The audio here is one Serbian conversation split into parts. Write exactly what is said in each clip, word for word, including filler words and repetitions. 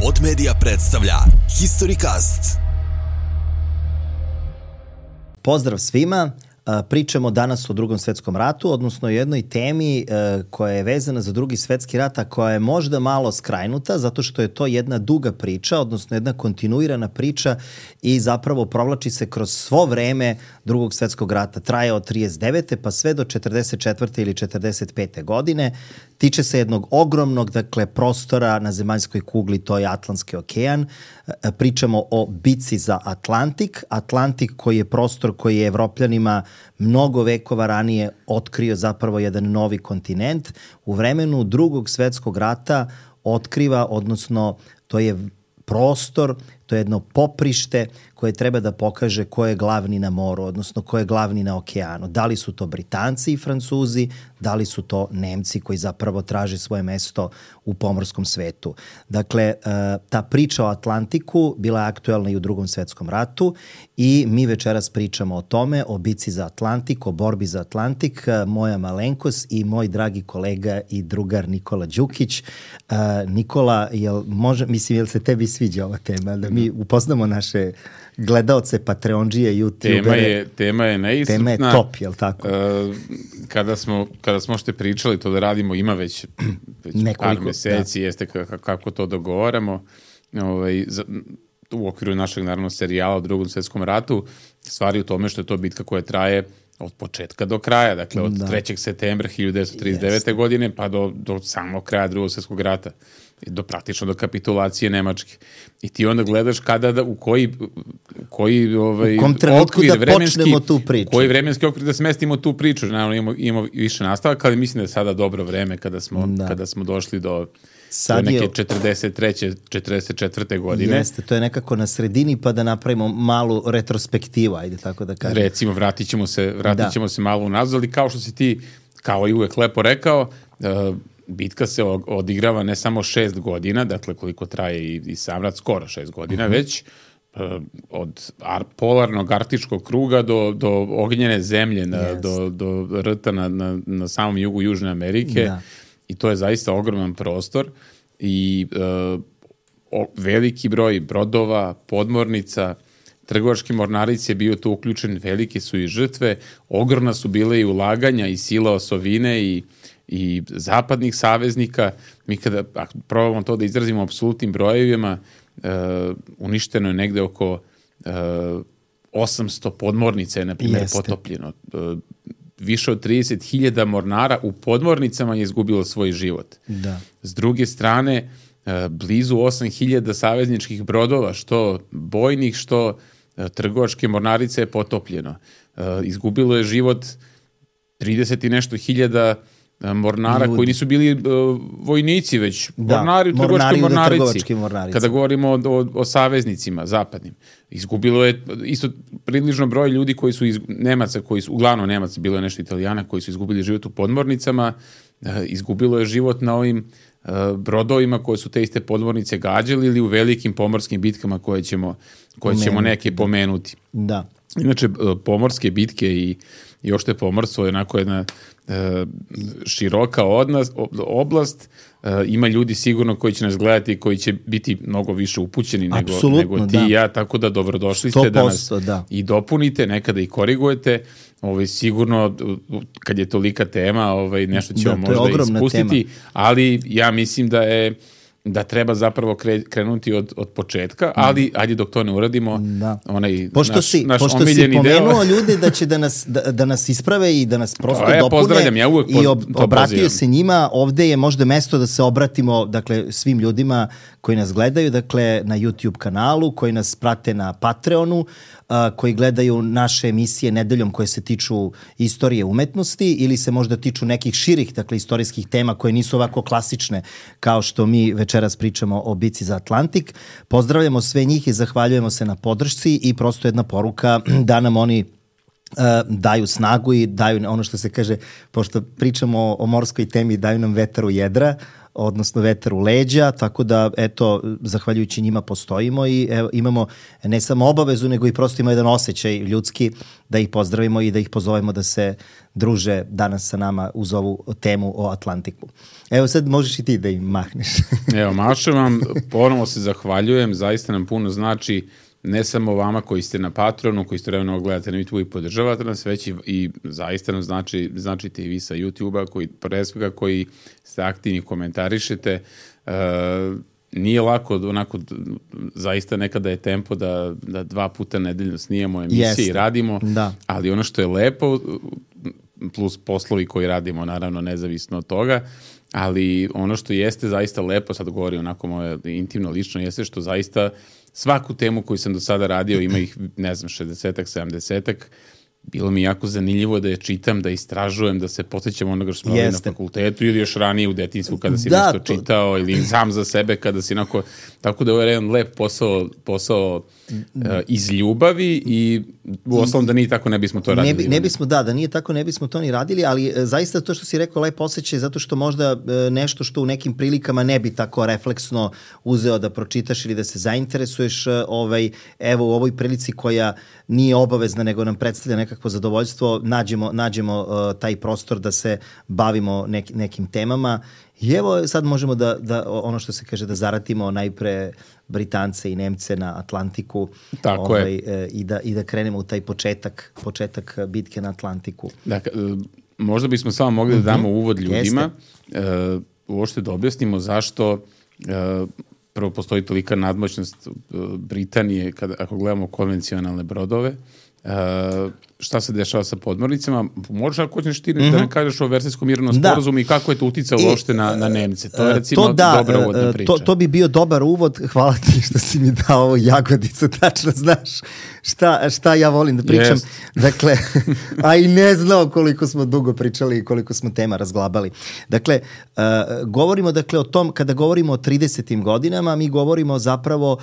Pod Media predstavlja Historicast. Pozdrav svima. Pričamo danas o Drugom svetskom ratu, odnosno o jednoj temi koja je vezana za Drugi svetski rat, a koja je možda malo skrajnuta, zato što je to jedna duga priča, odnosno jedna kontinuirana priča i zapravo provlači se kroz svo vreme Drugog svetskog rata. Traje od trideset devete pa sve do četrdeset četvrte ili četrdeset pete godine. Tiče se jednog ogromnog, dakle, prostora na zemaljskoj kugli, to je Atlantski okean. Pričamo o bici za Atlantik. Atlantik koji je prostor koji je Evropljanima mnogo vekova ranije otkrio zapravo jedan novi kontinent. U vremenu Drugog svetskog rata otkriva, odnosno to je prostor, to je jedno poprište koje treba da pokaže ko je glavni na moru, odnosno ko je glavni na okeanu. Da li su to Britanci i Francuzi, da li su to Nemci koji zapravo traže svoje mesto u pomorskom svetu. Dakle, ta priča o Atlantiku bila je aktuelna i u Drugom svetskom ratu i mi večeras pričamo o tome, o bici za Atlantik, o borbi za Atlantik. Moja malenkost i moj dragi kolega i drugar Nikola Đukić. Nikola, jel može, mislim, jel se tebi sviđa ova tema? Da mi upoznamo naše gledaoce, patreondžije, youtubere. Tema je, tema je neiscrpna. Tema je top, jel tako? Uh, kada smo, kada smo što pričali to da radimo, ima već, već par meseci, da. Jeste kako, kako to dogovaramo. Ovaj, za, u okviru našeg, naravno, serijala o Drugom svetskom ratu, stvari u tome što je to bitka koja traje od početka do kraja, dakle od da. trećeg septembra hiljadu devetsto trideset devete. Jeste. godine pa do, do samog kraja Drugog svjetskog rata, do praktično do kapitulacije Nemačke. I ti onda gledaš kada da, u koji, u koji ovaj, u kom trenutku okvir da vremenski, počnemo tu priču. Koji vremenski okvir da smestimo tu priču. Naravno imamo, imamo više nastavaka, ali mislim da je sada dobro vreme kada smo, da. kada smo došli do Sad neke je, četrdeset treće četrdeset četvrte godine. Jeste, to je nekako na sredini, pa da napravimo malu retrospektivu, ajde tako da kažem. Recimo, vratit ćemo se, vratit ćemo da. se malo unazad, ali kao što si ti, kao i uvek lepo rekao, uh, bitka se odigrava ne samo šest godina, dakle koliko traje i, i sam rat, skoro šest godina, uh-huh. već uh, od ar, polarnog arktičkog kruga do, do ognjene zemlje, na, do, do rta na, na, na samom jugu Južne Amerike. Da. I to je zaista ogroman prostor i uh, o, veliki broj brodova, podmornica, trgovački mornaric je bio tu uključen, velike su i žrtve, ogromna su bile i ulaganja i sila osovine i, i zapadnih saveznika. Mi kada probamo to da izrazimo apsolutnim brojevima, uh, uništeno je negde oko uh, osamsto podmornica je, na primjer, potopljeno. Uh, Više od trideset hiljada mornara u podmornicama je izgubilo svoj život. Da. S druge strane, blizu osam hiljada savezničkih brodova, što bojnih, što trgovačke mornarice je potopljeno. Izgubilo je život trideset i nešto hiljada mornara Ljudi. koji nisu bili uh, vojnici, već da, mornari u trgovačkoj mornarici. Kada govorimo o, o, o saveznicima zapadnim. Izgubilo je isto približno broj ljudi koji su iz Nemaca, koji su, uglavnom Nemaca, bilo je nešto Italijana koji su izgubili život u podmornicama, uh, izgubilo je život na ovim uh, brodovima koje su te iste podmornice gađali ili u velikim pomorskim bitkama koje ćemo, koje ćemo neke da. pomenuti. Da. Inače, uh, pomorske bitke i i ošte pomorstvo je onako jedna e, široka odnos, oblast. E, ima ljudi sigurno koji će nas gledati i koji će biti mnogo više upućeni nego, nego ti i ja, tako da dobrodošli ste da nas da. i dopunite, nekada i korigujete. Ovaj, sigurno, kad je tolika tema, ovaj, nešto ćemo da, možda ispustiti, tema. Ali ja mislim da je da treba zapravo kre, krenuti od, od početka, ali ajde dok to ne uradimo, da. onaj pošto naš, si, naš pošto omiljeni si pomenuo deo. ljude da će da nas, da, da nas isprave i da nas prosto ja dopune pozdravljam, ja uvek i ob, obratio pozivam. se njima, ovde je možda mesto da se obratimo, dakle, svim ljudima koji nas gledaju, dakle, na YouTube kanalu, koji nas prate na Patreonu, a, koji gledaju naše emisije nedeljom koje se tiču istorije umetnosti ili se možda tiču nekih širih, dakle, istorijskih tema koje nisu ovako klasične kao što mi večeras pričamo o bici za Atlantik. Pozdravljamo sve njih i zahvaljujemo se na podršci i prosto jedna poruka da nam oni uh, daju snagu i daju ono što se kaže, pošto pričamo o, o morskoj temi, daju nam vetar u jedra, odnosno vetar u leđa, tako da eto, zahvaljujući njima postojimo i evo, imamo ne samo obavezu, nego i prosto imamo jedan osjećaj ljudski da ih pozdravimo i da ih pozovemo da se druže danas sa nama uz ovu temu o Atlantiku. Evo sad možeš i ti da im mahneš. Evo, mašem vam, ponovno se zahvaljujem, zaista nam puno znači ne samo vama koji ste na Patronu, koji ste vremeno gledate na YouTube i podržavate nas, već i, i zaista nam znači, značite i vi sa YouTube-a, koji, pre svega koji ste aktivni, komentarišete. E, nije lako, onako, zaista nekada je tempo da, da dva puta nedeljno snijemo emisije Jeste. i radimo, da. ali ono što je lepo, plus poslovi koji radimo, naravno, nezavisno od toga, ali ono što jeste zaista lepo, sad govorim onako moje intimno, lično, jeste što zaista svaku temu koju sam do sada radio, ima ih, ne znam, šezdesetak, sedamdesetak, bilo mi jako zanimljivo da je čitam, da istražujem, da se podsjećam onoga što smo radili na fakultetu ili još ranije u detinjstvu kada si da, nešto to... čitao ili sam za sebe kada si onako... Tako da je ovo jedan lep posao, posao uh, iz ljubavi i u osnovom da nije tako ne bismo to radili. Ne, bi, ne bismo, da, da nije tako ne bismo to ni radili, ali e, zaista to što si rekao lep osjećaj zato što možda e, nešto što u nekim prilikama ne bi tako refleksno uzeo da pročitaš ili da se zainteresuješ, e, ovaj, evo u ovoj prilici koja nije obavezna nego nam predstavlja nekakvo zadovoljstvo, nađemo, nađemo uh, taj prostor da se bavimo nek, nekim temama. I evo sad možemo da, da ono što se kaže da zaratimo najpre Britance i Nemce na Atlantiku. Tako ovaj, je. I da, i da krenemo u taj početak, početak bitke na Atlantiku. Dakle, možda bismo samo mogli da damo uvod ljudima, uh, uopšte da objasnimo zašto uh, prvo postoji tolika nadmoćnost Britanije kada, ako gledamo konvencionalne brodove. Uh, šta se dešava sa podmornicama? Možeš ako hoćeš ti mm-hmm. da nam kažeš o Versajskom mirovnom sporazumu i kako je to uticalo uopšte na, na Nemce? To je recimo to da, dobra uvodna priča. To, to bi bio dobar uvod. Hvala ti što si mi dao ovo jagodicu, tačno znaš šta, šta ja volim da pričam. Yes. Dakle, a i ne znao koliko smo dugo pričali i koliko smo tema razglabali. Dakle, uh, govorimo dakle o tom, kada govorimo o tridesetim godinama, mi govorimo zapravo uh,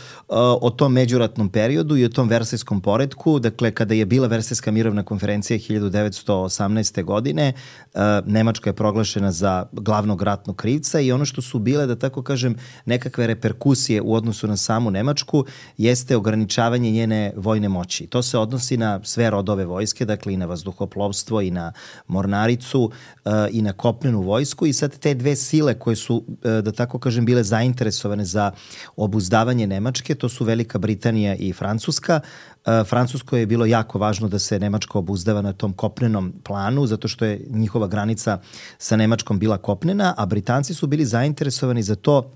o tom međuratnom periodu i o tom Versajskom poretku. Dakle, kada je bila Versajska mirovna konferencija hiljadu devetsto osamnaeste. godine, uh, Nemačka je proglašena za glavnog ratnog krivca i ono što su bile, da tako kažem, nekakve reperkusije u odnosu na samu Nemačku jeste ograničavanje njene vojne moći. To se odnosi na sve rodove vojske, dakle i na vazduhoplovstvo i na mornaricu uh, i na kopnenu vojsku i sad te dve sile koje su, uh, da tako kažem, bile zainteresovane za obuzdavanje Nemačke, to su Velika Britanija i Francuska. Uh, Francuskoj je bilo jako važno da se Nemačka obuzdava na tom kopnenom planu, zato što je njihova granica sa Nemačkom bila kopnena, a Britanci su bili zainteresovani za to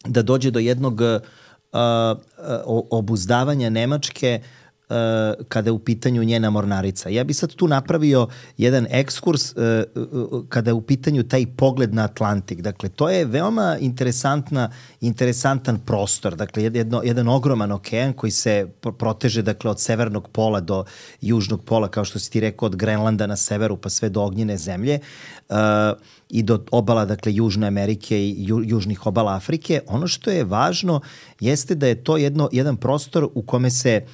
da dođe do jednog uh, uh, obuzdavanja Nemačke uh, kada je u pitanju njena mornarica. Ja bi sad tu napravio jedan ekskurs uh, uh, kada je u pitanju taj pogled na Atlantik. Dakle, to je veoma interesantna, interesantan prostor. Dakle, jedno, jedan ogroman okean koji se proteže dakle, od severnog pola do južnog pola, kao što si ti rekao, od Grenlanda na severu pa sve do ognjene zemlje uh, i do obala, dakle, Južne Amerike i ju, južnih obala Afrike. Ono što je važno jeste da je to jedno, jedan prostor u kome se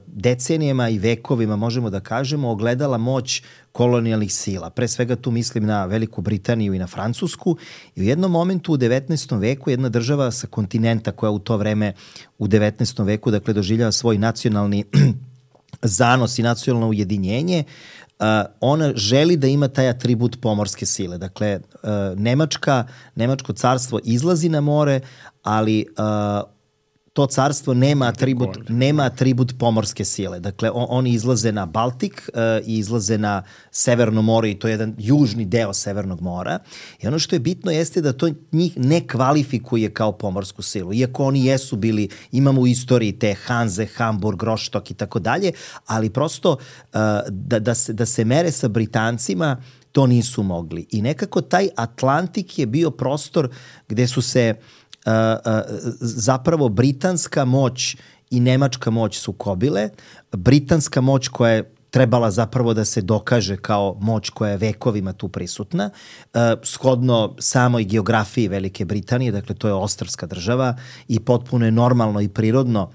decenijama i vekovima, možemo da kažemo, ogledala moć kolonijalnih sila. Pre svega tu mislim na Veliku Britaniju i na Francusku i u jednom momentu u devetnaestom veku jedna država sa kontinenta koja u to vreme u devetnaestom veku dakle doživljava svoj nacionalni zanos i nacionalno ujedinjenje, Uh, ona želi da ima taj atribut pomorske sile. Dakle, uh, Nemačka, Nemačko carstvo izlazi na more, ali uh, to carstvo nema atribut, nema atribut pomorske sile. Dakle, on, oni izlaze na Baltik uh, i izlaze na Severno more i to je jedan južni deo Severnog mora. I ono što je bitno jeste da to njih ne kvalifikuje kao pomorsku silu. Iako oni jesu bili, imamo u istoriji te Hanze, Hamburg, Rostock i tako dalje, ali prosto uh, da, da, se, da se mere sa Britancima to nisu mogli. I nekako taj Atlantik je bio prostor gde su se Uh, uh, zapravo britanska moć i nemačka moć sukobile. Britanska moć koja je trebala zapravo da se dokaže kao moć koja je vekovima tu prisutna, uh, shodno samoj geografiji Velike Britanije, dakle to je ostrvska država i potpuno je normalno i prirodno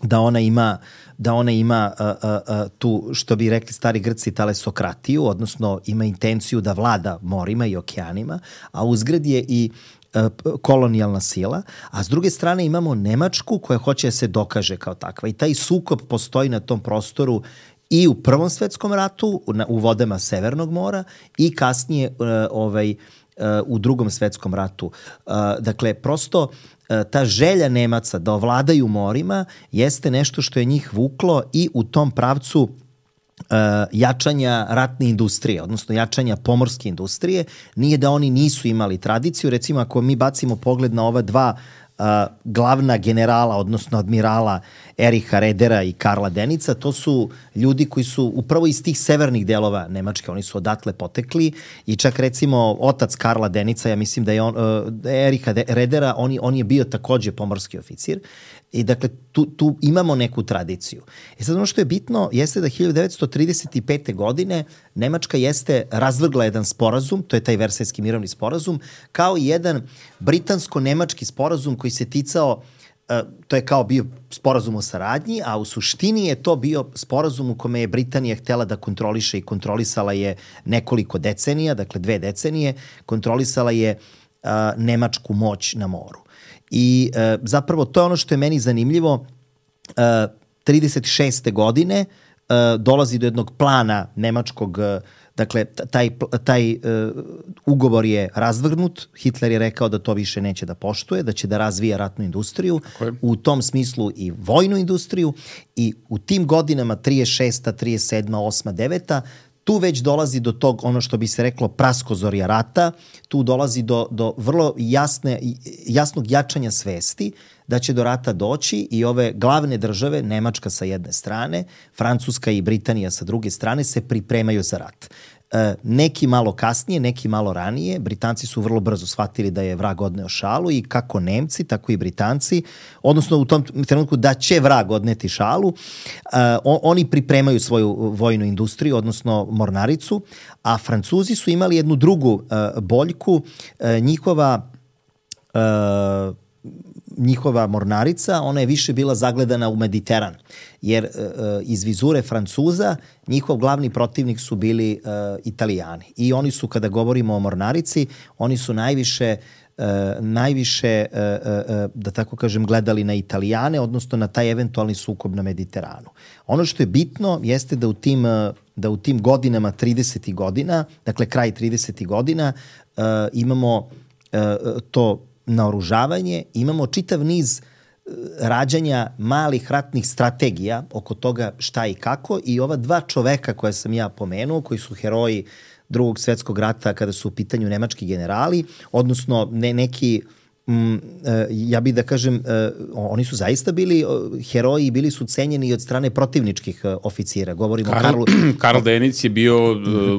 da ona ima da ona ima uh, uh, uh, tu, što bi rekli stari Grci, talesokratiju, odnosno ima intenciju da vlada morima i okeanima, a uzgred je i kolonijalna sila, a s druge strane imamo Nemačku koja hoće da se dokaže kao takva. I taj sukob postoji na tom prostoru i u Prvom svetskom ratu, u vodama Severnog mora i kasnije ovaj, u Drugom svetskom ratu. Dakle, prosto ta želja Nemaca da ovladaju morima jeste nešto što je njih vuklo i u tom pravcu Uh, jačanja ratne industrije, odnosno jačanja pomorske industrije. Nije da oni nisu imali tradiciju. Recimo, ako mi bacimo pogled na ova dva uh, glavna generala, odnosno admirala Eriha Redera i Karla Denica, to su ljudi koji su upravo iz tih severnih delova Nemačke, oni su odatle potekli i čak recimo otac Karla Denica, ja mislim da je on, uh, Eriha Redera, on, on je bio takođe pomorski oficir. I dakle, tu, tu imamo neku tradiciju. I sad ono što je bitno jeste da hiljadu devetsto trideset pete. godine Nemačka jeste razvrgla jedan sporazum, to je taj Versajski mirovni sporazum, kao i jedan britansko-nemački sporazum koji se ticao, uh, to je kao bio sporazum o saradnji, a u suštini je to bio sporazum u kome je Britanija htela da kontroliše i kontrolisala je nekoliko decenija, dakle dve decenije, kontrolisala je uh, nemačku moć na moru. I e, zapravo to je ono što je meni zanimljivo. E, trideset šeste. godine e, dolazi do jednog plana nemačkog, e, dakle taj, taj e, ugovor je razvrgnut, Hitler je rekao da to više neće da poštuje, da će da razvija ratnu industriju, u tom smislu i vojnu industriju i u tim godinama trideset šesta, trideset sedma, osma, deveta tu već dolazi do tog, ono što bi se reklo, praskozorja rata, tu dolazi do, do vrlo jasne, jasnog jačanja svesti da će do rata doći i ove glavne države, Nemačka sa jedne strane, Francuska i Britanija sa druge strane, se pripremaju za rat. E, neki malo kasnije, neki malo ranije, Britanci su vrlo brzo shvatili da je vrag odneo šalu i kako Nemci, tako i Britanci, odnosno u tom trenutku da će vrag odneti šalu, e, on, oni pripremaju svoju vojnu industriju, odnosno mornaricu, a Francuzi su imali jednu drugu e, boljku, e, njihova e, njihova mornarica, ona je više bila zagledana u Mediteran, jer e, iz vizure Francuza njihov glavni protivnik su bili e, Italijani. I oni su, kada govorimo o mornarici, oni su najviše, e, najviše e, e, da tako kažem, gledali na Italijane, odnosno na taj eventualni sukob na Mediteranu. Ono što je bitno jeste da u tim, da u tim godinama, tridesetih godina, dakle kraj tridesetih godina, e, imamo e, to naoružavanje, imamo čitav niz rađanja malih ratnih strategija oko toga šta i kako i ova dva čoveka koje sam ja pomenuo, koji su heroji Drugog svetskog rata kada su u pitanju nemački generali, odnosno ne, neki, m, ja bih da kažem, oni su zaista bili heroji i bili su cenjeni od strane protivničkih oficira. Govorimo Karl, o Karlu... Karl Denic je bio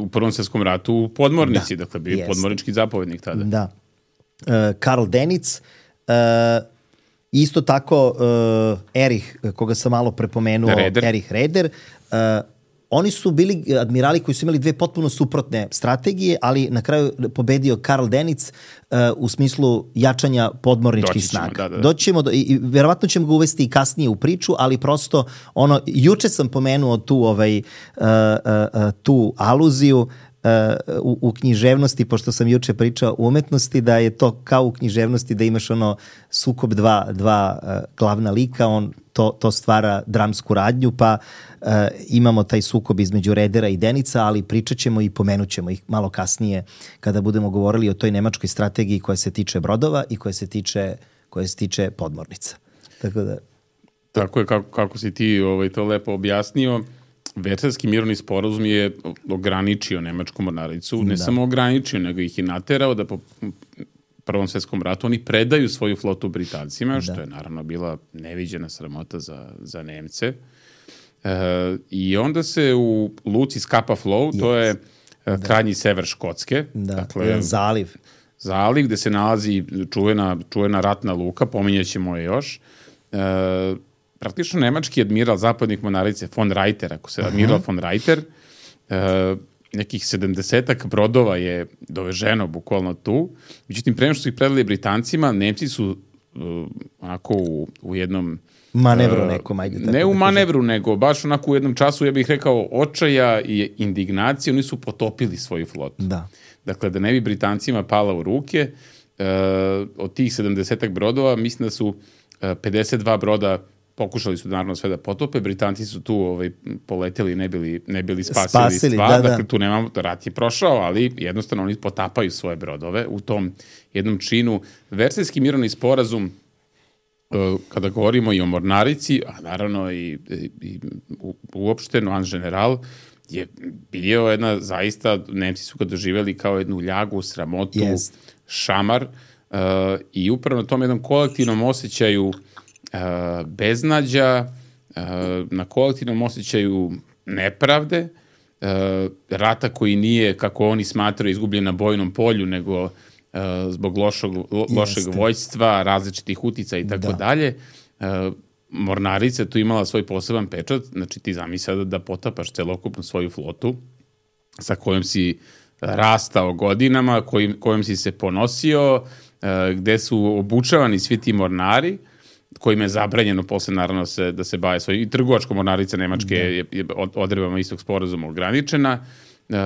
u Prvom svetskom ratu u podmornici, da, dakle bio je podmornički zapovednik tada. Da. Uh, Karl Denic, uh, isto tako uh, Erich, koga sam malo prepomenuo, Reder. Erich Reder, uh, oni su bili admirali koji su imali dve potpuno suprotne strategije, ali na kraju pobedio Karl Denic uh, u smislu jačanja podmorničkih snaga. Da, da. Doći ćemo do, i, i verovatno ćemo ga uvesti i kasnije u priču, ali prosto ono, juče sam pomenuo tu, ovaj, uh, uh, uh, tu aluziju, Uh, u, u književnosti, pošto sam juče pričao o umetnosti, da je to kao u književnosti da imaš ono sukob dva, dva uh, glavna lika, on to, to stvara dramsku radnju, pa uh, imamo taj sukob između Redera i Denica, ali pričat ćemo i pomenut ćemo ih malo kasnije kada budemo govorili o toj nemačkoj strategiji koja se tiče brodova i koja se tiče, koja se tiče podmornica. Tako da... Tako je, kako, kako si ti ovaj, to lepo objasnio. Versajski mirovni sporazum je ograničio nemačku mornaricu, ne da. samo ograničio, nego ih je naterao da po Prvom svetskom ratu oni predaju svoju flotu Britancima, da. što je naravno bila neviđena sramota za, za Nemce. E, I onda se u luci Scapa Flow, yes. to je da. krajnji sever Škotske, da. dakle, zaliv. Zaliv gde se nalazi čuvena, čuvena ratna luka, pominjaćemo je još, e, praktično nemački admiral zapadnih mornarice von Reiter, ako se admiral uh-huh. von Reiter, e, nekih sedamdesetak brodova je doveženo bukvalno tu. Međutim, pre nego što su ih predali Britancima, Nemci su uh, onako u, u jednom... Manevru nekom, ajde. Ne u manevru, nego baš onako u jednom času, ja bih rekao, očaja i indignacije, oni su potopili svoju flotu. Da. Dakle, da ne bi Britancima pala u ruke, od tih sedamdesetak brodova, mislim da su pedeset dva broda pokušali su naravno sve da potope, Britanci su tu ovaj, poleteli, ne bili, ne bili spasili, spasili stvar, da, dakle tu nemamo, rat je prošao, ali jednostavno oni potapaju svoje brodove u tom jednom činu. Versajski mirovni sporazum, kada govorimo i o mornarici, a naravno i, i, i uopšte Noan General, je bio jedna zaista, Nemci su ga doživjeli kao jednu ljagu, sramotu, yes. šamar uh, i upravo na tom jednom kolektivnom osjećaju uh, beznađa, uh, na kolektivnom osjećaju nepravde, uh, rata koji nije, kako oni smatraju, izgubljen na bojnom polju, nego uh, zbog lošog, lo, lošeg vojstva, različitih utica i tako dalje. Uh, Mornarica tu imala svoj poseban pečat, znači ti zamisli sada da potapaš celokupnu svoju flotu sa kojom si rastao godinama, kojim, kojom si se ponosio, gde su obučavani svi ti mornari, kojima je zabranjeno posle naravno se, da se baje svoj, i trgovačka mornarica Nemačke da. je, je odredbama istog sporazuma ograničena. Uh,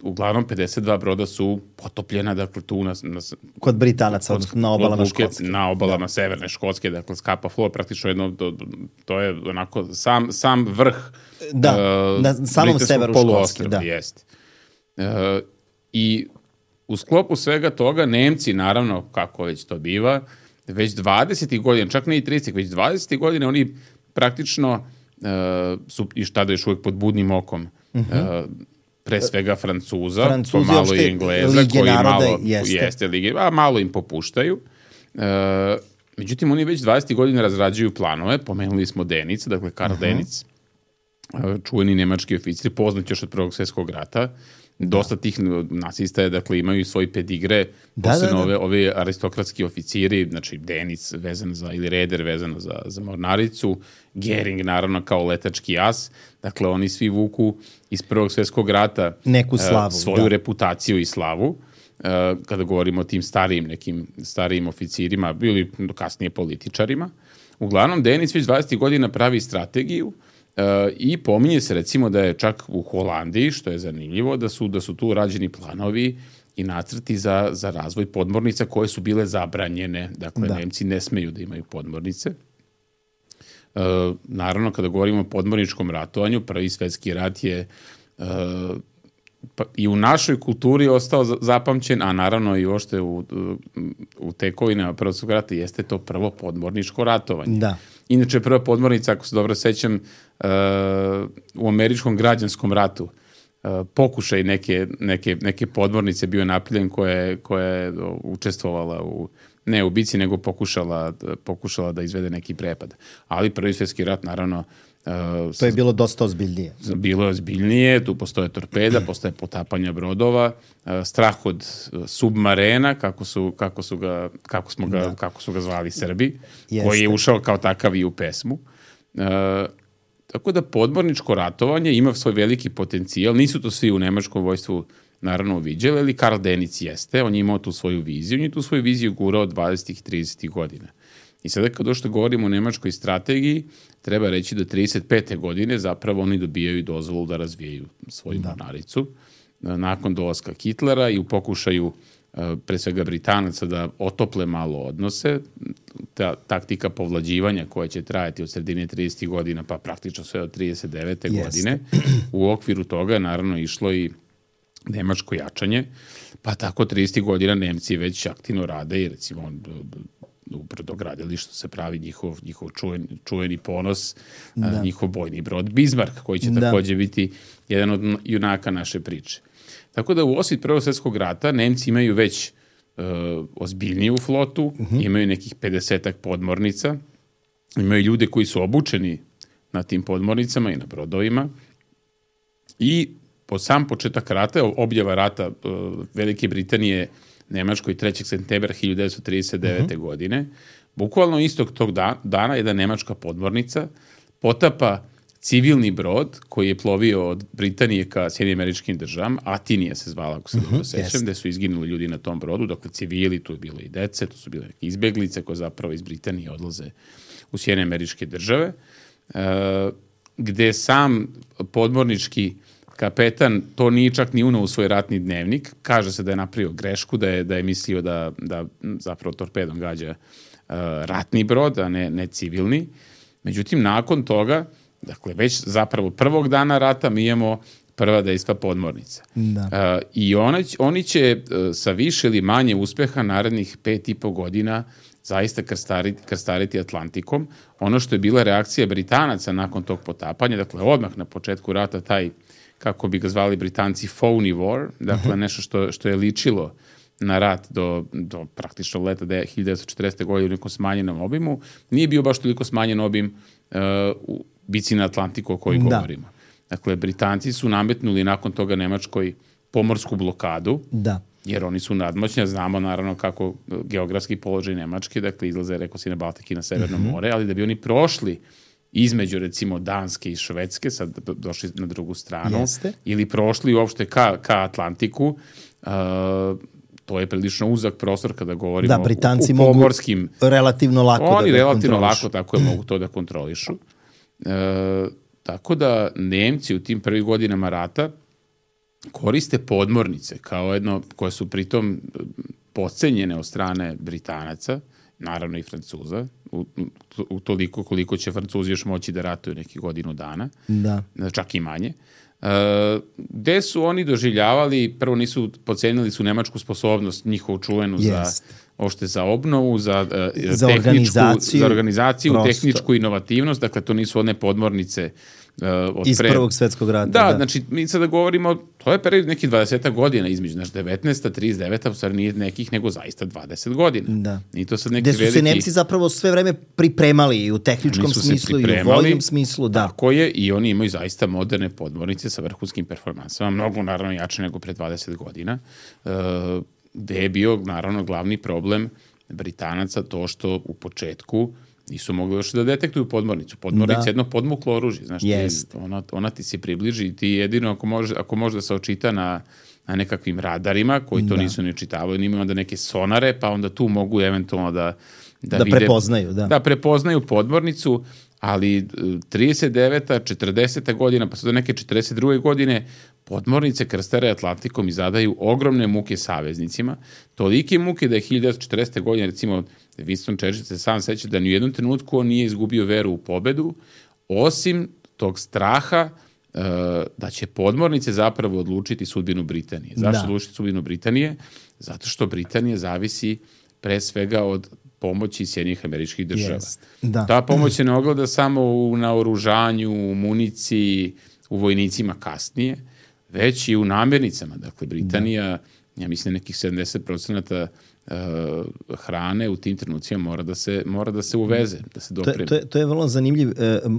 uglavnom pedeset dva broda su potopljena, dakle tu na, na kod Britanaca, odnosno na obalama Luke, Škotske. Na obalama da. Severne Škotske, dakle Scapa Flow, praktično jedno, to, to je onako sam, sam vrh da, uh, na samom severu Škotske. Da. Jeste. Uh, I u sklopu svega toga Nemci, naravno, kako već to biva, već dvadesetih godina, čak ne i tridesetih, već dvadesetih godina oni praktično uh, su i šta da još uvijek pod budnim okom uh-huh. uh, pre svega Francuza, Francuzi, pomalo i Engleza, koji naroda, malo, jeste. Jeste, lige, a malo im popuštaju. E, međutim, oni već dvadesetih godina razrađuju planove, pomenuli smo Denic, dakle Karl uh-huh. Denic, čuveni nemački oficir, poznat još od Prvog svjetskog rata. Dosta tih nacista je, dakle, imaju svoj pedigre, da, posebno da, da. Ove, ove aristokratski oficiri, znači Denic vezan za, ili Reder vezano za, za mornaricu, Gering naravno kao letački as, dakle oni svi vuku iz Prvog svjetskog rata neku slavu, uh, svoju da. reputaciju i slavu, uh, kada govorimo o tim starijim nekim starijim oficirima ili kasnije političarima. Uglavnom, Denic već dvadesetih godina pravi strategiju. Uh, i pominje se recimo da je čak u Holandiji, što je zanimljivo, da su, da su tu rađeni planovi i nacrti za, za razvoj podmornica koje su bile zabranjene. Dakle, da. Nemci ne smeju da imaju podmornice. Uh, naravno, kada govorimo o podmorničkom ratovanju, Prvi svjetski rat je uh, pa, i u našoj kulturi ostao zapamćen, a naravno i uopšte u, u, u tekovinama Prvog svjetskog rata jeste to prvo podmorničko ratovanje. Da. Inače, prva podmornica, ako se dobro sećam, uh, u američkom građanskom ratu, uh, pokušaj neke, neke, neke podmornice bio napravljen koja, koja je učestvovala u, ne u bici, nego pokušala, pokušala da izvede neki prepad. Ali Prvi svjetski rat, naravno, Uh, to je bilo dosta ozbiljnije. Bilo je ozbiljnije, tu postoje torpeda, postoje potapanja brodova, uh, strah od uh, submarena, kako su, kako su ga, kako smo ga, da. kako su ga zvali Srbi, Jeste. koji je ušao kao takav i u pesmu. Uh, tako da podmorničko ratovanje ima svoj veliki potencijal, nisu to svi u nemačkom vojstvu naravno uviđali, ali Karl Denic jeste, on je imao tu svoju viziju, on je tu svoju viziju gurao dvadesetih i tridesetih godina. I sada kad došto govorimo o nemačkoj strategiji, treba reći da trideset pete godine zapravo oni dobijaju dozvolu da razvijaju svoju da. mornaricu nakon dolaska Hitlera i u pokušaju pre svega Britanaca da otople malo odnose. Ta taktika povlađivanja koja će trajati od sredine tridesetih godina pa praktično sve od trideset devete Yes. godine. U okviru toga je naravno išlo i nemačko jačanje, pa tako tridesetih godina Nemci već aktivno rade i recimo u brodogradilištu se pravi njihov, njihov čuveni, čuveni ponos, da. njihov bojni brod Bismarck, koji će da. također biti jedan od junaka naše priče. Tako da u osvit Prvog svjetskog rata Nemci imaju već uh, ozbiljniju flotu, uh-huh. imaju nekih pedesetak podmornica, imaju ljude koji su obučeni na tim podmornicama i na brodovima i po sam početak rata, objava rata uh, Velike Britanije Nemačkoj trećeg septembra hiljadu devetsto trideset devete. Uh-huh. godine, bukvalno istog tog da, dana jedna nemačka podmornica potapa civilni brod koji je plovio od Britanije ka Sjedinjenim Američkim Državama, Atinija se zvala, ako se uh-huh. dobro sećam, gde su izginuli ljudi na tom brodu, dakle civili, tu je bilo i dece, tu su bile neke izbeglice koje zapravo iz Britanije odlaze u Sjedinjene Američke Države, uh, gde sam podmornički kapetan to nije čak ni unao u svoj ratni dnevnik. Kaže se da je napravio grešku, da je, da je mislio da, da zapravo torpedom gađa uh, ratni brod, a ne, ne civilni. Međutim, nakon toga, dakle, već zapravo prvog dana rata mi imamo prva dejstva podmornica. Da. Uh, I ona, oni će uh, sa više ili manje uspeha narednih pet i po godina zaista krstariti, krstariti Atlantikom. Ono što je bila reakcija Britanaca nakon tog potapanja, dakle, odmah na početku rata taj, kako bi ga zvali Britanci, phony war, dakle, uh-huh. nešto što, što je ličilo na rat do, do praktično leta hiljadu devetsto četrdesete. godine u nekom smanjenom obimu, nije bio baš toliko smanjen obim uh, u bici na Atlantiku o kojoj da. govorimo. Dakle, Britanci su nametnuli nakon toga Nemačkoj pomorsku blokadu, da. jer oni su nadmoćni, znamo naravno kako geografski položaj Nemačke, dakle, izlaze, rekao si, na Baltik i na Severno uh-huh. more, ali da bi oni prošli između, recimo, Danske i Švedske, sad došli na drugu stranu, Jeste. ili prošli uopšte ka, ka Atlantiku, uh, to je prilično uzak prostor kada govorimo da, Britanci u, u pomorskim... mogu relativno lako oni da relativno lako tako je mogu to da kontrolišu. Uh, tako da Nemci u tim prvih godinama rata koriste podmornice kao jedno, koje su pritom podcenjene od strane Britanaca, naravno i Francuza, u, u toliko koliko će Francuzi još moći da ratuju nekih godinu dana, da. čak i manje. Uh, gde su oni doživljavali, prvo nisu, podcenili su nemačku sposobnost, njihovu čuvenu yes. za ošte za obnovu, za, uh, za tehničku, organizaciju, za organizaciju prosto. tehničku inovativnost, dakle to nisu one podmornice uh, od iz pre... Prvog svetskog rata. Da, da, znači mi sada govorimo, to je period nekih dvadeset godina između, znači devetnaesta, trideset deveta, u stvari nije nekih, nego zaista dvadeset godina. Da. I to sad neki gde su veliki... se Nemci zapravo sve vreme pripremali i u tehničkom smislu i u vojnom smislu. Da. Tako je, i oni imaju zaista moderne podmornice sa vrhunskim performansama, mnogo naravno jače nego pre dvadeset godina, uh, gde je bio naravno glavni problem Britanaca to što u početku nisu mogli još da detektuju podmornicu. Podmornica je jedno podmuklo oružje. Znaš, yes. ti, ona, ona ti se približi i ti jedino ako može, ako može da se očita na, na nekakvim radarima koji to da. nisu ni očitavali, oni imaju onda neke sonare, pa onda tu mogu eventualno da da, da vide, prepoznaju. Da. da prepoznaju podmornicu, ali trideset deveta, četrdeseta godina, pa sve do neke četrdeset druge godine podmornice krstare Atlantikom i zadaju ogromne muke saveznicima. Tolike muke da je hiljadu devetsto četrdesete. godine, recimo, Winston Churchill se sam seća da ni u jednom trenutku on nije izgubio veru u pobedu, osim tog straha uh, da će podmornice zapravo odlučiti sudbinu Britanije. Zašto da. odlučiti sudbinu Britanije? Zato što Britanija zavisi pre svega od pomoći Sjedinjenih Američkih Država. Yes. Da. Ta pomoć se ne ogleda samo u naoružanju, u municiji, u vojnicima kasnije, već i u namirnicama. Dakle, Britanija, da. ja mislim, nekih sedamdeset procenata uh, hrane u tim trenucima mora da se, mora da se uveze, da se dopremi. To je, to je vrlo zanimljiv uh,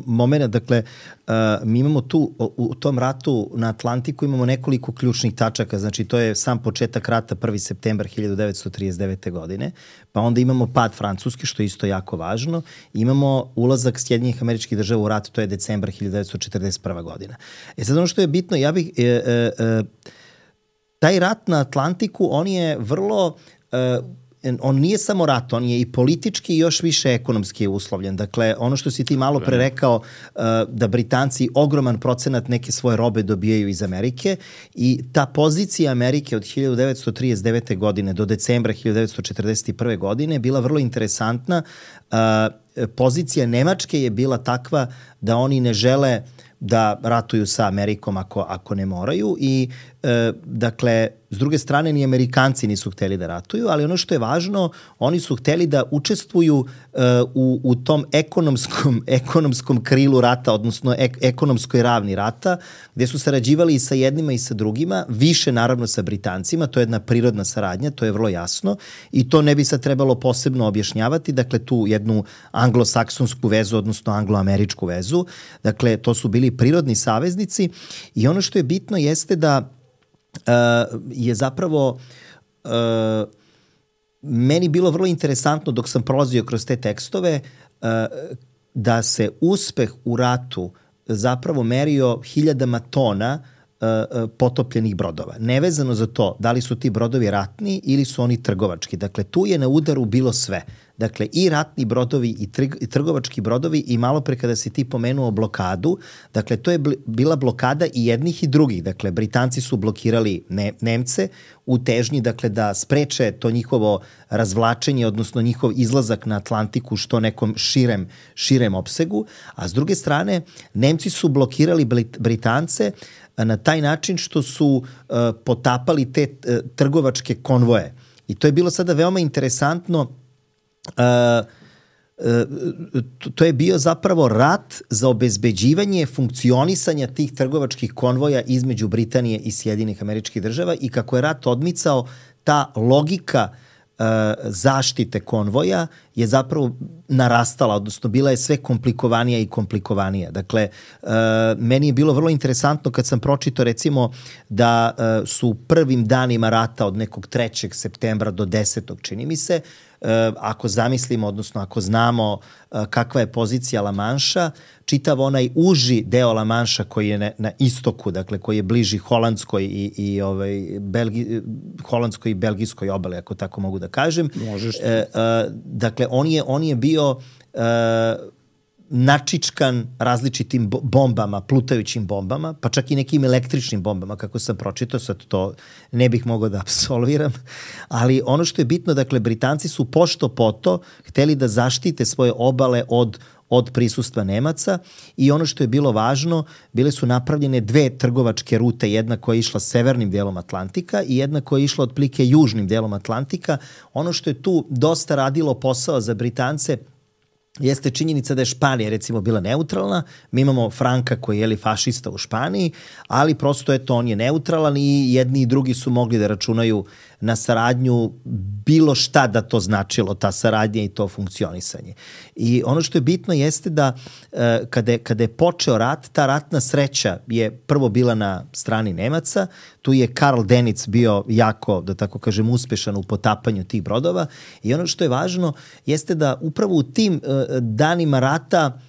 moment. Dakle, uh, mi imamo tu, u, u tom ratu na Atlantiku imamo nekoliko ključnih tačaka. Znači, to je sam početak rata prvi septembar hiljadu devetsto trideset devete. godine, pa onda imamo pad Francuske, što je isto jako važno. Imamo ulazak Sjedinjenih Američkih Država u rat, to je decembar hiljadu devetsto četrdeset prva. godina. E sad ono što je bitno, ja bih... E, e, e, taj rat na Atlantiku, on je vrlo... Uh, on nije samo rat, on je i politički i još više ekonomski uslovljen. Dakle, ono što si ti malo pre rekao, uh, da Britanci ogroman procenat neke svoje robe dobijaju iz Amerike i ta pozicija Amerike od hiljadu devetsto trideset devete. godine do decembra hiljadu devetsto četrdeset prve. godine bila vrlo interesantna. Uh, pozicija Nemačke je bila takva da oni ne žele da ratuju sa Amerikom ako, ako ne moraju i e, dakle, s druge strane ni Amerikanci nisu hteli da ratuju, ali ono što je važno, oni su hteli da učestvuju e, u, u tom ekonomskom, ekonomskom krilu rata, odnosno ek, ekonomskoj ravni rata, gde su sarađivali i sa jednima i sa drugima, više naravno sa Britancima, to je jedna prirodna saradnja, to je vrlo jasno i to ne bi sad trebalo posebno objašnjavati, dakle tu jednu anglosaksonsku vezu, odnosno angloameričku vezu, dakle to su bili prirodni saveznici i ono što je bitno jeste da uh, je zapravo uh, meni bilo vrlo interesantno dok sam prolazio kroz te tekstove uh, da se uspeh u ratu zapravo merio hiljadama tona uh, potopljenih brodova. Nevezano za to da li su ti brodovi ratni ili su oni trgovački. Dakle, tu je na udaru bilo sve. dakle i ratni brodovi i, trg, i trgovački brodovi i malo pre kada si ti pomenuo blokadu, dakle to je bila blokada i jednih i drugih, dakle Britanci su blokirali ne, Nemce u težnji dakle da spreče to njihovo razvlačenje, odnosno njihov izlazak na Atlantiku što nekom širem, širem opsegu, a s druge strane Nemci su blokirali Britance na taj način što su uh, potapali te uh, trgovačke konvoje. I to je bilo sada veoma interesantno. Uh, uh, to je bio zapravo rat za obezbeđivanje funkcionisanja tih trgovačkih konvoja između Britanije i Sjedinjenih Američkih Država i kako je rat odmicao, ta logika zaštite konvoja je zapravo narastala, odnosno bila je sve komplikovanija i komplikovanija. Dakle, meni je bilo vrlo interesantno kad sam pročitao recimo da su prvim danima rata od nekog trećeg septembra do desetog čini mi se, ako zamislimo, odnosno ako znamo kakva je pozicija La Manša, čitav onaj uži deo La Manša koji je na, na istoku, dakle koji je bliži holandskoj i, i ovaj, Belgi, holandskoj i belgijskoj obali, ako tako mogu da kažem. Možeš. E, e, dakle, on je, on je bio e, načičkan različitim bombama, plutajućim bombama, pa čak i nekim električnim bombama, kako sam pročitao, sad to ne bih mogao da apsolviram, ali ono što je bitno, dakle, Britanci su pošto poto hteli da zaštite svoje obale od od prisustva Nemaca i ono što je bilo važno, bile su napravljene dve trgovačke rute, jedna koja je išla severnim delom Atlantika i jedna koja je išla otprilike južnim delom Atlantika. Ono što je tu dosta radilo posao za Britance jeste činjenica da je Španija recimo bila neutralna, mi imamo Franka koji je li fašista u Španiji, ali prosto eto on je neutralan i jedni i drugi su mogli da računaju na saradnju, bilo šta da to značilo, ta saradnja i to funkcionisanje. I ono što je bitno jeste da kada je, kada je počeo rat, ta ratna sreća je prvo bila na strani Nemaca, tu je Karl Dönitz bio jako, da tako kažem, uspešan u potapanju tih brodova i ono što je važno jeste da upravo u tim danima rata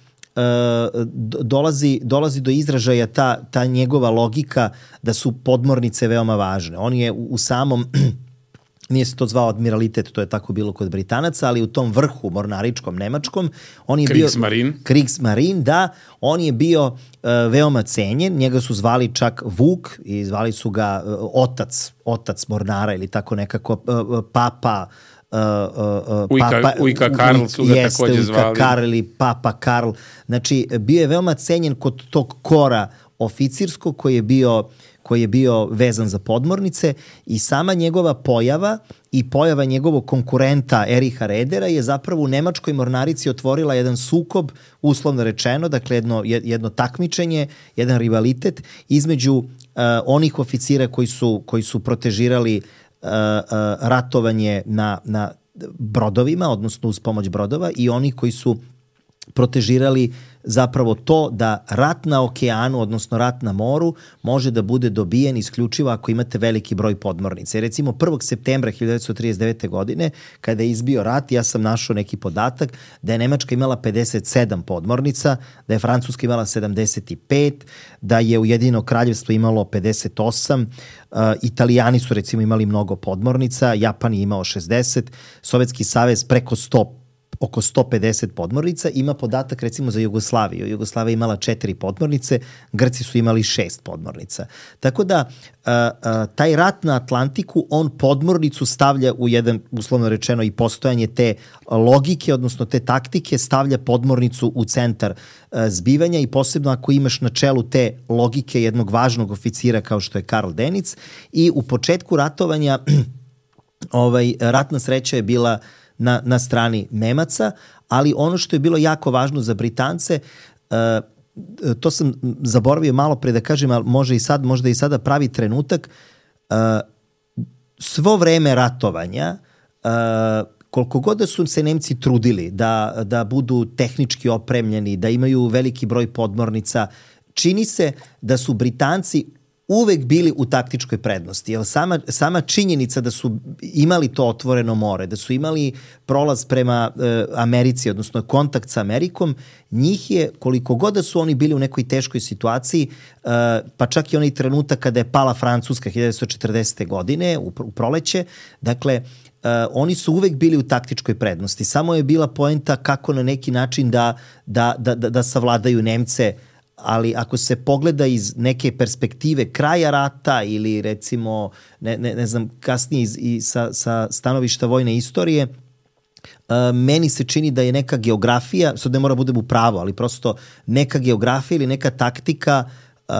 dolazi, dolazi do izražaja ta, ta njegova logika da su podmornice veoma važne. On je u samom, nije se to zvao admiralitet, to je tako bilo kod Britanaca, ali u tom vrhu mornaričkom nemačkom, on je Kriegsmarine. bio Kriegsmarine, da, on je bio uh, veoma cenjen, njega su zvali čak Vuk i zvali su ga uh, otac, otac mornara ili tako nekako uh, papa Uh, uh, uh, Ujka, papa, Ujka Karl su ga jeste, takođe Ujka zvali. Karl ili Papa Karl. Znači, bio je veoma cenjen kod tog kora oficirskog koji je bio, koji je bio vezan za podmornice i sama njegova pojava i pojava njegovog konkurenta Eriha Redera je zapravo u nemačkoj mornarici otvorila jedan sukob, uslovno rečeno, dakle jedno, jedno takmičenje, jedan rivalitet između uh, onih oficira koji su, koji su protežirali Uh, uh, ratovanje na, na brodovima, odnosno uz pomoć brodova i oni koji su protežirali zapravo to da rat na okeanu, odnosno rat na moru, može da bude dobijen isključivo ako imate veliki broj podmornica. I recimo prvog septembra hiljadu devetsto trideset devete. godine, kada je izbio rat, ja sam našao neki podatak da je Nemačka imala pedeset sedam podmornica, da je Francuska imala sedamdeset pet, da je Ujedinjeno Kraljevstvo imalo pedeset osam, uh, Italijani su recimo imali mnogo podmornica, Japan je imao šezdeset, Sovjetski savez preko sto oko sto pedeset podmornica, ima podatak recimo za Jugoslaviju. Jugoslavija imala četiri podmornice, Grci su imali šest podmornica. Tako da uh, uh, taj rat na Atlantiku, on podmornicu stavlja u jedan, uslovno rečeno, i postojanje te logike, odnosno te taktike, stavlja podmornicu u centar uh, zbivanja i posebno ako imaš na čelu te logike jednog važnog oficira kao što je Karl Dönitz i u početku ratovanja ovaj, ratna sreća je bila Na, na strani Nemaca, ali ono što je bilo jako važno za Britance, uh, to sam zaboravio malo pre da kažem, ali može i sad, možda i sada pravi trenutak, uh, svo vreme ratovanja, uh, koliko god da su se Nemci trudili da, da budu tehnički opremljeni, da imaju veliki broj podmornica, čini se da su Britanci uvek bili u taktičkoj prednosti. Jer sama, sama činjenica da su imali to otvoreno more, da su imali prolaz prema e, Americi, odnosno kontakt sa Amerikom, njih je, koliko god da su oni bili u nekoj teškoj situaciji, e, pa čak i onaj trenutak kada je pala Francuska hiljadu devetsto četrdesete. godine u, u proleće, dakle, Uh, oni su uvek bili u taktičkoj prednosti. Samo je bila poenta kako na neki način da, da, da, da, da savladaju Nemce, ali ako se pogleda iz neke perspektive kraja rata ili recimo, ne, ne, ne znam, kasnije iz, i sa, sa stanovišta vojne istorije, uh, meni se čini da je neka geografija, sad ne mora budem u pravu, ali prosto neka geografija ili neka taktika uh,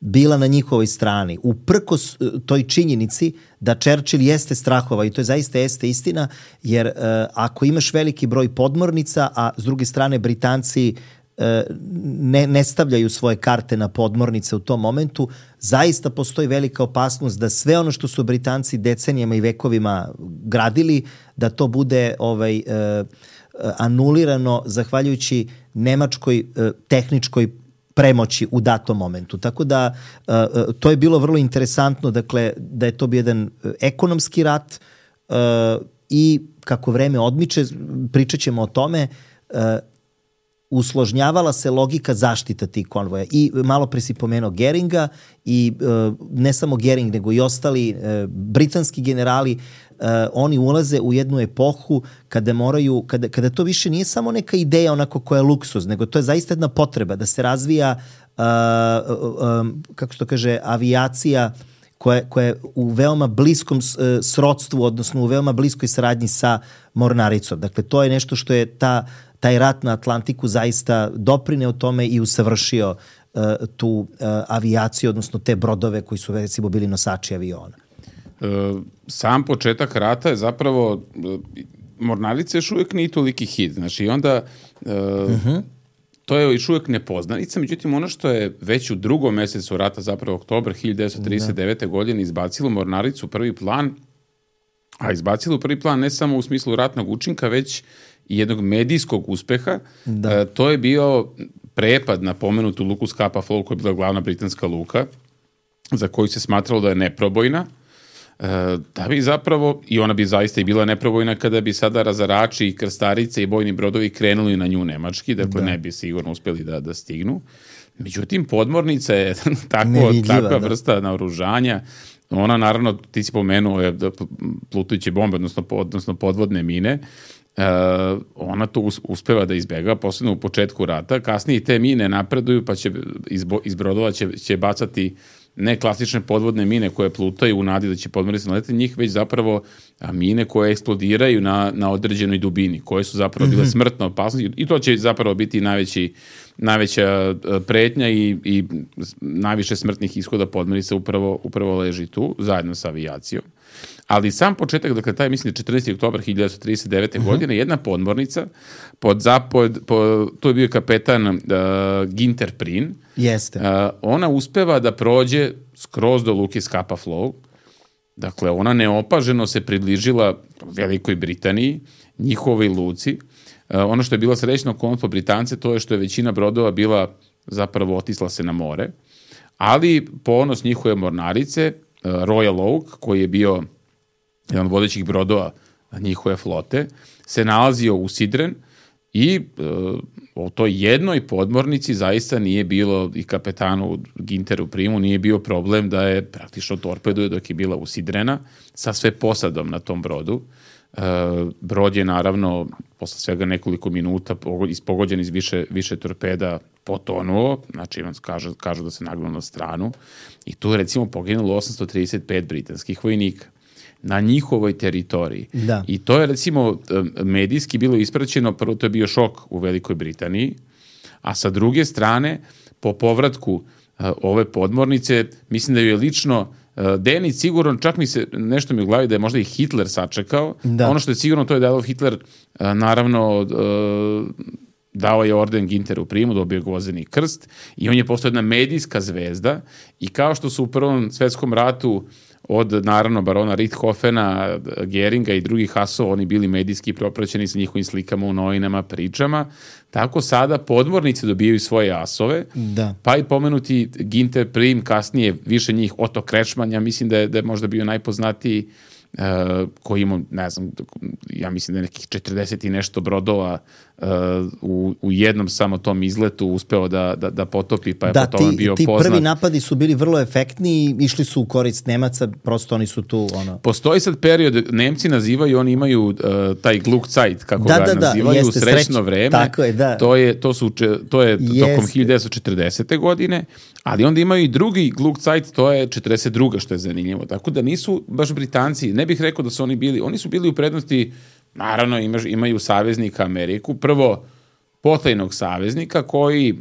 bila na njihovoj strani. Uprkos toj činjenici da Churchill jeste strahova, i to je zaista jeste istina, jer uh, ako imaš veliki broj podmornica, a s druge strane Britanci uh, ne, ne stavljaju svoje karte na podmornice u tom momentu, zaista postoji velika opasnost da sve ono što su Britanci decenijama i vekovima gradili, da to bude ovaj, uh, anulirano zahvaljujući nemačkoj uh, tehničkoj premoći u datom momentu. Tako da uh, to je bilo vrlo interesantno, dakle, da je to bio jedan ekonomski rat uh, i kako vreme odmiče, pričat ćemo o tome, uh, usložnjavala se logika zaštita tih konvoja. I malo pre si pomenuo Geringa i uh, ne samo Gering, nego i ostali uh, britanski generali, uh, oni ulaze u jednu epohu kada moraju, kada, kada to više nije samo neka ideja onako koja je luksuz, nego to je zaista jedna potreba da se razvija, uh, uh, um, kako se to kaže, avijacija koja, koja je u veoma bliskom uh, srodstvu, odnosno u veoma bliskoj saradnji sa mornaricom. Dakle, to je nešto što je ta taj rat na Atlantiku zaista doprineo tome i usavršio uh, tu uh, avijaciju, odnosno te brodove koji su recimo bili nosači aviona. E, sam početak rata je zapravo, mornarica još uvijek nije toliki hit, znači i onda e, uh-huh. to je još uvijek nepoznanica, međutim ono što je već u drugom mesecu rata, zapravo oktobar hiljadu devetsto trideset devete. Da. godine izbacilo mornaricu u prvi plan, a izbacilo u prvi plan ne samo u smislu ratnog učinka, već i jednog medijskog uspeha. Da. E, to je bio prepad na pomenutu luku Scapa Flow, koja je bila glavna britanska luka, za koju se smatralo da je neprobojna. E, da bi zapravo, i ona bi zaista i bila neprobojna kada bi sada razarači i krstarice i bojni brodovi krenuli na nju nemački, dakle da. ne bi sigurno uspjeli da, da stignu. Međutim, podmornica je tako, takva da. vrsta naoružanja. Ona, naravno, ti si pomenuo je plutujuće bombe, odnosno, odnosno podvodne mine. Uh, ona to uspeva da izbjega, posebno u početku rata. Kasnije te mine napreduju, pa će iz, iz brodova će, će bacati ne klasične podvodne mine koje plutaju u nadi da će podmornice naletiti njih, već zapravo mine koje eksplodiraju na, na određenoj dubini, koje su zapravo bile smrtno opasne, i to će zapravo biti najveći, najveća pretnja i, i najviše smrtnih ishoda podmornica upravo, upravo leži tu, zajedno sa avijacijom. Ali sam početak, dakle, taj, mislim, četrnaesti oktobar hiljadu devetsto trideset devete. Uh-huh. godine, jedna podmornica, pod zapod, pod, to je bio kapetan uh, Ginter Prin. Jeste. Uh, ona uspeva da prođe skroz do luke Scapa Flow. Dakle, ona neopaženo se približila Velikoj Britaniji, njihovoj luci. Uh, ono što je bila srećna okolnost po Britance, to je što je većina brodova bila, zapravo otisla se na more. Ali ponos njihove mornarice, uh, Royal Oak, koji je bio jedan od vodećih brodova njihove flote, se nalazio usidren i e, o toj jednoj podmornici zaista nije bilo, i kapetanu Ginteru Primu nije bio problem da je praktično torpeduje dok je bila usidrena sa sve posadom na tom brodu. E, brod je naravno posle svega nekoliko minuta ispogođen iz više, više torpeda potonuo, znači kažu, kažu da se nagnao na stranu, i tu je recimo poginulo osamsto trideset pet britanskih vojnika na njihovoj teritoriji. Da. I to je recimo medijski bilo ispraćeno, prvo to je bio šok u Velikoj Britaniji, a sa druge strane, po povratku uh, ove podmornice, mislim da ju je lično uh, Denić sigurno, čak mi se, nešto mi u glavi da je možda i Hitler sačekao. Da. Ono što je sigurno, to je da je Hitler uh, naravno uh, dao je orden Ginteru Primu, dobio je Gvozdeni krst i on je postao jedna medijska zvezda i kao što su u Prvom svetskom ratu od, naravno, barona Richthofena, Geringa i drugih hasova, oni bili medijski propraćeni sa njihovim slikama u novinama, pričama, tako sada podmornici dobijaju svoje asove, da. Pa i pomenuti Ginter Prim, kasnije više njih, Otto Kretschmann, ja mislim da je, da je možda bio najpoznatiji, Uh, koji ima, ne znam, ja mislim da je nekih četrdeset i nešto brodova uh, u, u jednom samo tom izletu uspeo da, da, da potopi, pa je da, po tome ti, bio ti poznat. Da, ti prvi napadi su bili vrlo efektni i išli su u korist Nemaca, prosto oni su tu... Ono... Postoji sad period, Nemci nazivaju, oni imaju uh, taj Glückzeit, kako da, ga da, nazivaju, da, jeste, srećno sreć, vreme. Tako je, da. To je, to su, to je jeste. Tokom hiljadu devetsto četrdesete godine, ali onda imaju i drugi Glückzeit, to je četrdeset druga što je zanimljivo. Tako da nisu baš Britanci, ne bih rekao da su oni bili, oni su bili u prednosti, naravno imaš, imaju saveznika Ameriku, prvo potajnog saveznika koji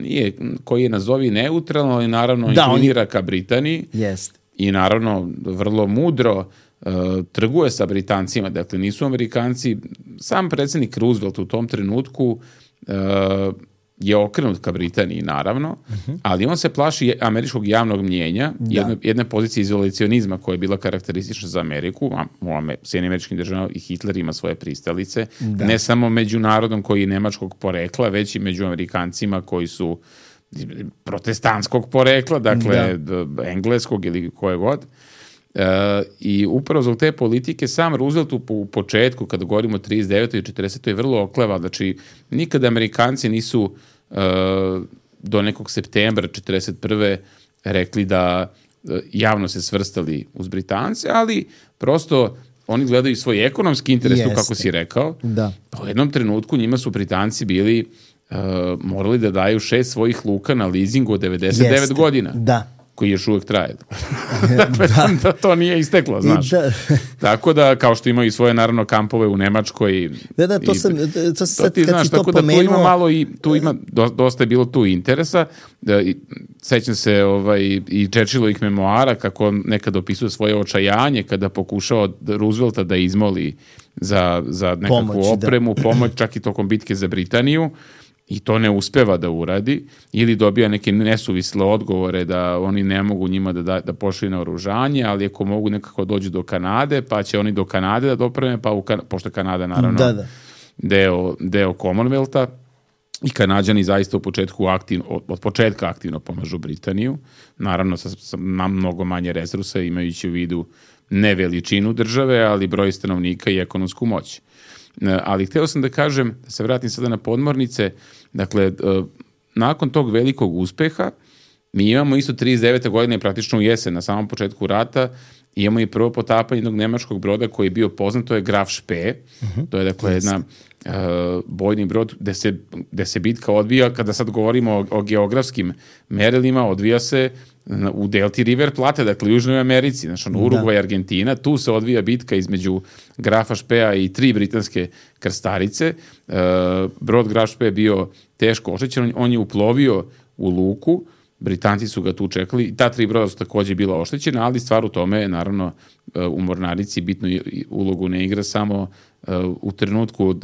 je, koji je nazovi neutralno, ali naravno da, inklinira on... ka Britaniji. Jest. I naravno vrlo mudro uh, trguje sa Britancima, dakle nisu Amerikanci, sam predsjednik Roosevelt u tom trenutku uh, je okrenut ka Britaniji, naravno, uh-huh. ali on se plaši američkog javnog mnjenja, da. jedne, jedne pozicije izolacionizma koja je bila karakteristična za Ameriku, a u Sjedinjenim Američkim Državama i Hitler ima svoje pristalice, da. Ne samo među narodom koji je nemačkog porekla, već i među Amerikancima koji su protestantskog porekla, dakle da. engleskog ili koje god. Uh, i upravo zbog te politike sam Roosevelt u, u početku, kada govorimo o trideset devetoj i četrdesetoj je vrlo okleva, znači nikada Amerikanci nisu uh, do nekog septembra četrdeset prve rekli da uh, javno se svrstali uz Britance, ali prosto oni gledaju svoj ekonomski interes, tu kako si rekao. Da. Pa u jednom trenutku njima su Britanci bili uh, morali da daju šest svojih luka na leasingu od devedeset devet Jeste. Godina. Da. Koji još uvijek traje. Dakle, da. da to nije isteklo, znaš. Da. Tako da, kao što imaju svoje, naravno, kampove u Nemačkoj. Da, da, to i, sam, to sad, to ti, kad znaš, si to tako pomenuo... da tu ima malo i, tu ima, dosta je bilo tu interesa. Da, i, sećam se ovaj, i Churchillovih memoara, kako nekad opisuje svoje očajanje, kada pokušao Roosevelta da izmoli za, za nekakvu pomoć, opremu, da. Pomoć, čak i tokom bitke za Britaniju. I to ne uspeva da uradi, ili dobija neke nesuvisle odgovore da oni ne mogu njima da, da, da pošli na oružanje, ali ako mogu nekako dođu do Kanade, pa će oni do Kanade da dopreme, pa u kan- pošto Kanada naravno da, da. Deo, deo Commonwealtha, i Kanađani zaista u početku aktivno, od, od početka aktivno pomažu Britaniju, naravno sa, sa mnogo manje resursa, imajući u vidu ne veličinu države, ali broj stanovnika i ekonomsku moć. Ali hteo sam da kažem, da se vratim sada na podmornice, dakle, nakon tog velikog uspeha, mi imamo isto trideset devete godine, praktično u jesen, na samom početku rata, imamo i prvo potapanje jednog nemačkog broda koji je bio poznat, to je Graf Spee, uh-huh. to je dakle jedna uh, bojni brod gde se, gde se bitka odvija, kada sad govorimo o, o geografskim merilima, odvija se u delti River Plate, dakle u Južnoj Americi, znači ono, Urugvaj, Argentina, tu se odvija bitka između Grafa Spea i tri britanske krstarice. Uh, brod Graf Spee je bio teško oštećen, on je uplovio u luku, Britanci su ga tu čekali i ta tri broda su takođe bila oštećena, ali stvar u tome je, naravno, u mornarici bitnu ulogu ne igra samo uh, u trenutku uh,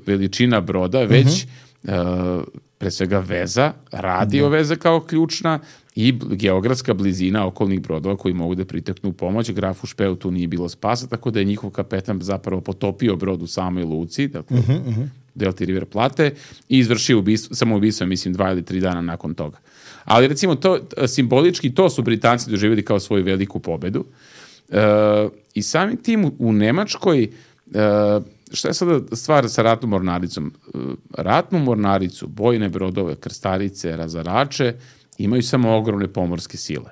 veličina broda, već uh-huh. uh, pre svega veza, radio uh-huh. veza kao ključna i geografska blizina okolnih brodova koji mogu da priteknu u pomoć. Grafu Speu tu nije bilo spasa, tako da je njihov kapetan zapravo potopio brod u samoj luci, dakle, uh-huh, uh-huh. delti River Plate, i izvršio ubistvo, samo ubistvo, mislim, dva ili tri dana nakon toga. Ali recimo to, simbolički to su Britanci doživjeli kao svoju veliku pobedu. E, I samim tim u Nemačkoj, e, šta je sada stvar sa ratnom mornaricom? E, ratnu mornaricu, bojne brodove, krstarice, razarače, imaju samo ogromne pomorske sile.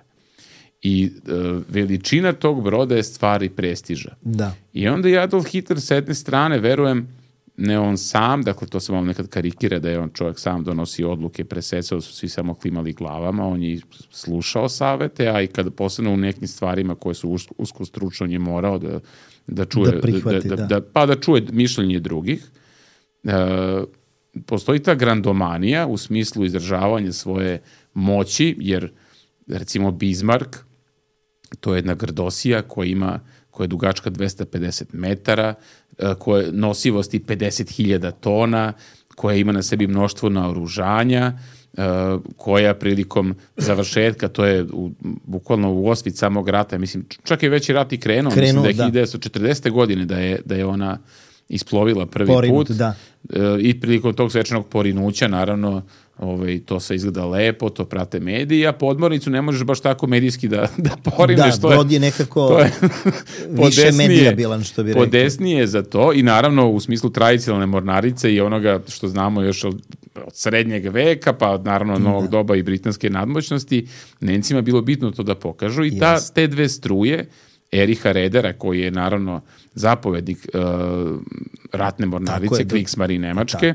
I e, veličina tog broda je stvar i prestiža. Da. I onda je Adolf Hitler s jedne strane, verujem, ne on sam, dakle to se vam nekad karikira da je on čovjek sam donosi odluke, presecao su svi samo klimali glavama, on je slušao savete, a i kada posebno u nekim stvarima koje su usko stručno, on je morao da, da čuje, da prihvati, da, da, da. Da, pa da čuje mišljenje drugih. E, postoji ta grandomanija u smislu izražavanja svoje moći, jer recimo Bismarck, to je jedna grdosija koja ima koja je dugačka dvesta pedeset metara, koja je nosivosti pedeset hiljada tona, koja ima na sebi mnoštvo naoružanja, koja prilikom završetka, to je u, bukvalno u osvit samog rata, mislim, čak je već i rat i krenuo, krenuo mislim da je da. hiljadu devetsto četrdesete. godine da je, da je ona isplovila prvi Porinut, put da. I prilikom tog svečanog porinuća, naravno, ovaj, to sve izgleda lepo, to prate mediji, a podmornicu ne možeš baš tako medijski da, da porineš. Da, brod je nekako to je više medijabilan, što bi rekao. Podesnije za to i naravno u smislu tradicionalne mornarice i onoga što znamo još od, od srednjeg veka, pa naravno od novog da. doba i britanske nadmoćnosti, Nemcima bilo bitno to da pokažu i ta, te dve struje, Eriha Redera, koji je naravno zapovednik uh, ratne mornarice, Kriegsmarine Nemačke,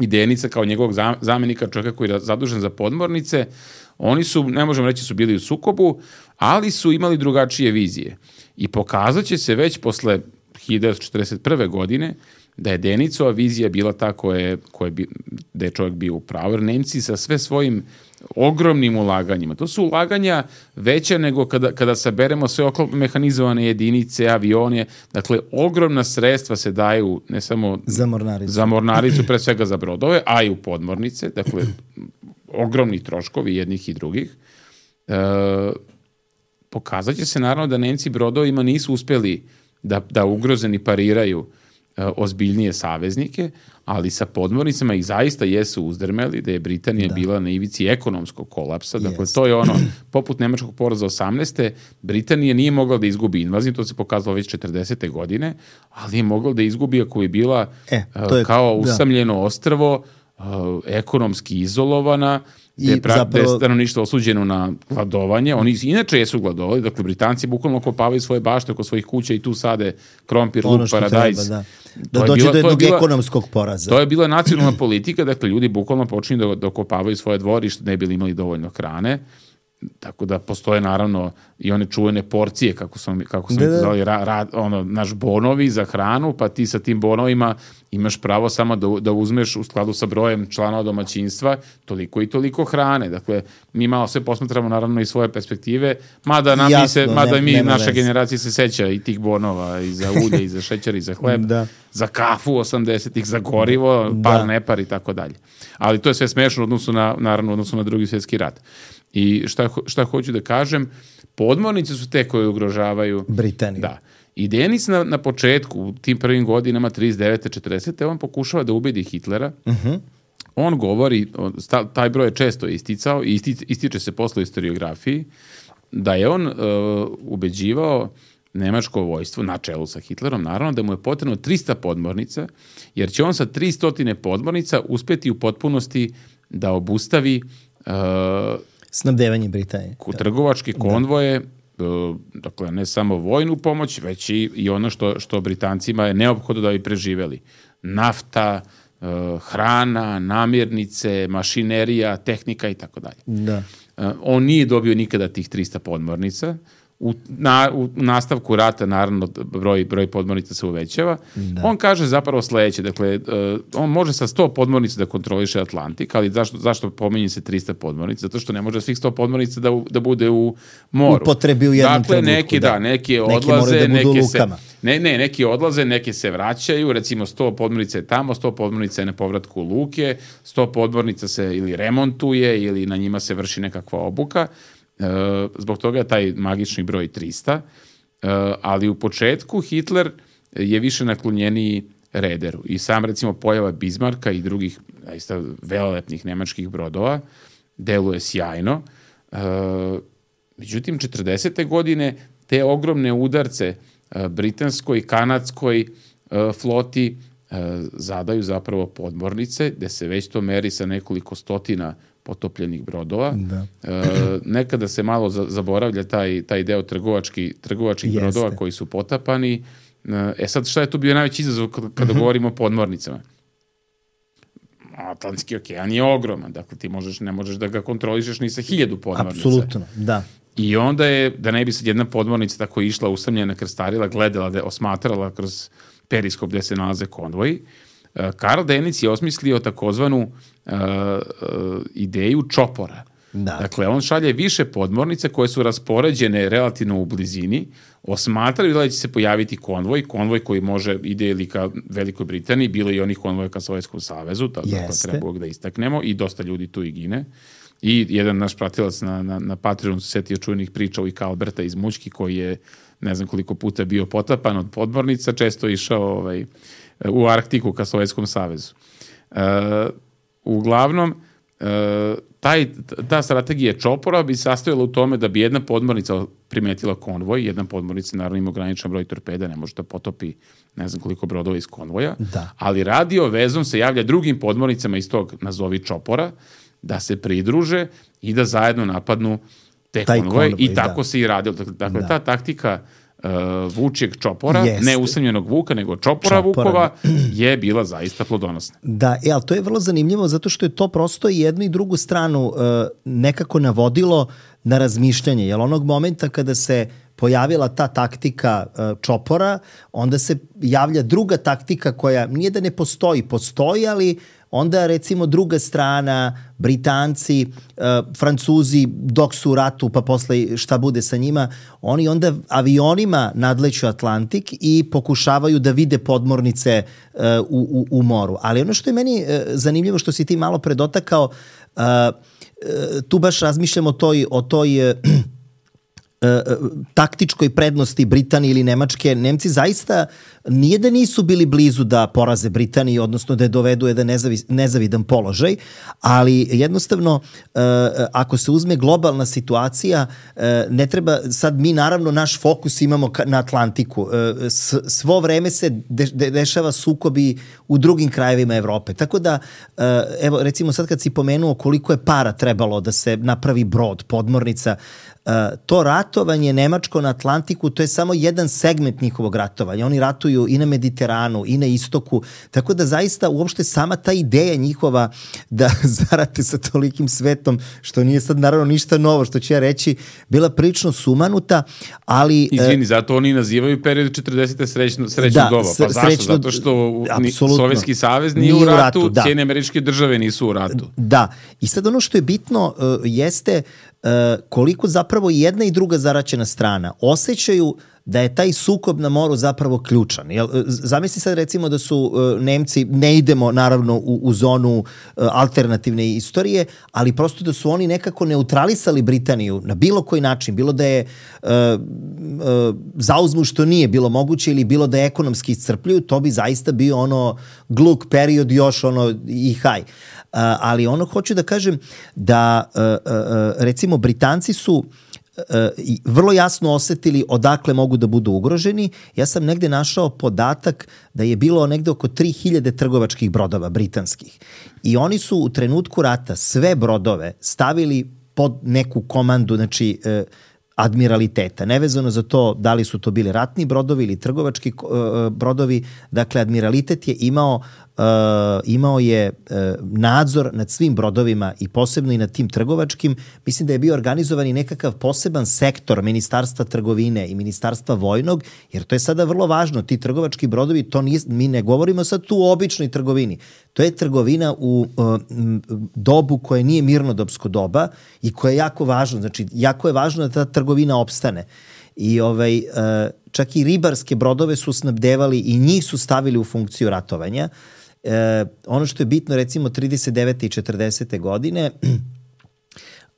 i Denica kao njegovog zamenika, čovjeka koji je zadužen za podmornice, oni su, ne možemo reći su bili u sukobu, ali su imali drugačije vizije. I pokazat će se već posle hiljadu devetsto četrdeset prve. godine da je Denicova vizija bila ta koja je, da je čovjek bio u pravu, jer Nemci sa sve svojim ogromnim ulaganjima. To su ulaganja veća nego kada, kada saberemo sve oklopno mehanizovane jedinice, avione. Dakle, ogromna sredstva se daju ne samo za mornaricu, za mornaricu pre svega za brodove, a i u podmornice. Dakle, ogromni troškovi jednih i drugih. E, pokazat će se naravno da Nemci brodovima nisu uspjeli da, da ugrozeni pariraju ozbiljnije saveznike, ali sa podmornicama ih zaista jesu uzdrmeli, da je Britanija da. bila na ivici ekonomskog kolapsa. Dakle, yes. to je ono, poput nemačkog poraza osamnaeste. Britanija nije mogla da izgubi invaziju, to se pokazalo već četrdesete. godine, ali je mogla da izgubi ako je bila e, je, kao usamljeno da. ostrvo, ekonomski izolovana, gde je zapravo stanovništvo osuđeno na gladovanje. Oni inače jesu gladovali, dakle Britanci bukvalno kopavaju svoje bašte oko svojih kuća i tu sade krompir, luk, paradajz. Treba, da da dođe bila, do jednog bila, ekonomskog poraza. To je bila nacionalna politika, dakle ljudi bukvalno počinju da, da kopavaju svoje dvorište, ne bili imali dovoljno hrane. Tako da postoje naravno i one čuvene porcije, kako smo, kako smo da, zvali, ra, ra, ono, naš bonovi za hranu, pa ti sa tim bonovima imaš pravo samo da, da uzmeš u skladu sa brojem članova domaćinstva toliko i toliko hrane. Dakle, mi malo sve posmatramo naravno iz svoje perspektive, mada, nam Jasno, mi, se, mada ne, mi naša generacija se seća i tih bonova, i za ulje, i za šećer, i za hleb, da. za kafu osamdesetih, za gorivo, par da. nepar i tako dalje. Ali to je sve smešno odnosu na, naravno, odnosu na Drugi svjetski rat. I šta, šta hoću da kažem, podmornice su te koje ugrožavaju Britaniju. Da. I Denis na, na početku, u tim prvim godinama, trideset devete četrdesete on pokušava da ubedi Hitlera. Uh-huh. On govori, taj broj je često isticao, i isti, ističe se posle historiografiji, da je on uh, ubeđivao nemačko vojstvo, na čelu sa Hitlerom, naravno, da mu je potrebno trista podmornica, jer će on sa tristo podmornica uspjeti u potpunosti da obustavi uh, snabdevanje Britanije. Trgovačke konvoje, da. dakle ne samo vojnu pomoć, već i, i ono što, što Britancima je neophodno da bi preživeli. Nafta, hrana, namirnice, mašinerija, tehnika i tako dalje. Da. On nije dobio nikada tih trista podmornica. U, na, u nastavku rata, naravno, broj, broj podmornica se uvećava. Da. On kaže zapravo sledeće, dakle, uh, on može sa sto podmornica da kontroliše Atlantik, ali zašto, zašto pominje se trista podmornica? Zato što ne može svih sto podmornica da, da bude u moru. Upotrebi u jednom dakle, trenutku. Neki, da, neki odlaze, da neke se, ne, ne, neki odlaze, neke se vraćaju, recimo sto podmornica je tamo, sto podmornica je na povratku u luke, sto podmornica se ili remontuje ili na njima se vrši nekakva obuka. Uh, zbog toga je taj magični broj trista, uh, ali u početku Hitler je više naklonjeniji Rederu i sam recimo pojava Bismarcka i drugih zaista velelepnih nemačkih brodova deluje sjajno. Uh, međutim, četrdesete godine te ogromne udarce uh, britanskoj, kanadskoj uh, floti uh, zadaju zapravo podmornice, gde se već to meri sa nekoliko stotina potopljenih brodova. Da. E, nekada se malo zaboravlja taj, taj deo trgovački, trgovačkih Jeste. brodova koji su potapani. E sad, šta je tu bio najveći izazov kada, kada uh-huh. govorimo o podmornicama? Atlantski okean je ogroman, dakle ti možeš, ne možeš da ga kontrolišeš ni sa hiljadu podmornica. Apsolutno, da. I onda je, da ne bi sad jedna podmornica tako išla, usamljena, krstarila, gledala, da je osmatrala kroz periskop gde se nalaze konvoji, Karl Dönitz je osmislio takozvanu uh, uh, ideju čopora. Da. Dakle, on šalje više podmornice koje su raspoređene relativno u blizini, osmatraju da će se pojaviti konvoj, konvoj koji može ide ili ka Velikoj Britaniji, bilo i onih konvoja ka Sovjetskom savezu, tako da treba da istaknemo, i dosta ljudi tu i gine. I jedan naš pratilac na, na, na Patreonu se setio čuvenih priča o Ika Alberta iz Mućki, koji je ne znam koliko puta bio potapan od podmornica, često išao ovaj, u Arktiku ka Sovjetskom savezu. Uh, uglavnom, uh, taj, ta strategija čopora bi sastojala u tome da bi jedna podmornica primetila konvoj, jedna podmornica naravno ima ograničen broj torpeda, ne može da potopi ne znam koliko brodova iz konvoja, da. Ali radio vezom se javlja drugim podmornicama iz tog nazovi čopora, da se pridruže i da zajedno napadnu te taj konvoje konvoj, i tako da. se i radilo. Dakle, da. ta taktika uh, vučijeg čopora, Jeste. ne usamljenog vuka, nego čopora, čopora vukova, da. je bila zaista plodonosna. Da, e, ali to je vrlo zanimljivo zato što je to prosto i jednu i drugu stranu uh, nekako navodilo na razmišljanje. Jer onog momenta kada se pojavila ta taktika uh, čopora, onda se javlja druga taktika koja nije da ne postoji, postoji, ali onda recimo druga strana, Britanci, uh, Francuzi dok su u ratu pa posle šta bude sa njima, oni onda avionima nadleću Atlantik i pokušavaju da vide podmornice uh, u, u, u moru. Ali ono što je meni uh, zanimljivo što si ti malo predotakao, uh, uh, tu baš razmišljam o toj, o toj uh, taktičkoj prednosti Britanije ili Nemačke. Nemci zaista nije da nisu bili blizu da poraze Britaniju, odnosno da je dovedu jedan nezavi, nezavidan položaj, ali jednostavno ako se uzme globalna situacija, ne treba, sad mi naravno naš fokus imamo na Atlantiku. Svo vreme se de, de, dešava sukobi u drugim krajevima Evrope. Tako da, evo recimo sad kad si pomenuo koliko je para trebalo da se napravi brod, podmornica, Uh, to ratovanje nemačko na Atlantiku, to je samo jedan segment njihovog ratovanja. Oni ratuju i na Mediteranu i na istoku, tako da zaista uopšte sama ta ideja njihova da zarate sa tolikim svetom, što nije sad naravno ništa novo, što ću ja reći, bila prilično sumanuta, ali... Izvini, uh, zato oni nazivaju period četrdesete srećno, srećno da, doba. Pa zašto? Srećno, zato što ni, Sovjetski savez nije, nije u ratu, ratu da. Sjedinjene Američke Države nisu u ratu. Da, i sad ono što je bitno uh, jeste uh, koliko zapravo jedna i druga zaraćena strana osjećaju da je taj sukob na moru zapravo ključan. Jel, zamisli sad recimo da su uh, Nemci, ne idemo naravno u, u zonu uh, alternativne istorije, ali prosto da su oni nekako neutralisali Britaniju na bilo koji način, bilo da je uh, uh, zauzmu što nije bilo moguće ili bilo da je ekonomski iscrpljuju, to bi zaista bio ono gluk period još ono i haj. Uh, ali ono hoću da kažem da uh, uh, recimo Britanci su i vrlo jasno osetili odakle mogu da budu ugroženi. Ja sam negde našao podatak da je bilo negde oko tri hiljade trgovačkih brodova britanskih. I oni su u trenutku rata sve brodove stavili pod neku komandu, znači admiraliteta. Nevezano za to da li su to bili ratni brodovi ili trgovački brodovi. Dakle, admiralitet je imao Uh, imao je uh, nadzor nad svim brodovima i posebno i nad tim trgovačkim. Mislim da je bio organizovan i nekakav poseban sektor Ministarstva trgovine i Ministarstva vojnog, jer to je sada vrlo važno. Ti trgovački brodovi, to nije, mi ne govorimo sad tu o običnoj trgovini. To je trgovina u uh, dobu koje nije mirnodopsko doba i koje je jako važno. Znači, jako je važno da ta trgovina opstane. I ovaj, uh, čak i ribarske brodove su snabdevali i njih su stavili u funkciju ratovanja. E, ono što je bitno recimo trideset devete i četrdesete godine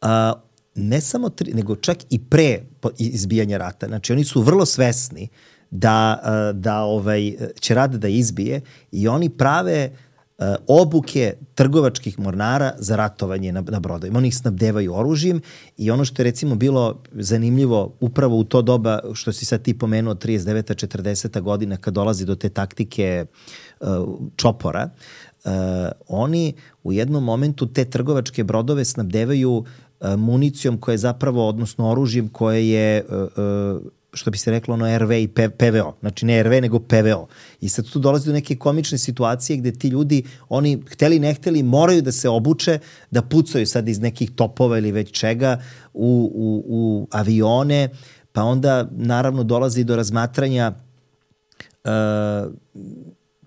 a, ne samo tri, nego čak i pre izbijanja rata, znači oni su vrlo svesni da, a, da ovaj, će rat da izbije i oni prave a, obuke trgovačkih mornara za ratovanje na, na brodovima. Oni ih snabdevaju oružjem i ono što je recimo bilo zanimljivo upravo u to doba što si sad ti pomenuo trideset deveta četrdeseta godina kad dolazi do te taktike čopora, uh, oni u jednom momentu te trgovačke brodove snabdevaju uh, municijom koja je zapravo, odnosno oružjem koje je, uh, uh, što bi se reklo, ono er ve i pe ve o. Znači ne er ve, nego pe ve o. I sad tu dolazi do neke komične situacije gde ti ljudi, oni hteli ne hteli, moraju da se obuče, da pucaju sad iz nekih topova ili već čega u, u, u avione, pa onda naravno dolazi do razmatranja uh,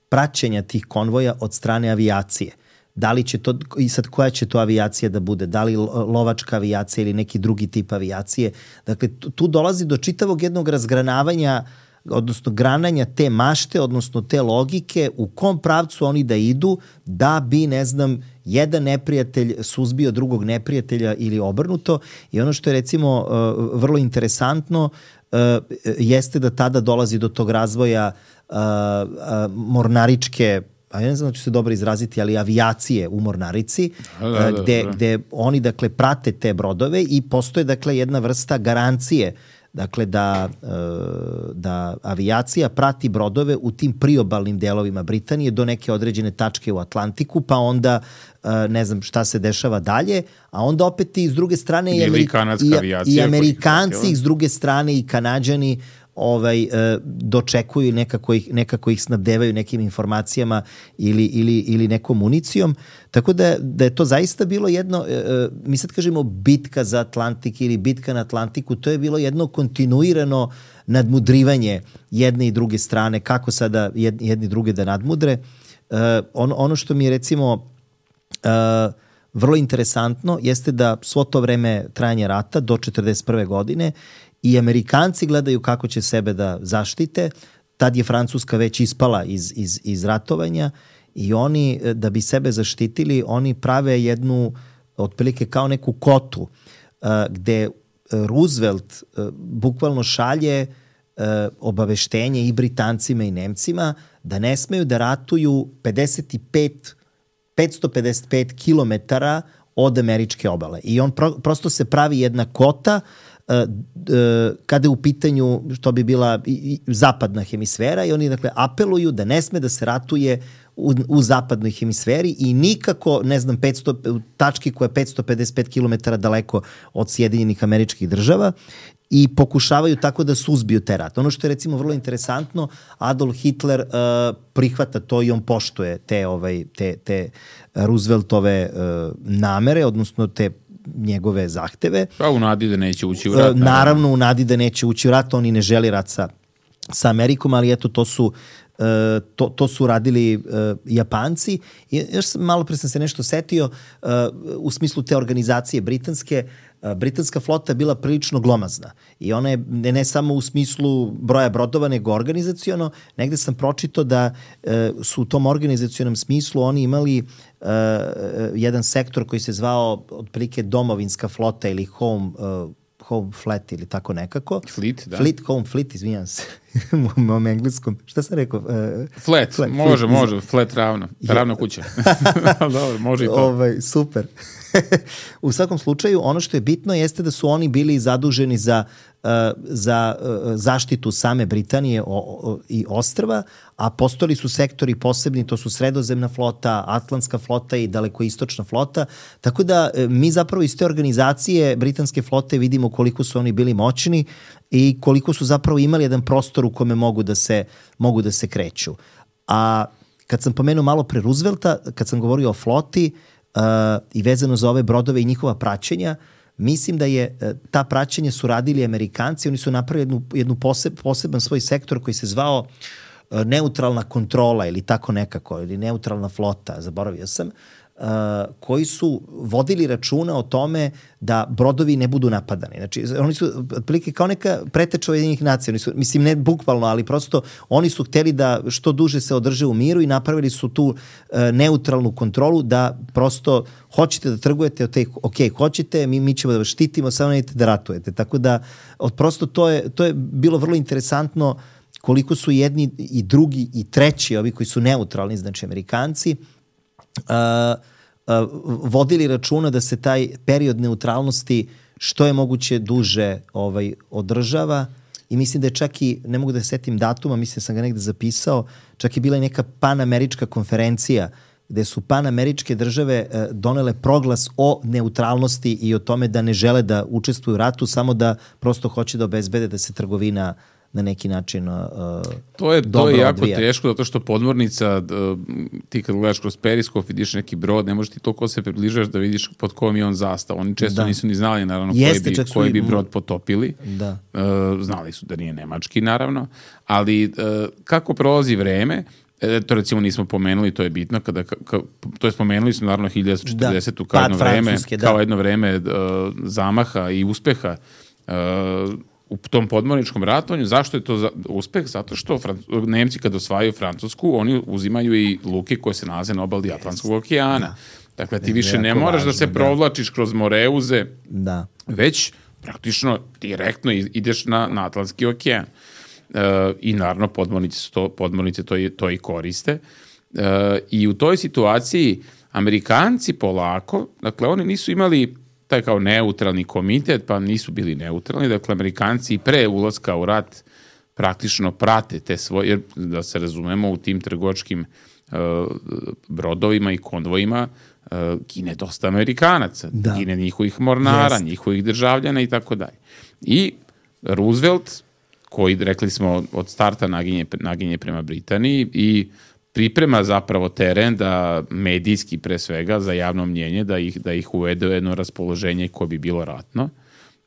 praćenja tih konvoja od strane avijacije. Da li će to, i sad koja će to avijacija da bude, da li lovačka avijacija ili neki drugi tip avijacije. Dakle, tu dolazi do čitavog jednog razgranavanja, odnosno grananja te mašte, odnosno te logike u kom pravcu oni da idu da bi, ne znam, jedan neprijatelj suzbio drugog neprijatelja ili obrnuto. I ono što je recimo vrlo interesantno jeste da tada dolazi do tog razvoja mornaričke, a ja ne znam da ću se dobro izraziti, ali avijacije u Mornarici, da, da, da, gde, gde oni, dakle, prate te brodove i postoje, dakle, jedna vrsta garancije, dakle, da, da avijacija prati brodove u tim priobalnim delovima Britanije do neke određene tačke u Atlantiku, pa onda ne znam šta se dešava dalje, a onda opet i s druge strane i, Ameri i, i Amerikanci, s druge strane i Kanađani ovaj, dočekuju, nekako ih, nekako ih snabdevaju nekim informacijama ili, ili, ili nekom municijom. Tako da, da je to zaista bilo jedno, mi sad kažemo bitka za Atlantik ili bitka na Atlantiku, to je bilo jedno kontinuirano nadmudrivanje jedne i druge strane, kako sada jedni druge da nadmudre. Ono, ono što mi je recimo vrlo interesantno jeste da svo to vreme trajanja rata do četrdeset prve godine i Amerikanci gledaju kako će sebe da zaštite. Tad je Francuska već ispala iz, iz, iz ratovanja i oni, da bi sebe zaštitili, oni prave jednu, otprilike kao neku kotu, uh, gde Roosevelt uh, bukvalno šalje uh, obaveštenje i Britancima i Nemcima da ne smeju da ratuju pedeset pet, petsto pedeset pet kilometara od američke obale. I on pro, prosto se pravi jedna kota kada je u pitanju što bi bila zapadna hemisfera i oni, dakle, apeluju da ne sme da se ratuje u, u zapadnoj hemisferi i nikako, ne znam, petsto, tački koja je petsto pedeset pet kilometara daleko od Sjedinjenih Američkih Država i pokušavaju tako da suzbiju te rat. Ono što je recimo vrlo interesantno, Adolf Hitler uh, prihvata to i on poštuje te, ovaj, te, te Rooseveltove uh, namere, odnosno te njegove zahteve. Pa u nadi da neće ući u rat. Naravno, naravno u nadi da neće ući u rat, oni ne želi rat sa, sa Amerikom, ali eto, to su, uh, to, to su radili uh, Japanci. I još malo pre sam se nešto setio, uh, u smislu te organizacije britanske, uh, britanska flota je bila prilično glomazna. I ona je ne, ne samo u smislu broja brodova, nego organizaciono. Negde sam pročitao da uh, su u tom organizacionom smislu oni imali Uh, jedan sektor koji se zvao otprilike domovinska flota ili home, uh, home fleet ili tako nekako. Fleet, da. Fleet, home fleet, izvinjam se. U mom engleskom. Šta sam rekao? Uh, flat, flat, može, fleet, može. Iz... Flat ravno. Ravno kuća. Dobro, može i to. Ovaj, super. U svakom slučaju, ono što je bitno jeste da su oni bili zaduženi za, uh, za uh, zaštitu same Britanije o, o, i ostrva, a postojali su sektori posebni, to su Sredozemna flota, Atlantska flota i Dalekoistočna flota, tako da uh, mi zapravo iz te organizacije britanske flote vidimo koliko su oni bili moćni i koliko su zapravo imali jedan prostor u kome mogu da se, mogu da se kreću. A kad sam pomenuo malo pre Roosevelta, kad sam govorio o floti, Uh, i vezano za ove brodove i njihova praćenja, mislim da je uh, ta praćenja su radili Amerikanci, oni su napravili jednu, jednu poseb, poseban svoj sektor koji se zvao uh, neutralna kontrola ili tako nekako, ili neutralna flota, zaboravio sam, uh, koji su vodili računa o tome da brodovi ne budu napadani. Znači, oni su otprilike kao neka preteča Ujedinjenih nacija, oni su, mislim ne bukvalno, ali prosto oni su hteli da što duže se održe u miru i napravili su tu uh, neutralnu kontrolu da prosto hoćete da trgujete, ok, hoćete, mi, mi ćemo da vas štitimo, samo nećete da ratujete. Tako da, od, prosto to je, to je bilo vrlo interesantno koliko su jedni i drugi i treći, ovi koji su neutralni, znači Amerikanci, uh, Uh, vodili računa da se taj period neutralnosti što je moguće duže ovaj, održava i mislim da je čak i, ne mogu da setim datuma, mislim da sam ga negde zapisao, čak je bila i neka panamerička konferencija gde su panameričke države uh, donele proglas o neutralnosti i o tome da ne žele da učestvuju u ratu, samo da prosto hoće da obezbede da se trgovina na neki način uh, to je, dobro to je jako odvija. Teško, zato što podmornica, uh, ti kad gledaš kroz periskop, vidiš neki brod, ne možeš ti toliko se približaš da vidiš pod kojom je on zastav. Oni često da. nisu ni znali, naravno, Jeste, koji, bi, koji bi brod potopili. Da. Uh, znali su da nije nemački, naravno. Ali uh, kako prolazi vreme, E, to recimo nismo pomenuli, to je bitno, kada, ka, to je spomenuli smo naravno hiljadu devetsto četrdesetu. Da, kao, jedno vreme, da. kao jedno vreme uh, zamaha i uspeha uh, u tom podmorničkom ratovanju. Zašto je to za, uspeh? Zato što Fran- Nemci kada osvajaju Francusku, oni uzimaju i luke koje se nalaze na obali Atlantskog okeana. Da. Dakle, ti više ne moraš važno, da se provlačiš da. kroz Moreuze, da. već praktično direktno ideš na, na Atlantski okean. Uh, I naravno podmornice, to, podmornice to, i, to i koriste. Uh, I u toj situaciji Amerikanci polako, dakle oni nisu imali taj kao neutralni komitet, pa nisu bili neutralni, dakle Amerikanci pre ulaska u rat praktično prate te svoje, jer da se razumemo u tim trgovačkim uh, brodovima i konvojima uh, gine dosta Amerikanaca, da. gine njihovih mornara, Jest. njihovih državljana i tako dalje. I Roosevelt, koji, rekli smo, od starta naginje, naginje prema Britaniji i priprema zapravo teren da medijski pre svega za javno mnjenje, da ih, da ih uvede u jedno raspoloženje koje bi bilo ratno.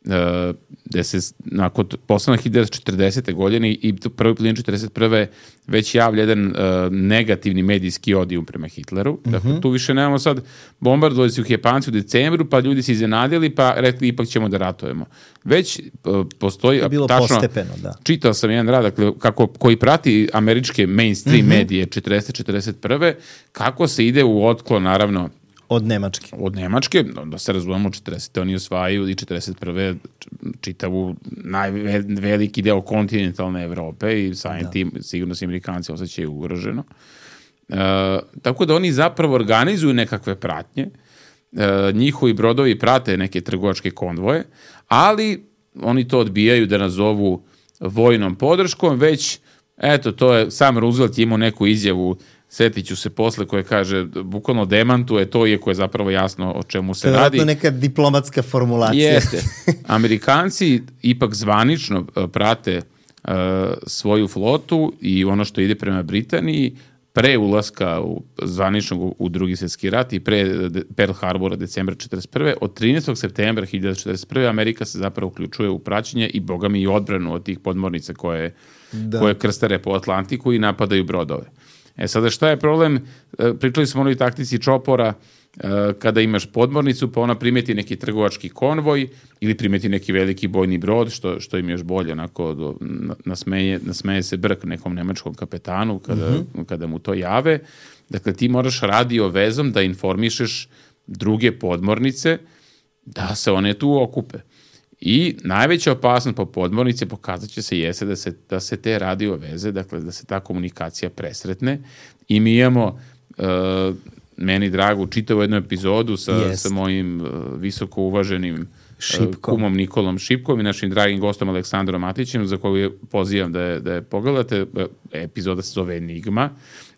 E, gde se nakon posle hiljadu devetsto četrdesete. godine i prvi polovine četrdeset prve već javlja jedan uh, negativni medijski odijum prema Hitleru. Mm-hmm. Dakle, tu više nemamo sad, bombardovali su ih Japanci u decembru, pa ljudi se iznenadili, pa rekli ipak ćemo da ratujemo. Već uh, postoji... To je bilo tačno, postepeno, da. Čitao sam jedan rad, dakle, kako, koji prati američke mainstream mm-hmm. medije četrdesete. četrdeset prve. Kako se ide u otklon, naravno, od Nemačke. Od Nemačke, da se razumemo, četrdesete. oni osvajaju i četrdeset prve. čitavu najveliki deo kontinentalne Evrope i samim tim sigurno se Amerikanci osjećaju ugroženo. E, tako da oni zapravo organizuju nekakve pratnje, e, njihovi brodovi prate neke trgovačke konvoje, ali oni to odbijaju da nazovu vojnom podrškom, već eto, to je, sam Roosevelt imao neku izjavu, setit ću se posle, koje kaže, bukvalno demantuje to, iako je zapravo jasno o čemu se radi. To je neka diplomatska formulacija. Jeste. Amerikanci ipak zvanično prate uh, svoju flotu i ono što ide prema Britaniji, pre ulaska u, zvaničnog u, u drugi svjetski rat i pre Pearl Harbora decembra četrdeset prve. Od trinaestog septembra hiljadu devetsto četrdeset prve. Amerika se zapravo uključuje u praćenje i bogami i odbranu od tih podmornica koje, koje krstare po Atlantiku i napadaju brodove. E sada šta je problem? Pričali smo o onoj taktici čopora, kada imaš podmornicu, pa ona primeti neki trgovački konvoj ili primeti neki veliki bojni brod, što, što im još bolje, onako do, nasmeje, nasmeje se brk nekom nemačkom kapetanu kada, mm-hmm. kada mu to jave. Dakle, ti moraš radio vezom da informišeš druge podmornice da se one tu okupe. I najveća opasnost po podmornice pokazat će se jeste da se, da se te radio veze, dakle da se ta komunikacija presretne i mi imamo uh, meni dragu čitavu jednu epizodu sa, sa mojim uh, visoko uvaženim uh, kumom Nikolom Šipkom i našim dragim gostom Aleksandrom Matićem, za koju pozivam da je, da je pogledate. Epizoda se zove Enigma,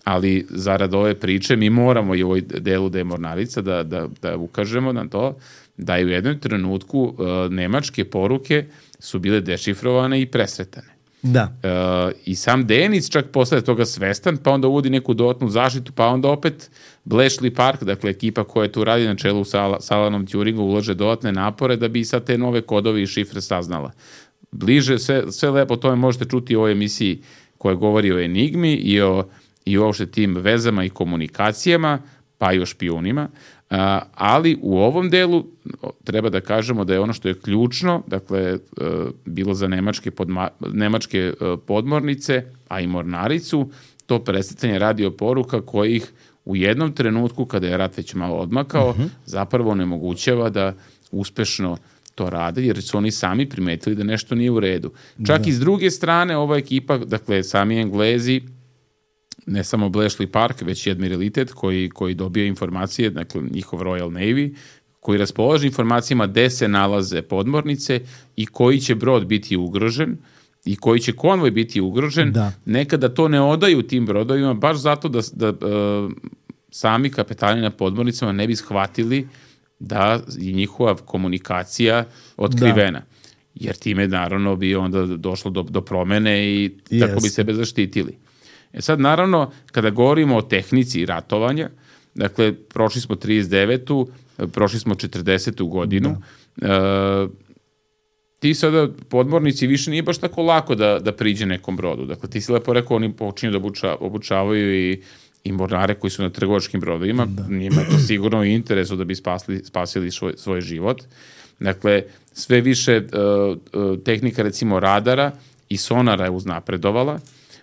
ali zarad ove priče mi moramo i u ovoj delu da je mornarica da, da, da ukažemo na to da je u jednom trenutku uh, nemačke poruke su bile dešifrovane i presretane. Da. Uh, I sam Denic čak posle toga svestan, pa onda uvodi neku dodatnu zaštitu, pa onda opet Bletchley Park, dakle ekipa koja tu radi na čelu sa, sa Alanom Turingom, ulaže dodatne napore da bi sad te nove kodove i šifre saznala. Bliže, sve, sve lepo o tome možete čuti u ovoj emisiji koja govori o enigmi i o, i o uopšte tim vezama i komunikacijama, pa i o špijunima. Uh, ali u ovom delu treba da kažemo da je ono što je ključno, dakle, uh, bilo za nemačke, podma, nemačke uh, podmornice, a i mornaricu, to presretanje radio poruka kojih u jednom trenutku, kada je rat već malo odmakao, uh-huh. zapravo onemogućava da uspešno to rade, jer su oni sami primetili da nešto nije u redu. Čak da. I s druge strane, ova ekipa, dakle, sami Englezi, ne samo Bletchley Park, već i admiralitet koji, koji dobija informacije, dakle njihov Royal Navy, koji raspolaže informacijama gde se nalaze podmornice i koji će brod biti ugrožen i koji će konvoj biti ugrožen, da. Nekada to ne odaju tim brodovima, baš zato da, da uh, sami kapetani na podmornicama ne bi shvatili da je njihova komunikacija otkrivena. Da. Jer time naravno bi onda došlo do, do promene i yes. tako bi sebe zaštitili. E sad, naravno, kada govorimo o tehnici ratovanja, dakle, prošli smo trideset devetu, prošli smo četrdesetu godinu, e, ti sada podmornici više nije baš tako lako da, da priđe nekom brodu. Dakle, ti si lepo rekao, oni počinju da obuča, obučavaju i, i mornare koji su na trgovačkim brodovima. Da. Njima je to sigurno i interesu da bi spasli, spasili svoj, svoj život. Dakle, sve više uh, uh, tehnika, recimo, radara i sonara je uznapredovala.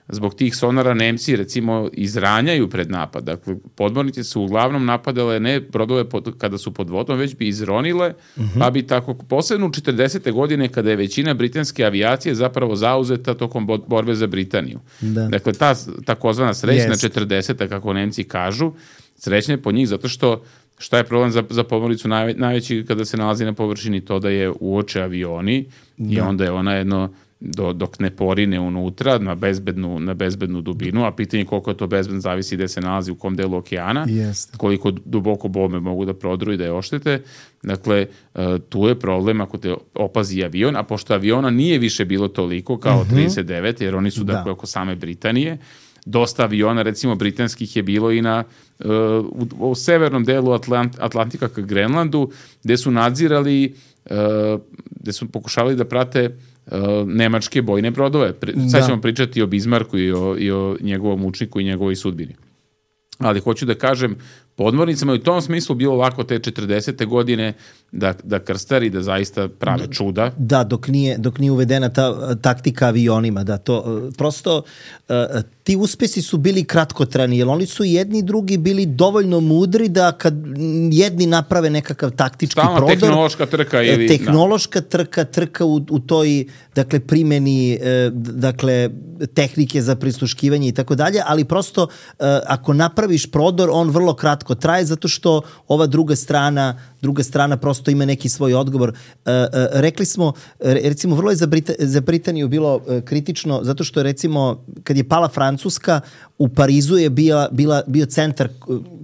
Zbog tih sonara Nemci, recimo, izranjaju pred napad. Dakle, podmornice su uglavnom napadale ne brodove pod, kada su pod vodom, već bi izronile, uh-huh. pa bi tako, posebno u četrdesete godine, kada je većina britanske avijacije zapravo zauzeta tokom borbe za Britaniju. Da. Dakle, ta takozvana srećna četrdeseta, kako Nemci kažu, srećna je po njih zato što šta je problem za, za podmornicu najve, najveći kada se nalazi na površini, to da je uoče avioni da. I onda je ona jedno Do, dok ne porine unutra na bezbednu, na bezbednu dubinu, a pitanje koliko je to bezbedno zavisi gde se nalazi, u kom delu okeana, Jest. koliko duboko bombe mogu da prodru i da je oštete. Dakle, tu je problem ako te opazi avion, a pošto aviona nije više bilo toliko kao uh-huh. trideset devet, jer oni su da. dakle oko same Britanije, dosta aviona, recimo britanskih, je bilo i na uh, u, u severnom delu Atlant, Atlantika ka Grenlandu, gde su nadzirali, uh, gde su pokušavali da prate Uh, nemačke bojne brodove. Sad da. ćemo pričati o Bismarcku i o, i o njegovom učniku i njegovoj sudbini. Ali hoću da kažem, podmornicama je u tom smislu bilo lako te četrdesete godine da, da krstari, da zaista prave čuda. Da, dok nije, dok nije uvedena ta taktika avionima. Da, to, prosto uh, ti uspesi su bili kratkotrajni, jer oni su jedni i drugi bili dovoljno mudri da kad jedni naprave nekakav taktički Stavno, prodor... tehnološka trka ili... Tehnološka da. trka, trka u, u toj dakle, primjeni dakle, tehnike za prisluškivanje i tako dalje, ali prosto ako napraviš prodor, on vrlo kratko traje, zato što ova druga strana, druga strana prosto ima neki svoj odgovor. Rekli smo, recimo, vrlo je za, Brita, za Britaniju bilo kritično, zato što recimo, kad je pala Francuska, u Parizu je bila, bila, bio centar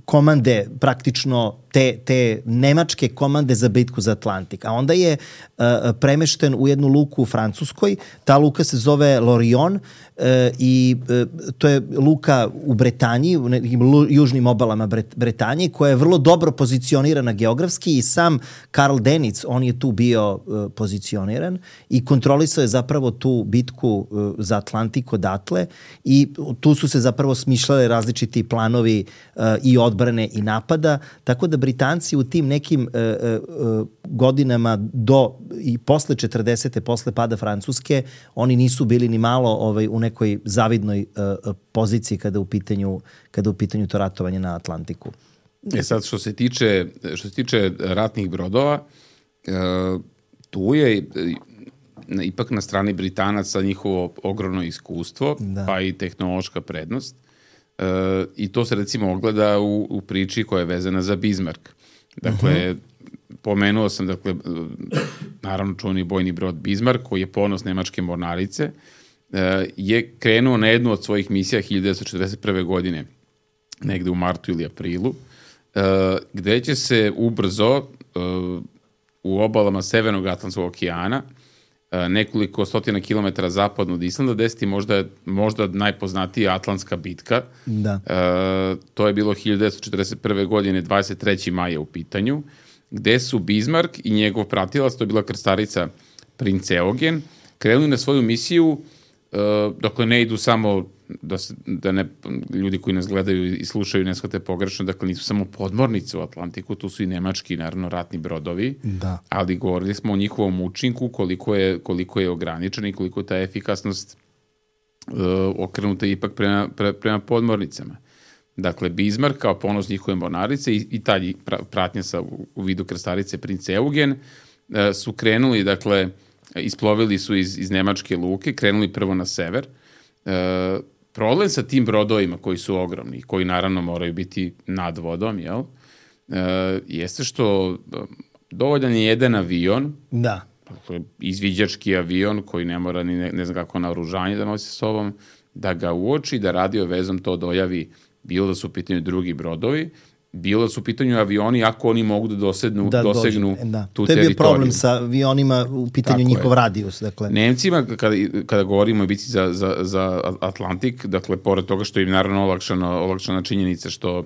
komande, praktično te, te nemačke komande za bitku za Atlantik. A onda je uh, premešten u jednu luku u Francuskoj. Ta luka se zove Lorient uh, i uh, to je luka u Bretanji, u nekim lu, južnim obalama Bret, Bretanije, koja je vrlo dobro pozicionirana geografski i sam Karl Dönitz, on je tu bio uh, pozicioniran i kontrolisao je zapravo tu bitku uh, za Atlantik odatle i tu su se zapravo smišljale različiti planovi uh, i odbrane i napada, tako da Britanci u tim nekim uh, uh, godinama do i posle četrdesete, posle pada Francuske, oni nisu bili ni malo ovaj, u nekoj zavidnoj uh, poziciji kada u pitanju, kada u pitanju to ratovanje na Atlantiku. E sad, što se tiče, što se tiče ratnih brodova, uh, tu je uh, ipak na strani Britanaca njihovo ogromno iskustvo, da. pa i tehnološka prednost. Uh, I to se recimo ogleda u, u priči koja je vezana za Bismarck. Dakle, uh-huh. pomenuo sam, dakle, naravno čuveni bojni brod Bismarck, koji je ponos nemačke mornarice, uh, je krenuo na jednu od svojih misija hiljadu devetsto četrdeset prve. godine, negde u martu ili aprilu, uh, gde će se ubrzo uh, u obalama Severnog Atlantskog okeana nekoliko stotina kilometara zapadno od Islanda desiti možda, možda najpoznatija Atlantska bitka. Da. E, to je bilo hiljadu devetsto četrdeset prve. godine, dvadeset trećeg maja u pitanju, gde su Bismarck i njegov pratilac, to je bila krstarica Princ Eugen, krenuli na svoju misiju, e, dakle ne idu samo da, se, da ne, ljudi koji nas gledaju i slušaju ne shvate pogrešno, dakle nisu samo podmornice u Atlantiku, tu su i nemački, naravno, ratni brodovi, da. ali govorili smo o njihovom učinku, koliko je, koliko je ograničen i koliko je ta efikasnost uh, okrenuta ipak prema, pre, prema podmornicama. Dakle, Bismarck kao ponos njihove mornarice i, i ta pratnja sa, u, u vidu krstarice Princ Eugen uh, su krenuli, dakle, isplovili su iz, iz nemačke luke, krenuli prvo na sever. Uh, problem sa tim brodovima koji su ogromni, koji naravno moraju biti nad vodom, jel? E, jeste što dovoljan je jedan avion, da. izviđački avion koji ne mora ni ne, ne znam kako naoružanje da nosi sa sobom, da ga uoči, da radio vezom to dojavi, bilo da su u pitanju drugi brodovi, bilo da su u pitanju avioni ako oni mogu da dosednu, da dosegnu da. tu teritoriju. To je bio problem sa avionima u pitanju Tako njihov je. radijus. Dakle. Nemcima, kada, kada govorimo o bici za, za, za Atlantik, dakle, pored toga što im naravno olakšana, olakšana činjenica što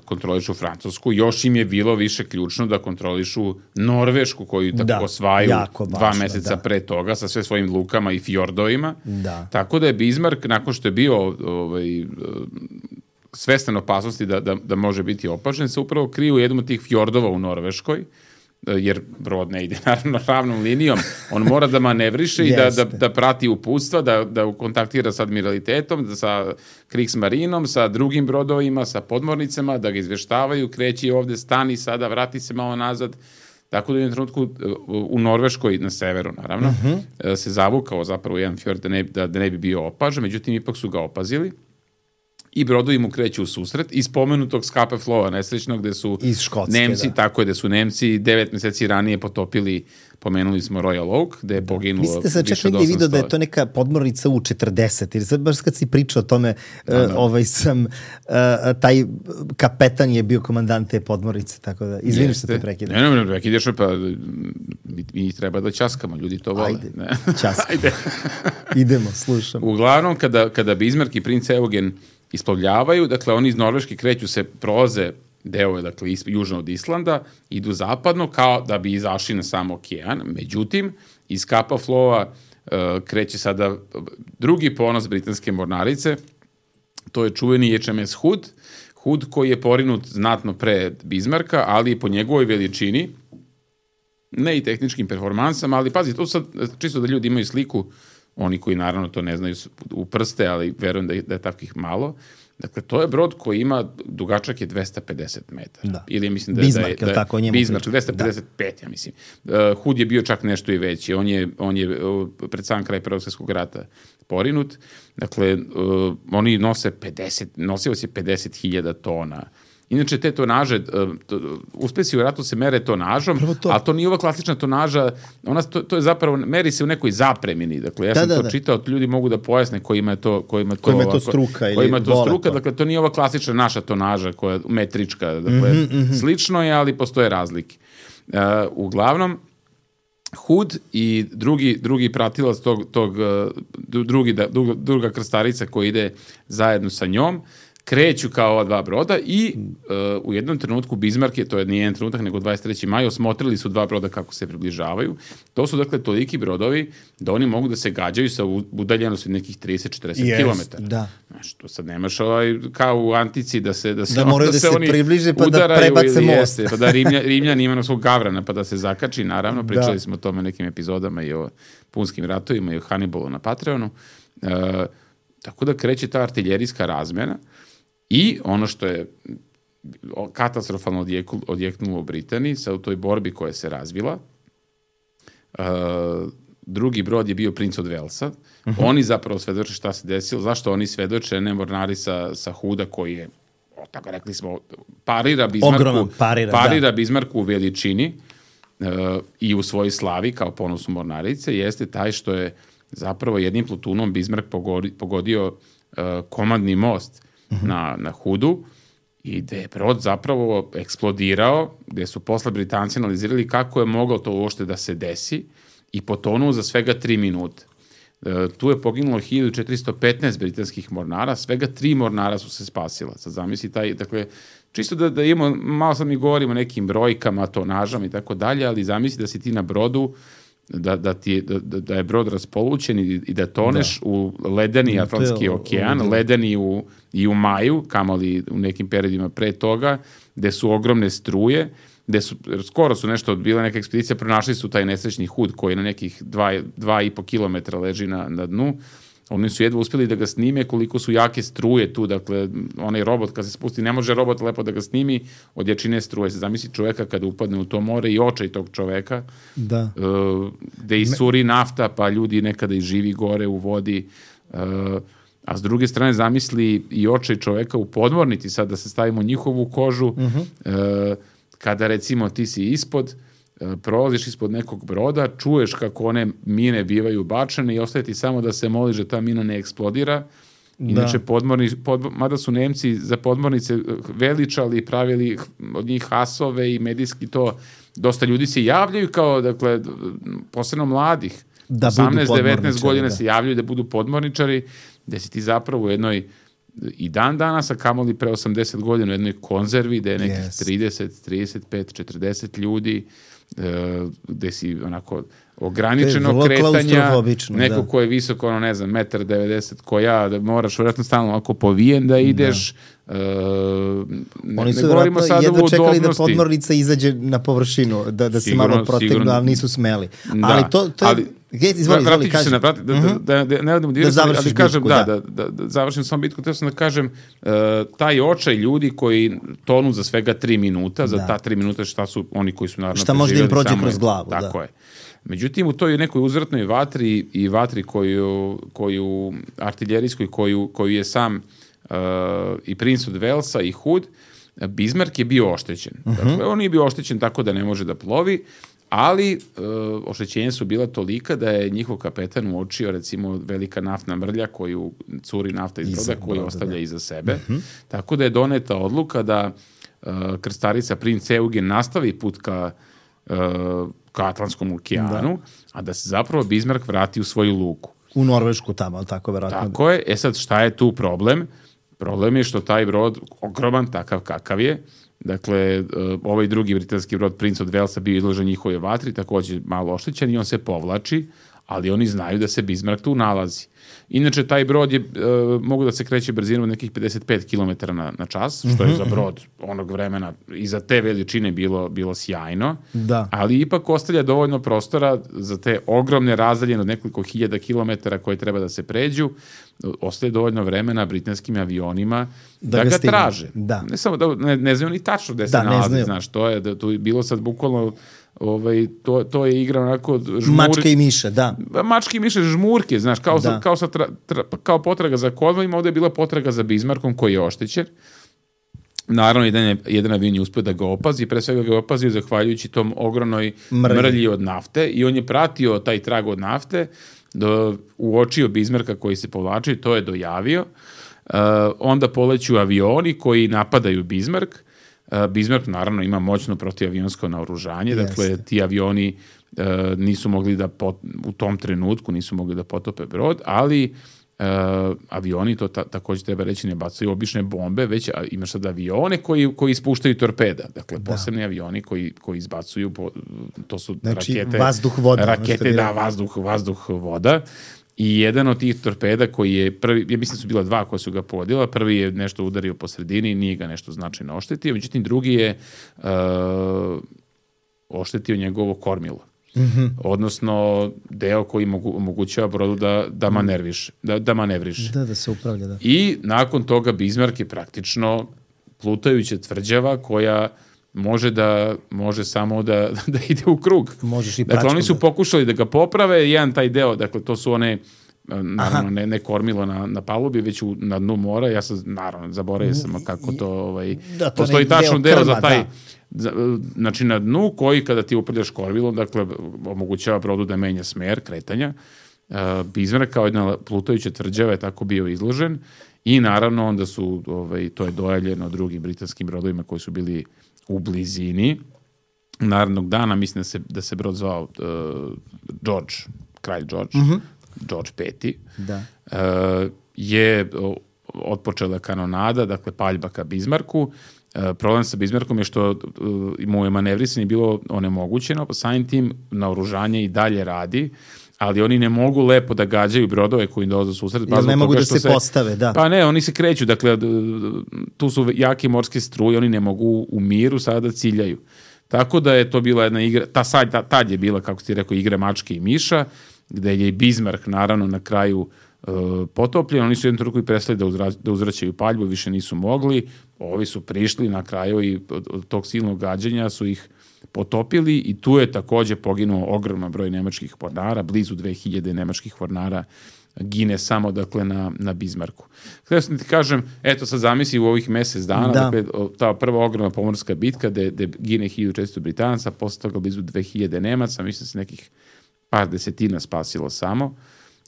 kontrolišu Francusku, još im je bilo više ključno da kontrolišu Norvešku, koju tako da, osvaju važno, dva meseca da. pre toga sa sve svojim lukama i fjordovima. Da. Tako da je Bismarck, nakon što je bio ovaj, svestan opasnosti da, da, da može biti opažen, se upravo kriju jednom od tih fjordova u Norveškoj, jer brod ne ide naravno ravnom linijom, on mora da manevriše i da, da, da prati uputstva, da, da kontaktira sa admiralitetom, da sa Kriegsmarinom, sa drugim brodovima, sa podmornicama, da ga izveštavaju, kreći ovde, stani sada, vrati se malo nazad. Tako da u jednom trenutku u Norveškoj, na severu naravno, uh-huh. se zavukao zapravo jedan fjord da ne, da, da ne bi bio opažen, međutim ipak su ga opazili. I brodovi mu kreću u susret iz spomenutog Scapa Flowa nesrećnog gde su Škotske, Nemci, da. tako je da su Nemci devet meseci ranije potopili, pomenuli smo Royal Oak, gde je poginulo više od osamsto. Mislite sad čak negdje vidio da je to neka podmornica U četrdeset, jer sad baš kad si pričao o tome, da, da. Uh, ovaj sam, uh, taj kapetan je bio komandant te podmornice, tako da, izvini što te prekidam. Ne, ne, ne, prekidaš, pa mi, mi treba da ćaskamo, ljudi to vole. Ajde, ćaskamo. Ajde. Idemo, slušamo. Uglavnom, kada, kada Bismarck i princ Eugen isplovljavaju, dakle oni iz Norveške kreću se, prolaze deo, dakle južno od Islanda, idu zapadno kao da bi izašli na sam okean, međutim iz Scapa Flowa uh, kreće sada drugi ponos britanske mornarice, to je čuveni H M S Hood, Hood koji je porinut znatno pre Bismarcka, ali po njegovoj veličini, ne i tehničkim performansama, ali pazi, to sad čisto da ljudi imaju sliku, oni koji naravno to ne znaju u prste, ali verujem da je, da je takvih malo. Dakle, to je brod koji ima, dugačak je dvesta pedeset metara. Da. Ili mislim da, Bismarck, da je, da je tako njemu Bismarck, dvesta pedeset pet, da. ja mislim. Uh, Hood je bio čak nešto i veći. On je, on je uh, pred sam kraj Prvog svjetskog rata porinut. Dakle, uh, oni nose pedeset, nosio se pedeset hiljada tona. Inače, te tonaže, uspesi u ratu se mere tonažom, to. ali to nije ova klasična tonaža, ona, to, to je zapravo, meri se u nekoj zapremini. Dakle, ja da, sam da, to da. čitao, ljudi mogu da pojasne kojima je to, kojima to, kojima je to struka ili kojima je to struka, dakle, to nije ova klasična naša tonaža, koja je metrička, dakle, mm-hmm, mm-hmm. slično je, ali postoje razlike. Uh, uglavnom, Hood i drugi, drugi pratilac tog, tog drugi, druga, druga krstarica koja ide zajedno sa njom, kreću kao ova dva broda i uh, u jednom trenutku Bismarck je, to je nije jedan trenutak, nego dvadeset treći maj, osmotrili su dva broda kako se približavaju. To su dakle toliki brodovi da oni mogu da se gađaju sa udaljenosti nekih trideset do četrdeset yes, kilometara. Da. Znaš, to sad nemaš ovaj, kao u antici da se, da se, da on, da da se, se oni približe pa da prebace most. Jeste, pa da Rimlja, Rimljan ima na svog gavrana pa da se zakači, naravno, pričali da. smo o tome nekim epizodama i o punskim ratovima i o Hannibalu na Patreonu. Uh, tako da kreće ta artiljerijska razmjena. I ono što je katastrofalno odjeknulo u Britaniji sa u toj borbi koja se razvila, uh, drugi brod je bio Prince od Walesa. Uh-huh. Oni zapravo svedoče šta se desilo. Zašto oni svedoče? Ne mornari sa, sa Hooda koji je, o, tako rekli smo, parira Bismarcku, parira, parira Bismarcku u veličini uh, i u svojoj slavi kao ponosu mornarice, jeste taj što je zapravo jednim plutunom Bismarck pogodio, pogodio uh, komandni most na, na Hoodu i gde je brod zapravo eksplodirao, gde su posle Britanci analizirali kako je moglo to uopšte da se desi i potonuo za svega tri minute. E, tu je poginulo hiljadu četiristo petnaest britanskih mornara, svega tri mornara su se spasila. Sad zamisli taj, dakle, čisto da, da imamo, malo sad mi govorimo o nekim brojkama, tonažama i tako dalje, ali zamisli da si ti na brodu, da, da, ti, da, da je brod raspolućen i, i da toneš da. u ledeni Atlantski okean, da. ledeni u, i u maju, kamoli u nekim periodima pre toga, gde su ogromne struje, gde su, skoro su nešto odbile neka ekspedicija, pronašli su taj nesrećni Hood koji na nekih dva, dva i po kilometra leži na, na dnu. Oni su jedva uspjeli da ga snime koliko su jake struje tu, dakle, onaj robot kad se spusti, ne može robot lepo da ga snimi od jačine struje. Se zamisli čoveka kada upadne u to more i očaj tog čoveka, da. Uh, gde isuri nafta, pa ljudi nekada i živi gore u vodi, uh, a s druge strane zamisli i očaj čoveka u podmornici, sad da se stavimo njihovu kožu, uh-huh. uh, kada recimo ti si ispod, prolaziš ispod nekog broda, čuješ kako one mine bivaju bačene i ostaje ti samo da se moliš da ta mina ne eksplodira. Inače, da. podmorni, pod, mada su Nemci za podmornice veličali i pravili od njih hasove i medijski to, dosta ljudi se javljaju kao, dakle, posebno mladih, da osamnaest devetnaest godina da. se javljaju da budu podmorničari, gde si ti zapravo u jednoj i dan danas, a kamoli pre osamdeset godina u jednoj konzervi gde je nekih Yes. trideset, trideset pet, četrdeset ljudi, e, gde si onako ograničenog vrlo kretanja, klaustrofobično, neko da. ko je visoko, ono, ne znam, metar devedeset ko ja, da moraš vjerojatno stalno ovako povijen da ideš. Da. E, ne, Oni su ne govorimo vjerojatno sada jedno o čekali da udobnosti. podmornica izađe na površinu, da, da se Sigurno, malo protegnu, sigurno. ali nisu smeli. Da, ali to, to je... ali- Gej, izvoli, Vratit izvoli, ću se kaži. na vrati, da, da, da, da, ne odem u direkt, Da ali, završiš ali kažem, bitku, da, da. da, da, da završim sam bitku, teo sam da kažem, uh, taj očaj ljudi koji tonu za svega tri minuta, za Da. ta tri minuta šta su oni koji su naravno Šta može da im preživjeli prođe samo- kroz glavu, Tako da. je. Međutim, u toj nekoj uzvratnoj vatri i vatri koju, koju artiljerijskoj, koju, koju je sam uh, i princ od Velsa i Hood, Bismarck je bio oštećen. Mhm. Dakle, on nije bio oštećen tako da ne može da plovi, ali uh, oštećenja su bila tolika da je njihov kapetan uočio, recimo, velika naftna mrlja koju curi nafta iz Iza broda, koju broda, ostavlja da. iza sebe. Tako da je doneta odluka da uh, krstarica princ Eugen nastavi put ka, uh, ka Atlantskom okeanu, a da se zapravo Bismarck vrati u svoju luku. U Norvešku tamo, ali tako verovatno. Tako je. E sad, šta je tu problem? Problem je što taj brod, ogroman, takav kakav je, dakle, uh, ovaj drugi britanski brod, princ od Velsa, bio izložen njihove vatri, također malo oštećen i on se povlači, ali oni znaju da se Bismarck tu nalazi. Inače, taj brod je, uh, mogu da se kreće brzinom od nekih pedeset pet kilometara na, na čas, što je za brod onog vremena i za te veličine bilo, bilo sjajno, Da. ali ipak ostavlja dovoljno prostora za te ogromne razdaljene od nekoliko hiljada kilometara koje treba da se pređu, ostaje dovoljno vremena britanskim avionima da, Da ga ga stignu. traže. Da. Ne samo da ne, ne znaju ni tačno gde se Da, ne nalazi, znaju. znaš, to je da tu je bilo sad bukvalno ovaj to to je igra onako žmur, Mačka i miša, da. mački i miše žmurke, znaš, kao Da. sa, kao sa tra, tra, kao potraga za Cornwallima, ovdje je bila potraga za Bismarckom koji je oštećen. Naravno, jedan, je, jedan avion je uspio da ga opazi, pre svega ga je opazio zahvaljujući tom ogromnoj Mrlji. mrlji od nafte i on je pratio taj trag od nafte, do, uočio Bismarcka koji se povlači, to je dojavio. Uh, onda poleću avioni koji napadaju Bismarck. Uh, Bismarck naravno ima moćno protivavionsko naoružanje, dakle Jeste. ti avioni uh, nisu mogli da pot, u tom trenutku nisu mogli da potope brod, ali uh, avioni, to ta, također treba reći, ne bacaju obične bombe, već a, imaš sad avione koji, koji ispuštaju torpeda, dakle posebni avioni koji, koji izbacuju, po, to su Znači, rakete, vazduh, voda, ono što rakete, bi da, rekao. vazduh, vazduh, voda. I jedan od tih torpeda koji je prvi, ja mislim da su bila dva koja su ga pogodila, prvi je nešto udario po sredini, nije ga nešto značajno oštetio, međutim drugi je uh, oštetio njegovo kormilo. Mm-hmm. Odnosno deo koji mogu, omogućava brodu da, da, manerviš, da, da manevriše. Da, da se upravlja, da. I nakon toga Bismarck je praktično plutajuća tvrđava koja može da može samo da, da ide u krug. Možeš i dakle, praćkom oni su da- pokušali da ga poprave, jedan taj deo, dakle, to su one, naravno, ne, ne kormilo na, na palubi, već u, na dnu mora, ja sam, naravno, zaboravio sam kako to, ovaj, Da, to postoji onaj tačno deo deo krma, za taj, da. za, znači na dnu koji kada ti upravljaš kormilom, dakle, omogućava brodu da menja smer kretanja. Uh, Bismarck kao jedna plutajuća tvrđava je tako bio izložen i naravno onda su, ovaj, to je dojavljeno drugim britanskim brodovima koji su bili u blizini. Narednog dana, mislim da se, da se brod zvao uh, George, kralj George, mm-hmm. George peti, Da. uh, je o, otpočela kanonada, dakle paljba ka Bismarcku. Uh, problem sa Bismarckom je što uh, mu je manevrisanje bilo onemogućeno, pa samim tim naoružanje i dalje radi, ali oni ne mogu lepo da gađaju brodove koji im dolaze u susret. Jer ne mogu da se postave, da. Pa ne, oni se kreću, dakle, tu su jake morske struje, oni ne mogu u miru sada da ciljaju. Tako da je to bila jedna igra, ta sad, ta, tad je bila, kako ti rekao, igra mačke i miša, gde je i Bismarck, naravno, na kraju uh, potopljen. Oni su jednom trenutku i prestali da, uzra, da uzvraćaju paljbu, više nisu mogli. Ovi su prišli na kraju i od, od tog silnog gađanja su ih potopili i tu je također poginuo ogroman broj nemačkih mornara, blizu dve hiljade nemačkih mornara gine samo, dakle, na, na Bismarcku. Htio sam ti kažem, eto sad zamisli u ovih mjesec dana, Da. dakle, ta prva ogromna pomorska bitka gde, gde gine hiljadu četiristo Britanaca, posle toga blizu dve hiljade Nemaca, mislim se nekih par desetina spasilo samo.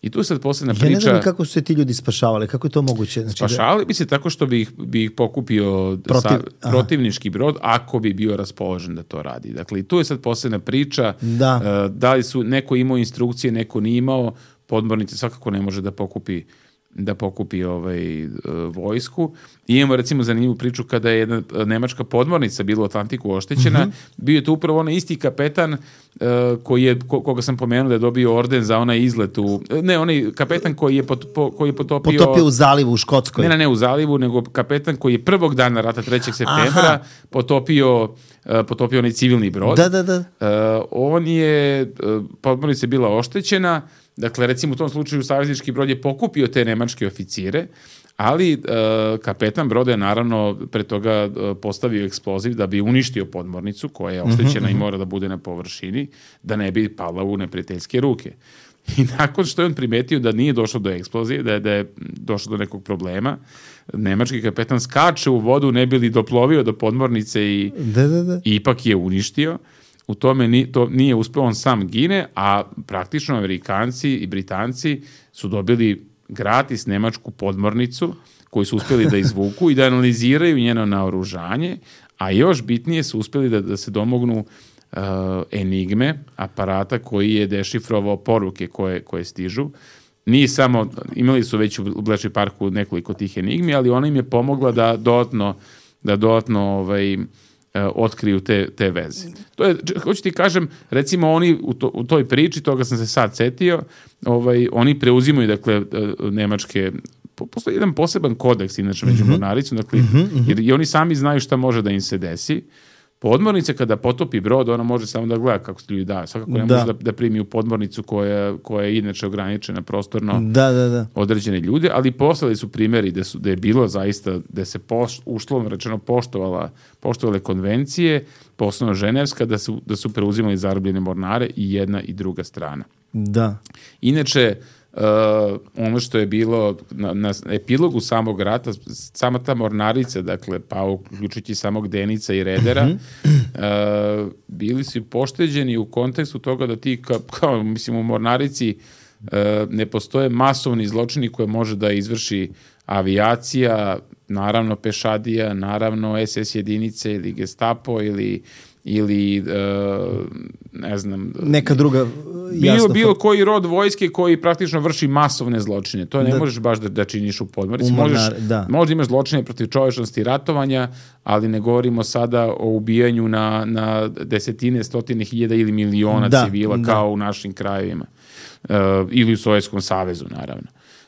I tu sad posebna priča... Ja ne znam ni kako su se ti ljudi spašavali, kako je to moguće? Znači, Spašavali bi se tako što bi ih, bi ih pokupio Protiv- sa, aha. protivnički brod ako bi bio raspoložen da to radi. Dakle, i tu je sad posebna priča. Da. Uh, da li su neko imao instrukcije, neko nije imao, podmornice svakako ne može da pokupi da pokupi ovaj, vojsku. I imamo recimo zanimljivu priču kada je jedna nemačka podmornica bila u Atlantiku oštećena. Mm-hmm. Bio je to upravo onaj isti kapetan uh, koji je, ko, koga sam pomenuo da je dobio orden za onaj izlet u... Ne, onaj kapetan koji je, pot, po, koji je potopio... Potopio u zalivu u Škotskoj. Ne, ne, ne u zalivu, nego kapetan koji je prvog dana rata trećeg septembra Aha. potopio, uh, potopio onaj civilni brod. Da, da, da. Uh, on je... Uh, podmornica je bila oštećena. Dakle, recimo u tom slučaju saveznički brod je pokupio te nemačke oficire, ali uh, kapetan broda je naravno pre toga uh, postavio eksploziv da bi uništio podmornicu koja je oštećena mm-hmm. i mora da bude na površini, da ne bi pala u neprijateljske ruke. I nakon što je on primetio da nije došlo do eksplozije, da je, da je došlo do nekog problema, nemački kapetan skače u vodu, ne bi li doplovio do podmornice i, da, da, da. i ipak je uništio. U tome ni, to nije uspeo, on sam gine, a praktično Amerikanci i Britanci su dobili gratis nemačku podmornicu koju su uspeli da izvuku i da analiziraju njeno naoružanje, a još bitnije su uspeli da, da se domognu uh, enigme, aparata koji je dešifrovao poruke koje, koje stižu. Nije samo, imali su već u Bletchley Parku nekoliko tih enigmi, ali ona im je pomogla da dodatno, da dodatno ovaj, otkriju te, te veze. To je, hoću ti kažem, recimo oni u, to, u toj priči, toga sam se sad setio, ovaj, oni preuzimaju, dakle, nemačke, postoji jedan poseban kodeks, inače, među mm-hmm. mornaricom, dakle, mm-hmm. jer i oni sami znaju šta može da im se desi. Podmornica kada potopi brod, ona može samo da gleda kako se ljudi daju. Svakako ne da. može da, da primi u podmornicu koja, koja je inače ograničena prostorno da, da, da. određene ljude, ali poslali su primjeri da, su, da je bilo zaista, da se poš, ušlovno rečeno poštovala, poštovale konvencije, posebno ženevska, da su, da su preuzimali zarobljene mornare i jedna i druga strana. Da. Inače, Uh, ono što je bilo na, na epilogu samog rata, sama ta mornarica, dakle, pa uključujući samog Denica i Redera, mm-hmm. uh, bili su pošteđeni u kontekstu toga da ti, ka, kao, mislim, u mornarici uh, ne postoje masovni zločini koje može da izvrši avijacija, naravno pešadija, naravno es es jedinice ili Gestapo ili ili uh, ne znam neka druga bilo, bilo koji rod vojske koji praktično vrši masovne zločine. To ne da, možeš baš da, da činiš u podmornici. Možeš, da. možda imaš zločine protiv čovečnosti i ratovanja, ali ne govorimo sada o ubijanju na, na desetine, stotine hiljada ili miliona da, civila da. kao u našim krajevima. Uh, ili u Sovjetskom savezu, naravno.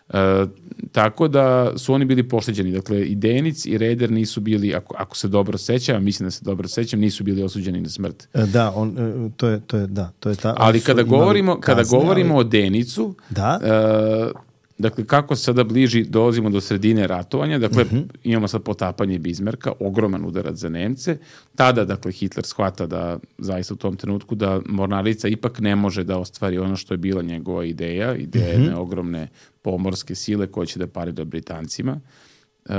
Uh, tako da su oni bili pošteđeni. Dakle, i Denic i Reder nisu bili, ako, ako se dobro sećam, mislim da se dobro sećam, nisu bili osuđeni na smrt. Da, on, to je, to je, da, to je ta... Ali kada govorimo, kazne, kada govorimo ali... o Denicu, da? Uh, dakle, kako sada bliži, dolazimo do sredine ratovanja, dakle, uh-huh. imamo sad potapanje Bizmarka, ogroman udarac za Nemce, tada, dakle, Hitler shvata da, zaista u tom trenutku, da mornarica ipak ne može da ostvari ono što je bila njegova ideja, ideja uh-huh. jedne ogromne pomorske sile koje će da parira Britancima. Uh,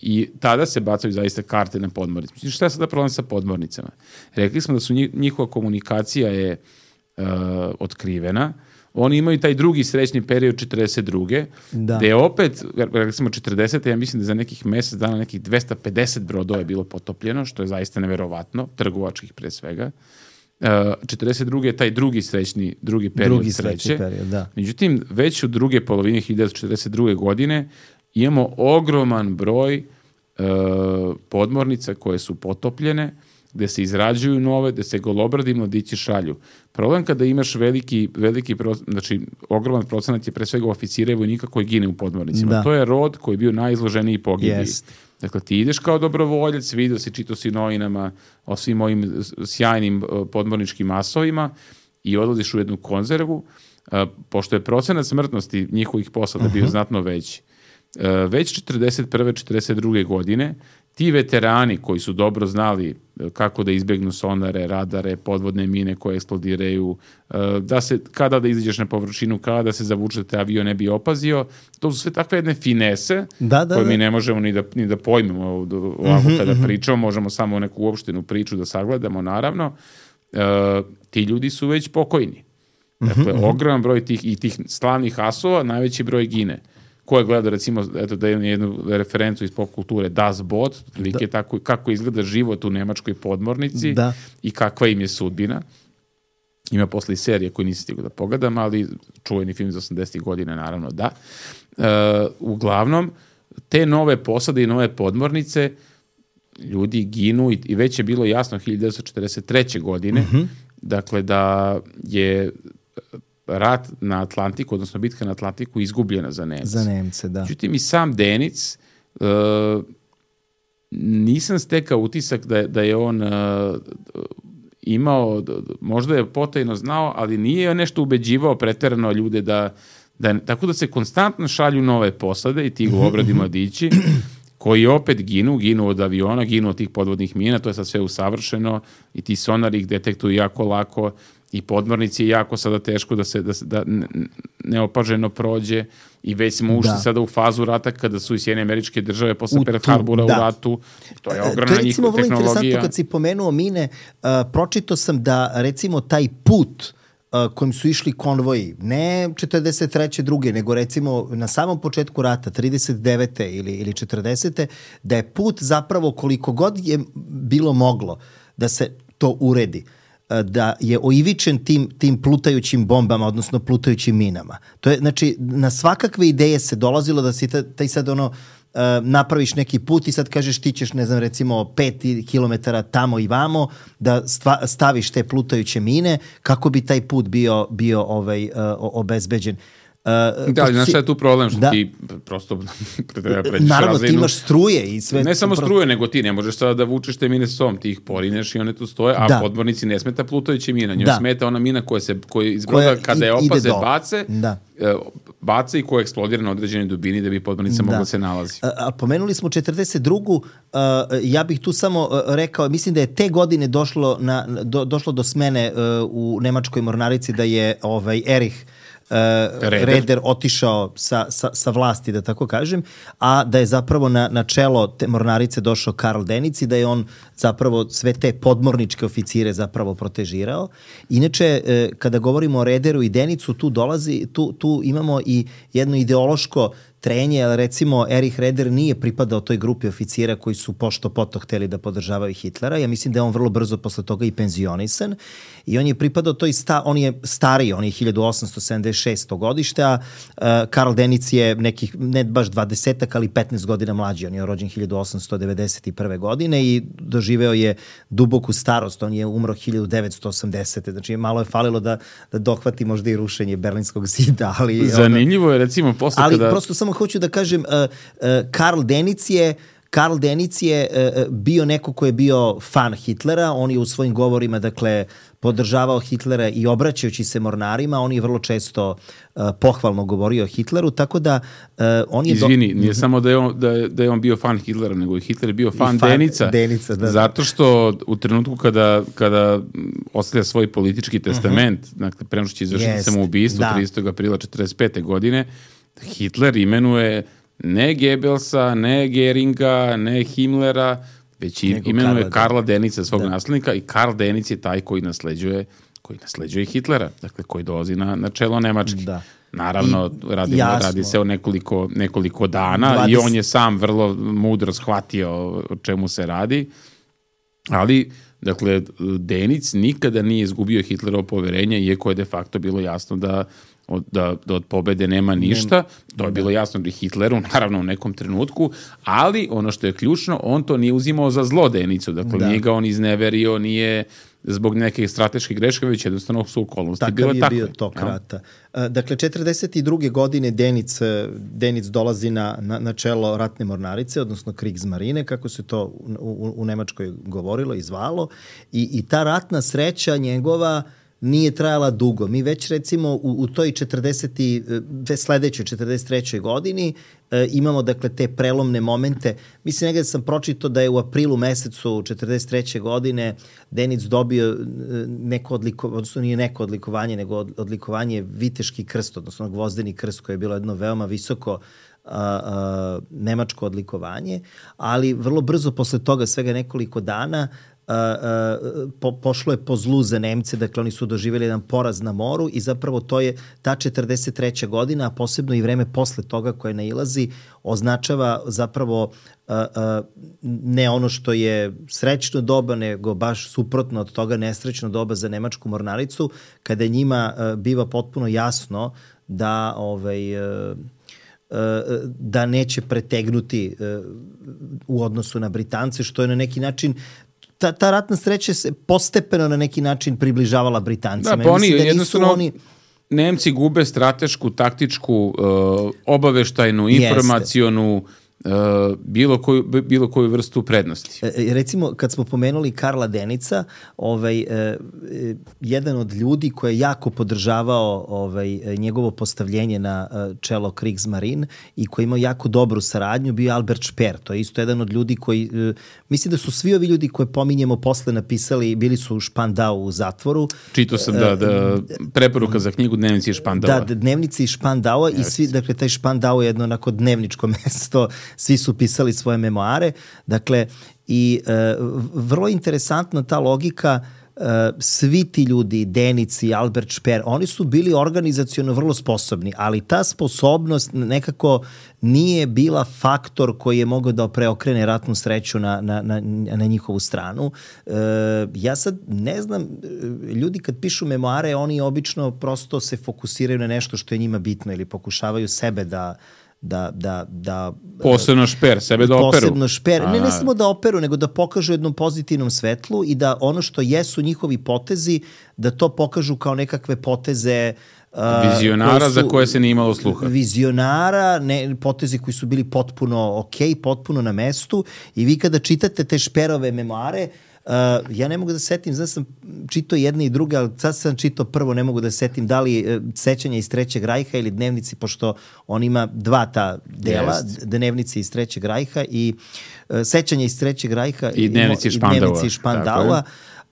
I tada se bacaju zaista karte na podmornice. Mislim, šta je sada problem sa podmornicama? Rekli smo da su njihova komunikacija je uh, otkrivena. Oni imaju taj drugi srećni period četrdeset druge Da. Gde je opet, rekli smo četrdesete ja mislim da za nekih mesec dana nekih dvesta pedeset brodova je bilo potopljeno, što je zaista neverovatno, trgovačkih pre svega. Uh, četrdeset druge je taj drugi srećni, drugi period drugi sreće. Period, da. Međutim, već u druge polovine hiljadu devetsto četrdeset druge godine imamo ogroman broj uh, podmornica koje su potopljene, gde se izrađuju nove, gde se golobradi mladići šalju. Problem kada imaš veliki, veliki znači ogroman procenat je pre svega oficira i vojnika koji gine u podmornicima. Da. To je rod koji je bio najizloženiji pogibiji. Yes. Dakle, ti ideš kao dobrovoljac, vidio si, čito si novinama o svim ovim sjajnim podmorničkim masovima i odlaziš u jednu konzervu, pošto je procenat smrtnosti njihovih posada uh-huh. bio znatno veći. Već četrdeset prve četrdeset druge godine ti veterani koji su dobro znali kako da izbegnu sonare, radare, podvodne mine koje eksplodiraju, da se, kada da izađeš na površinu, kada da se zavuče da te avion ne bi opazio, to su sve takve jedne finese da, da, koje da. mi ne možemo ni da, ni da pojmemo ovako mm-hmm, kada mm-hmm. pričamo, možemo samo neku uopštenu priču da sagledamo, naravno. Uh, ti ljudi su već pokojni. Dakle, mm-hmm. ogroman broj tih i tih slavnih asova, najveći broj gine. Ko je gleda, recimo, eto, da je jednu referencu iz pop kulture, Das Boot, like tako, kako izgleda život u nemačkoj podmornici da. I kakva im je sudbina. Ima posle i serije koju nisi stigao da pogledam, ali čuveni film iz osamdesetih godina, naravno da. E, uglavnom, te nove posade i nove podmornice, ljudi ginu i, i već je bilo jasno hiljadu devetsto četrdeset treće. godine, mm-hmm. dakle da je rat na Atlantiku, odnosno bitka na Atlantiku izgubljena za Nemce. Za Nemce, da. Međutim, i sam Denic, uh, nisam stekao utisak da je, da je on uh, imao, možda je potajno znao, ali nije nešto ubeđivao preterano ljude da, da, tako da se konstantno šalju nove posade i ti obradi mladići, koji opet ginu, ginu od aviona, ginu od tih podvodnih mina, to je sad sve usavršeno i ti sonari ih detektuju jako lako i podmornici je jako sada teško da se da, da neopaženo prođe i već smo ušli da. sada u fazu rata kada su i Sjedinjene Američke Države posle Pearl Harbora da. u ratu. To je ogromna njihova tehnologija. To je recimo vrlo interesantno kad si pomenuo mine, uh, pročito sam da recimo taj put uh, kojim su išli konvoji, ne četrdeset treće druge, nego recimo na samom početku rata, trideset devete ili, ili četrdesete da je put zapravo koliko god je bilo moglo da se to uredi, da je oivičen tim, tim plutajućim bombama, odnosno plutajućim minama. To je, znači, na svakakve ideje se dolazilo da si taj sad ono, uh, napraviš neki put i sad kažeš ti ćeš, ne znam, recimo pet kilometara tamo i vamo da stva, staviš te plutajuće mine kako bi taj put bio, bio ovaj, uh, obezbeđen. Uh, da, ali znaš šta je tu problem, što da. ti prosto treba pređeš naravno, razinu. ti imaš struje i sve. Ne samo pro... struje, nego ti ne možeš sada da vučeš te mine s sobom, ti ih porineš i one tu stoje, a da. podmornici ne smeta plutajuća mina, njoj da. smeta ona mina koja se koja iz broda kada je opaze bace, da. bace i koja eksplodira na određenoj dubini da bi podmornica da. mogla se nalazi. A, a pomenuli smo četrdeset drugu. Uh, ja bih tu samo uh, rekao, mislim da je te godine došlo, na, do, došlo do smene uh, u nemačkoj mornarici da je ovaj Erich Uh, Reder. Reder otišao sa, sa, sa vlasti, da tako kažem, a da je zapravo na, na čelo te mornarice došao Karl Denic i da je on zapravo sve te podmorničke oficire zapravo protežirao. Inače, uh, kada govorimo o Rederu i Denicu, tu dolazi, tu, tu imamo i jedno ideološko trenje, ali recimo Erich Reder nije pripadao toj grupi oficira koji su pošto poto hteli da podržavaju Hitlera. Ja mislim da je on vrlo brzo posle toga i penzionisan i on je pripadao toj sta, on je stariji, on je hiljadu osamsto sedamdeset šestog godište, a uh, Karl Denic je nekih, ne baš dvadesetak, ali petnaest godina mlađi. On je rođen hiljadu osamsto devedeset prve. godine i doživeo je duboku starost. On je umro hiljadu devetsto osamdesete. Znači, malo je falilo da, da dohvati možda i rušenje Berlinskog zida. Ali, zanimljivo je recimo posle ali kada... prosto samo hoću da kažem, uh, uh, Karl Denic je Karl Denic je uh, bio neko ko je bio fan Hitlera, on je u svojim govorima, dakle, podržavao Hitlera i obraćajući se mornarima, on je vrlo često uh, pohvalno govorio o Hitleru, tako da uh, on je... Izvini, do... nije samo da je, on, da, je, da je on bio fan Hitlera, nego je Hitler bio fan, fan Denica, Denica da. zato što u trenutku kada, kada ostavlja svoj politički testament, uh-huh. dakle, prema što će izvršiti samoubistvo da. tridesetog aprila četrdeset pete. godine, Hitler imenuje ne Goebbelsa, ne Geringa, ne Himmlera, već Nego imenuje Karla, Karla Denica, svog da. naslednika, i Karl Denic je taj koji nasleđuje koji nasleđuje Hitlera, dakle koji dolazi na, na čelo Nemačke. Da. Naravno, radi, radi se o nekoliko, nekoliko dana dvadeset i on je sam vrlo mudro shvatio o čemu se radi, ali dakle, Denic nikada nije izgubio Hitlerovo poverenje, iako je de facto bilo jasno da Od, da, da od pobede nema ništa. To je bilo jasno i Hitleru, naravno u nekom trenutku, ali ono što je ključno, on to nije uzimao za zlo Denicu, dakle da. nije ga on izneverio, nije zbog neke strateške greške, već jednostavno su okolnosti takav bile je takve. Bio tok rata. Dakle, četrdeset druge. godine Denic, Denic dolazi na, na, na čelo ratne mornarice, odnosno Kriegsmarine, kako se to u, u, u Nemačkoj govorilo i zvalo, i, i ta ratna sreća njegova nije trajala dugo. Mi već recimo u, u toj četrdeset sledećoj četrdeset trećoj. godini e, imamo dakle te prelomne momente. Mislim, negdje sam pročitao da je u aprilu mesecu četrdeset treće. godine Denic dobio neko odlikovanje, odnosno nije neko odlikovanje, nego odlikovanje Viteški krst, odnosno Gvozdeni krst, koje je bilo jedno veoma visoko A, a, nemačko odlikovanje, ali vrlo brzo posle toga, svega nekoliko dana, uh, po, pošlo je po zlu za Nemce, dakle oni su doživjeli jedan poraz na moru i zapravo to je ta četrdeset treća godina, a posebno i vreme posle toga koje nailazi, označava zapravo uh, uh, ne ono što je srećno doba, nego baš suprotno od toga nesrećno doba za nemačku mornaricu, kada njima uh, biva potpuno jasno da ovaj, uh, uh, da neće pretegnuti uh, u odnosu na Britance, što je na neki način ta, ta ratna sreća se postepeno na neki način približavala Britancima. Da, pa oni da jednostavno oni... Nemci gube stratešku, taktičku, uh, obaveštajnu, informacionu, uh, bilo, koju, bilo koju vrstu prednosti. E, recimo, kad smo pomenuli Karla Denica, ovaj, e, jedan od ljudi koji je jako podržavao ovaj, njegovo postavljenje na čelo Kriegsmarine i koji imao jako dobru saradnju, bio Albert Speer. To je isto jedan od ljudi koji, e, mislim da su svi ovi ljudi koje pominjemo posle napisali, bili su u Špandau u zatvoru. Čitao sam da, da preporuka za knjigu Dnevnici iz Špandaua. Da, Dnevnici iz Špandaua i svi, dakle, taj Špandau je jedno onako dnevničko mesto, svi su pisali svoje memoare, dakle, i e, vrlo interesantna ta logika, e, svi ti ljudi, Denic i Albert Speer, oni su bili organizaciono vrlo sposobni, ali ta sposobnost nekako nije bila faktor koji je mogao da preokrene ratnu sreću na, na, na, na njihovu stranu. E, ja sad ne znam, ljudi kad pišu memoare, oni obično prosto se fokusiraju na nešto što je njima bitno ili pokušavaju sebe da da, da, da posebno Speer, sebe da operu. Posebno Speer, ne, ne samo da operu, nego da pokažu jednom pozitivnom svetlu i da ono što jesu njihovi potezi, da to pokažu kao nekakve poteze uh, vizionara su, za koje se nije imalo sluha. Vizionara, ne, potezi koji su bili potpuno ok, potpuno na mestu i vi kada čitate te Speerove memoare, Uh, ja ne mogu da setim, znači sam čitao jedne i druge, ali sad sam čitao prvo, ne mogu da setim da li uh, sećanja iz Trećeg rajha ili Dnevnici, pošto on ima dva ta dela, yes. Dnevnici iz Trećeg rajha i uh, sećanja iz Trećeg rajha i Dnevnici iz Špandaua. Špandaua.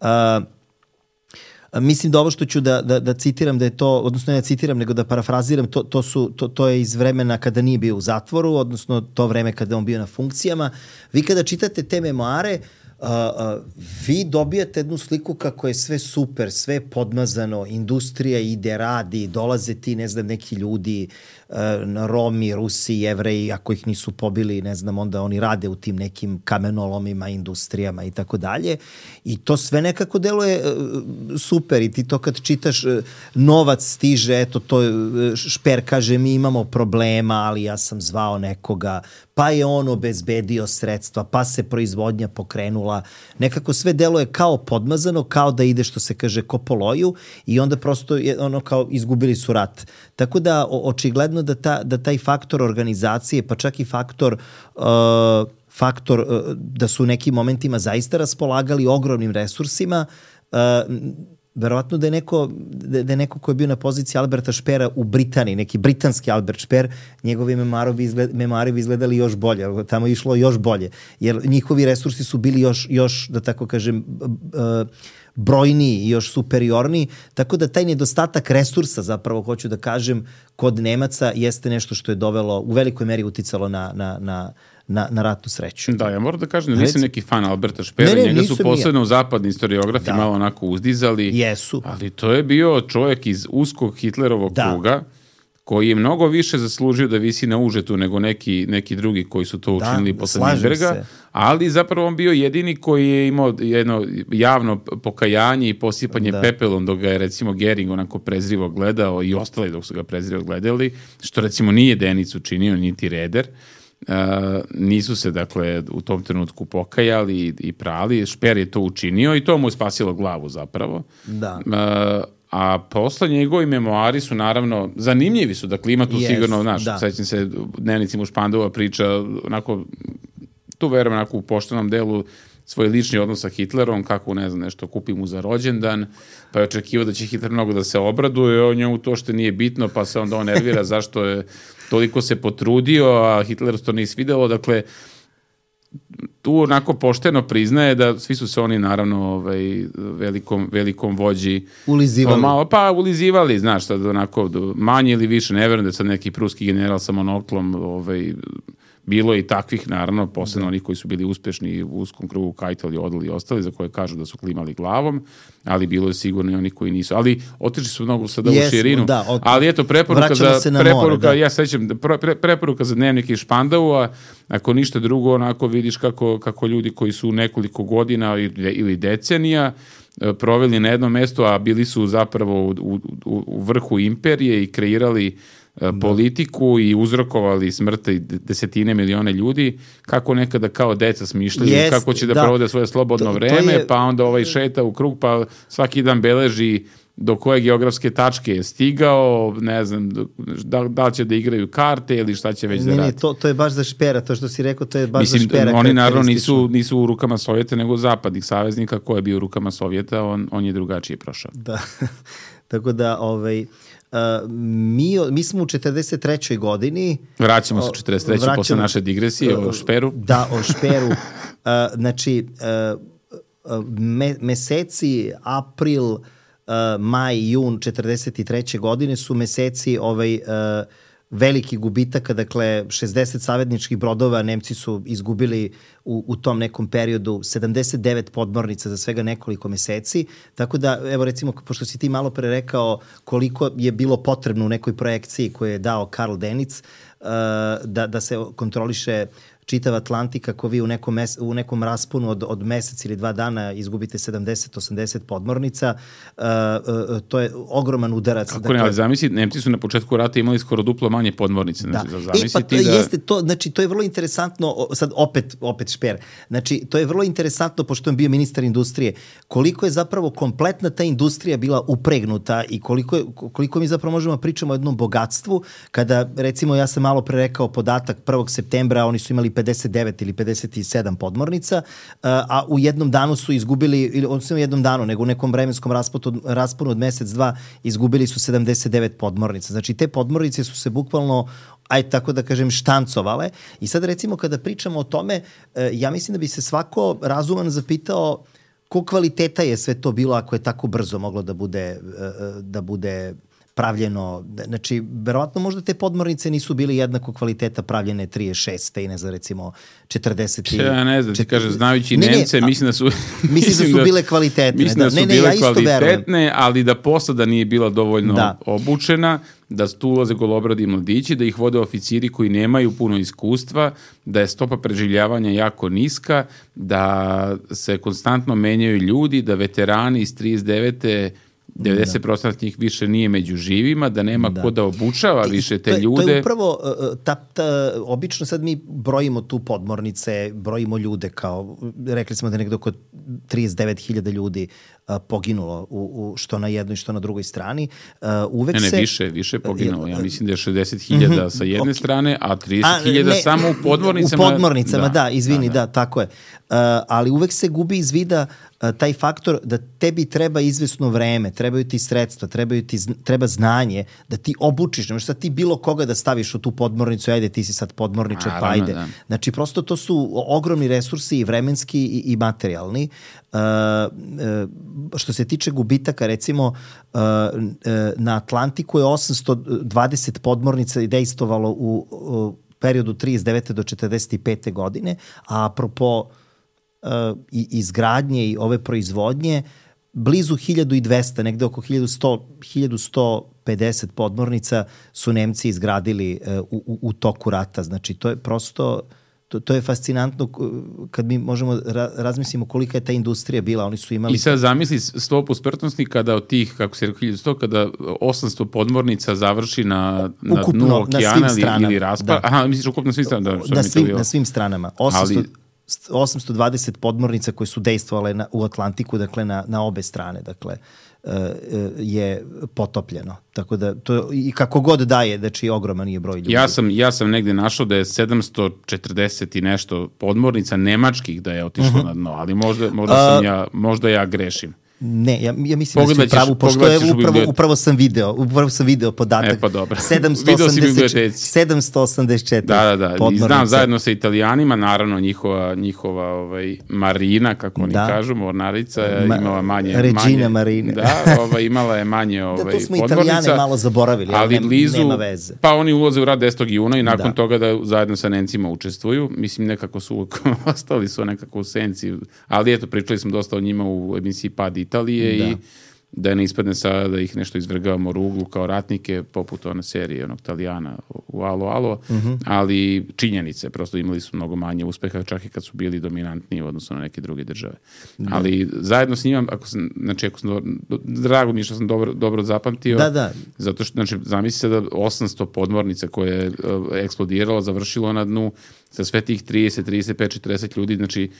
Uh, mislim da ovo što ću da, da, da citiram, da je to, odnosno ne da citiram, nego da parafraziram, to, to, su, to, to je iz vremena kada nije bio u zatvoru, odnosno to vreme kada on bio na funkcijama. Vi kada čitate te memoare, Uh, uh, vi dobijate jednu sliku kako je sve super, sve podmazano, industrija ide, radi, dolaze ti, ne znam, neki ljudi, uh, Romi, Rusi, Jevreji, ako ih nisu pobili, ne znam, onda oni rade u tim nekim kamenolomima, industrijama i tako dalje. I to sve nekako deluje uh, super i ti to kad čitaš, uh, novac stiže, eto, to uh, Speer kaže, mi imamo problema, ali ja sam zvao nekoga, pa je on obezbedio sredstva, pa se proizvodnja pokrenula. Nekako sve deluje kao podmazano, kao da ide, što se kaže, ko po loju i onda prosto je ono kao izgubili su rat. Tako da o, očigledno da, ta, da taj faktor organizacije, pa čak i faktor uh, faktor uh, da su u nekim momentima zaista raspolagali ogromnim resursima, uh, verovatno da je neko da je neko ko je bio na poziciji Alberta Speera u Britaniji, neki britanski Albert Speer, njegovi memoari bi, izgled, memoari bi izgledali još bolje, tamo je išlo još bolje, jer njihovi resursi su bili još, još da tako kažem, brojniji i još superiorniji, tako da taj nedostatak resursa, zapravo hoću da kažem, kod Nemaca jeste nešto što je dovelo, u velikoj meri uticalo na, na, na Na, na ratnu sreću. Da, ja moram da kažem da nisam neki fan Alberta Speera, njega su posebno u zapadni historiografi da. malo onako uzdizali. Jesu. Ali to je bio čovjek iz uskog Hitlerovog da. kruga, koji je mnogo više zaslužio da visi na užetu nego neki, neki drugi koji su to učinili da, posle Nürnberga, ali zapravo on bio jedini koji je imao jedno javno pokajanje i posipanje da. pepelom dok ga je recimo Gering onako prezrivo gledao i ostali dok su ga prezrivo gledali, što recimo nije Denic učinio, niti Reder. Uh, nisu se dakle u tom trenutku pokajali i, i prali. Speer je to učinio i to mu je spasilo glavu zapravo. Da. Uh, a posle njegovi memoari su naravno zanimljivi su, dakle ima tu yes, sigurno, znaš, da. sećam se Dnevnicima u Špandaua priča onako, tu verujem onako u poštenom delu svoj lični odnos sa Hitlerom, kako, ne znam, nešto kupi mu za rođendan, pa je očekivao da će Hitler mnogo da se obraduje, o njemu to što nije bitno, pa se onda on nervira zašto je toliko se potrudio, a Hitleru to nije svidelo, dakle, tu onako pošteno priznaje da svi su se oni naravno ovaj, velikom, velikom vođi ulizivali. Malo, pa ulizivali, znaš, sad onako manje ili više, ne verujem da je sad neki pruski general sa monoklom ovaj, bilo je i takvih, naravno, posebno onih koji su bili uspešni u uskom krugu, Kajtel i Odl i ostali, za koje kažu da su klimali glavom, ali bilo je sigurno i oni koji nisu. Ali otišli su mnogo sada u širinu. Da, od... Ali eto, preporuka za, preporuka, more, ja sećam, pre, preporuka za Dnevnik iz Špandaua, ako ništa drugo, onako vidiš kako, kako ljudi koji su nekoliko godina ili decenija proveli na jednom mestu, a bili su zapravo u, u, u vrhu imperije i kreirali politiku i uzrokovali smrti desetine miliona ljudi, kako nekada kao deca smišljaju, yes, kako će da, da provode svoje slobodno to, vreme, to je... pa onda ovaj šeta u krug, pa svaki dan beleži do koje geografske tačke je stigao, ne znam, da, da li će da igraju karte ili šta će već ne, da radi. Ne, to, to je baš za špera, to što si rekao, to je baš Mislim, za špera. Oni naravno nisu, nisu u rukama Sovjeta, nego zapadnih saveznika. Ko je bio u rukama Sovjeta, on, on je drugačije prošao. Da, tako da, ovaj... Uh, mi, mi smo u četrdeset trećoj godini. Vraćamo se u četrdeset trećoj vraćamo, posle naše digresije uh, o šperu. Da, o šperu. uh, znači, uh, me, meseci april, uh, maj, jun četrdeset treće godine su meseci ovaj, uh, veliki gubitaka, dakle šezdeset savezničkih brodova Nemci su izgubili u, u tom nekom periodu, sedamdeset devet podmornica za svega nekoliko meseci, tako da, evo recimo, pošto si ti malo pre rekao koliko je bilo potrebno u nekoj projekciji koju je dao Karl Dönitz, uh, da, da se kontroliše čitav Atlantik, ako vi u nekom, mes, u nekom rasponu od, od mesec ili dva dana izgubite sedamdeset osamdeset podmornica, uh, uh, to je ogroman udarac. Kako dakle, ne, ali zamisli, Nemci su na početku rata imali skoro duplo manje podmornice. Znači, da. Zamisli e, pa to, da... jeste to, znači, to je vrlo interesantno, sad opet, opet šper, znači, to je vrlo interesantno, pošto je bio ministar industrije, koliko je zapravo kompletna ta industrija bila upregnuta i koliko, je, koliko mi zapravo možemo pričamo o jednom bogatstvu, kada, recimo, ja sam malo pre rekao podatak prvog septembra, oni su imali pedeset devet ili pedeset sedam podmornica, a u jednom danu su izgubili, ili odnosno u jednom danu, nego u nekom vremenskom rasponu, rasponu od mesec, dva, izgubili su sedamdeset devet podmornica. Znači, te podmornice su se bukvalno, aj tako da kažem, štancovale. I sad, recimo, kada pričamo o tome, ja mislim da bi se svako razuman zapitao ko kvaliteta je sve to bilo ako je tako brzo moglo da bude, da bude pravljeno, znači, verovatno možda te podmornice nisu bili jednako kvaliteta pravljene trideset šeste i ne znam, recimo, četrdeset. Ja ne znam, ti kažem, znajući ne, Nemce, ne, mislim da su... Mislim da su bile kvalitetne. Mislim da, da su ne, ne, bile ja kvalitetne, ali da posada nije bila dovoljno da. obučena, da tu ulaze golobradi mladići, da ih vode oficiri koji nemaju puno iskustva, da je stopa preživljavanja jako niska, da se konstantno menjaju ljudi, da veterani iz trideset devete devedeset posto njih više nije među živima, da nema da. ko da obučava više te to, ljude. To je upravo, ta, ta, obično sad mi brojimo tu podmornice, brojimo ljude kao, rekli smo da nekdo oko trideset devet hiljada ljudi uh, poginulo, u, u, što na jednoj, što na drugoj strani. Uh, uvek ne, ne, se, više, više poginulo. Ja mislim da je šezdeset hiljada sa jedne okay. strane, a trideset hiljada samo u podmornicama. U podmornicama, da, da izvini, da, da. da, tako je. Uh, ali uvek se gubi iz vida uh, taj faktor da tebi treba izvesno vreme, trebaju ti sredstva, trebaju ti, treba znanje, da ti obučiš, ne možeš sad ti bilo koga da staviš u tu podmornicu, ajde ti si sad podmorničar, pa ajde. Da. Znači, prosto to su ogromni resursi i vremenski i, i materijalni. Uh, uh, što se tiče gubitaka, recimo, uh, uh, na Atlantiku je osamsto dvadeset podmornica dejstvovalo u, u periodu trideset devete do četrdeset pete godine, a apropo uh, i izgradnje i ove proizvodnje, blizu hiljadu dvesta, negde oko hiljadu sto pedeset podmornica su Nemci izgradili uh, u, u toku rata. Znači, to je prosto... To, to je fascinantno kad mi možemo ra, razmislimo kolika je ta industrija bila, oni su imali... I sad zamisli stopu smrtnosti kada od tih, kako se rekao, hiljadu sto, kada osamsto podmornica završi na, na ukupno, dnu okeana ili, ili raspa. Da. Aha, misliš ukupno na svim stranama? Da, na, svim, na svim stranama. osamsto, Ali... osamsto dvadeset podmornica koje su dejstvovale na, u Atlantiku, dakle na, na obe strane, dakle je potopljeno. Tako da, to i kako god daje, znači ogroman je broj ljudi. Ja sam, ja sam negde našao da je sedamsto četrdeset i nešto podmornica nemačkih da je otišlo uh-huh. na dno, ali možda, možda, sam ja, možda ja grešim. Ne, ja, ja mislim pogledat da si pravu, pošto je upravo, upravo sam video, upravo sam video podatak. E, pa dobro. sedamsto osamdeset četiri Da, da, da. I znam zajedno sa Italijanima, naravno njihova, njihova ovaj, Marina, kako oni da. kažu, mornarica, je Ma, imala manje... Regina manje, Marina. Da, ovaj, imala je manje ovaj, podmornica. Da, to smo Italijane malo zaboravili, ali nema, blizu, nema veze. Pa oni ulaze u rat desetog juna i nakon da. toga da zajedno sa Nemcima učestvuju. Mislim, nekako su, ostali su nekako u senci, ali eto, pričali smo dosta o njima u emisiji Pad Italije da. i da ne ispadne sada da ih nešto izvrgavamo ruglu kao ratnike, poput one serije onog Italijana u Alo Alo, mm-hmm. ali činjenice, prosto imali su mnogo manje uspeha, čak i kad su bili dominantniji u odnosu na neke druge države. Da. Ali zajedno s njima, ako sam, znači, ako sam dobro, drago mi što sam dobro, dobro zapamtio, da, da. zato što, znači, zamisli se da osamsto podmornica koje je uh, eksplodiralo, završilo na dnu sa sve tih trideset, trideset pet, četrdeset ljudi, znači,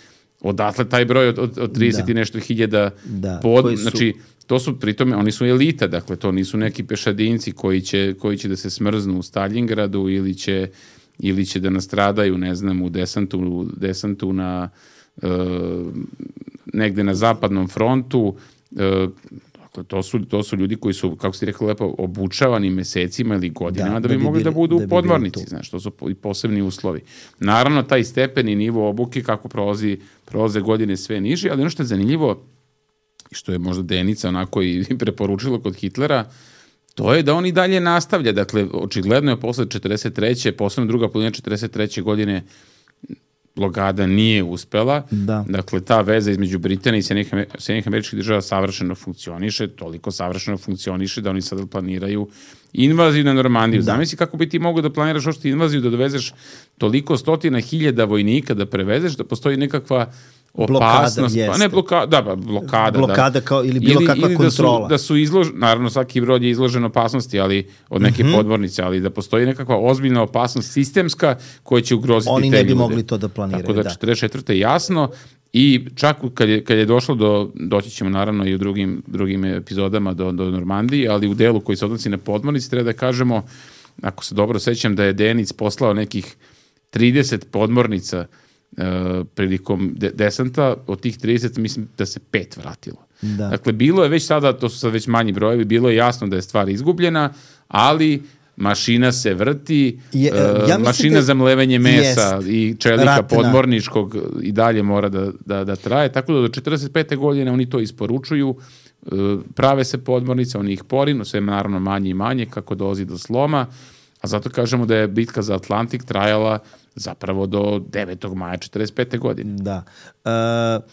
odatle taj broj od, od, od trideset da. i nešto hiljada da. pod, su... znači, to su pritome, oni su elita, dakle, to nisu neki pešadinci koji će, koji će da se smrznu u Stalingradu ili će, ili će da nastradaju, ne znam, u desantu, desantu na uh, negde na zapadnom frontu. Uh, dakle, to su, to su ljudi koji su, kako si rekao lepo, obučavani mesecima ili godinama da, da bi, da bi mogli bili, da budu da u podmornici, znaš, to su i posebni uslovi. Naravno, taj stepen i nivo obuke, kako prolazi, prolaze godine sve niži, ali ono što je zanimljivo, što je možda Denica onako i preporučilo kod Hitlera, to je da on i dalje nastavlja. Dakle, očigledno je posle četrdeset treće posebno druga polovina četrdeset treće godine blokada nije uspela. Da. Dakle, ta veza između Britanije i Sjedinjenih Američkih Država savršeno funkcioniše, toliko savršeno funkcioniše da oni sad planiraju invaziju na Normandiju. Da. Zamisli kako bi ti mogao da planiraš ošto invaziju, da dovezeš toliko stotina hiljada vojnika da prevezeš, da postoji nekakva opasnost, blokada, pa ne blokada, da, blokada, blokada da. kao ili bilo ili, kakva ili kontrola. Da su, da su izloženi, naravno svaki brod je izložen opasnosti, ali od neke mm-hmm. podmornice, ali da postoji nekakva ozbiljna opasnost sistemska koja će ugroziti Oni te ljude. Oni ne bi mogli to da planiraju. Tako da, da. četrdeset četvrte jasno i čak kad je, kad je došlo do, doći ćemo naravno i u drugim, drugim epizodama do, do Normandije, ali u delu koji se odnosi na podmornici treba da kažemo, ako se dobro sećam, da je Denic poslao nekih trideset podmornica Uh, prilikom de- desanta, od tih trideset mislim da se pet vratilo. Da. Dakle, bilo je već sada, to su sad već manji brojevi, bilo je jasno da je stvar izgubljena, ali mašina se vrti, je, uh, ja mašina da za mlevenje mesa jest. i čelika Ratna. podmorničkog i dalje mora da, da, da traje, tako da do četrdeset pete godine oni to isporučuju, uh, prave se podmornice, oni ih porinu, sve naravno manje i manje, kako dolazi do sloma, a zato kažemo da je bitka za Atlantik trajala zapravo do devetog maja četrdeset pete godine. Da. Uh,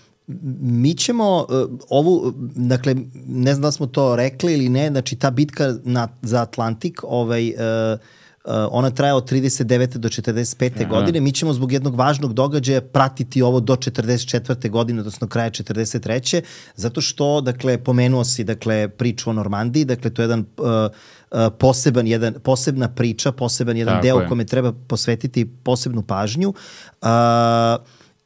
mi ćemo uh, ovu, dakle, ne znam da smo to rekli ili ne, znači ta bitka na, za Atlantik, ovaj, uh, uh, ona traje od trideset devete do četrdeset pete Aha. godine. Mi ćemo zbog jednog važnog događaja pratiti ovo do četrdeset četvrte godine, odnosno kraja četrdeset treće zato što, dakle, pomenuo si, dakle, priču o Normandiji, dakle, to je jedan uh, poseban jedan, posebna priča, poseban jedan Tako deo je. kome treba posvetiti posebnu pažnju. Uh,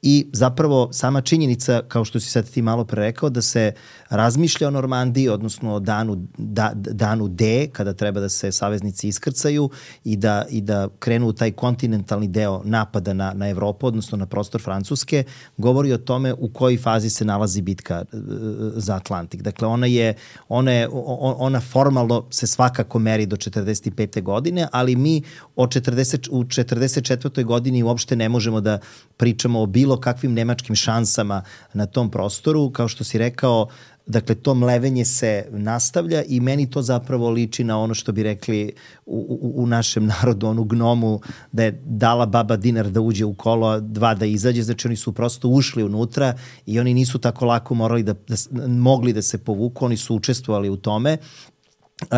I zapravo sama činjenica, kao što si sad ti malo pre rekao, da se razmišlja o Normandiji, odnosno o danu, da, danu D, kada treba da se saveznici iskrcaju i da, i da krenu u taj kontinentalni deo napada na, na Evropu, odnosno na prostor Francuske, govori o tome u kojoj fazi se nalazi bitka za Atlantik. Dakle, ona je, ona, je, ona formalno se svakako meri do četrdeset pete godine, ali mi o četrdeset, u četrdeset četvrtoj godini uopšte ne možemo da pričamo o bilo kakvim nemačkim šansama na tom prostoru. Kao što si rekao, dakle, to mlevenje se nastavlja i meni to zapravo liči na ono što bi rekli u, u, u našem narodu, onu gnomu, da je dala baba dinar da uđe u kolo, a dva da izađe. Znači, oni su prosto ušli unutra i oni nisu tako lako morali da, da mogli da se povuku, oni su učestvovali u tome. Uh,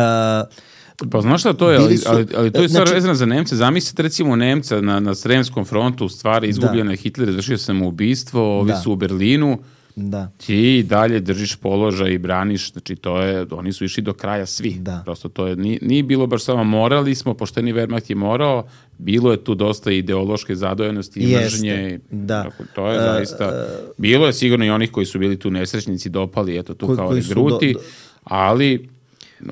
Pa znaš šta to je, ali, ali, ali to je stvar znači, vezana za Nemce. Zamislite recimo Nemca na, na Sremskom frontu, u stvari izgubljena je Hitler, izvršio samoubistvo, ovi da. su u Berlinu, da. ti dalje držiš položaj i braniš, znači to je, oni su išli do kraja svi. Da. Prosto to je, nije, nije bilo baš samo morali smo, pošteni Wehrmacht je morao, bilo je tu dosta ideološke zadojenosti i mržnje. Da. Tako, to je uh, zaista, uh, bilo je sigurno i onih koji su bili tu nesrećnici, dopali, eto tu koji, kao regruti, do, do... ali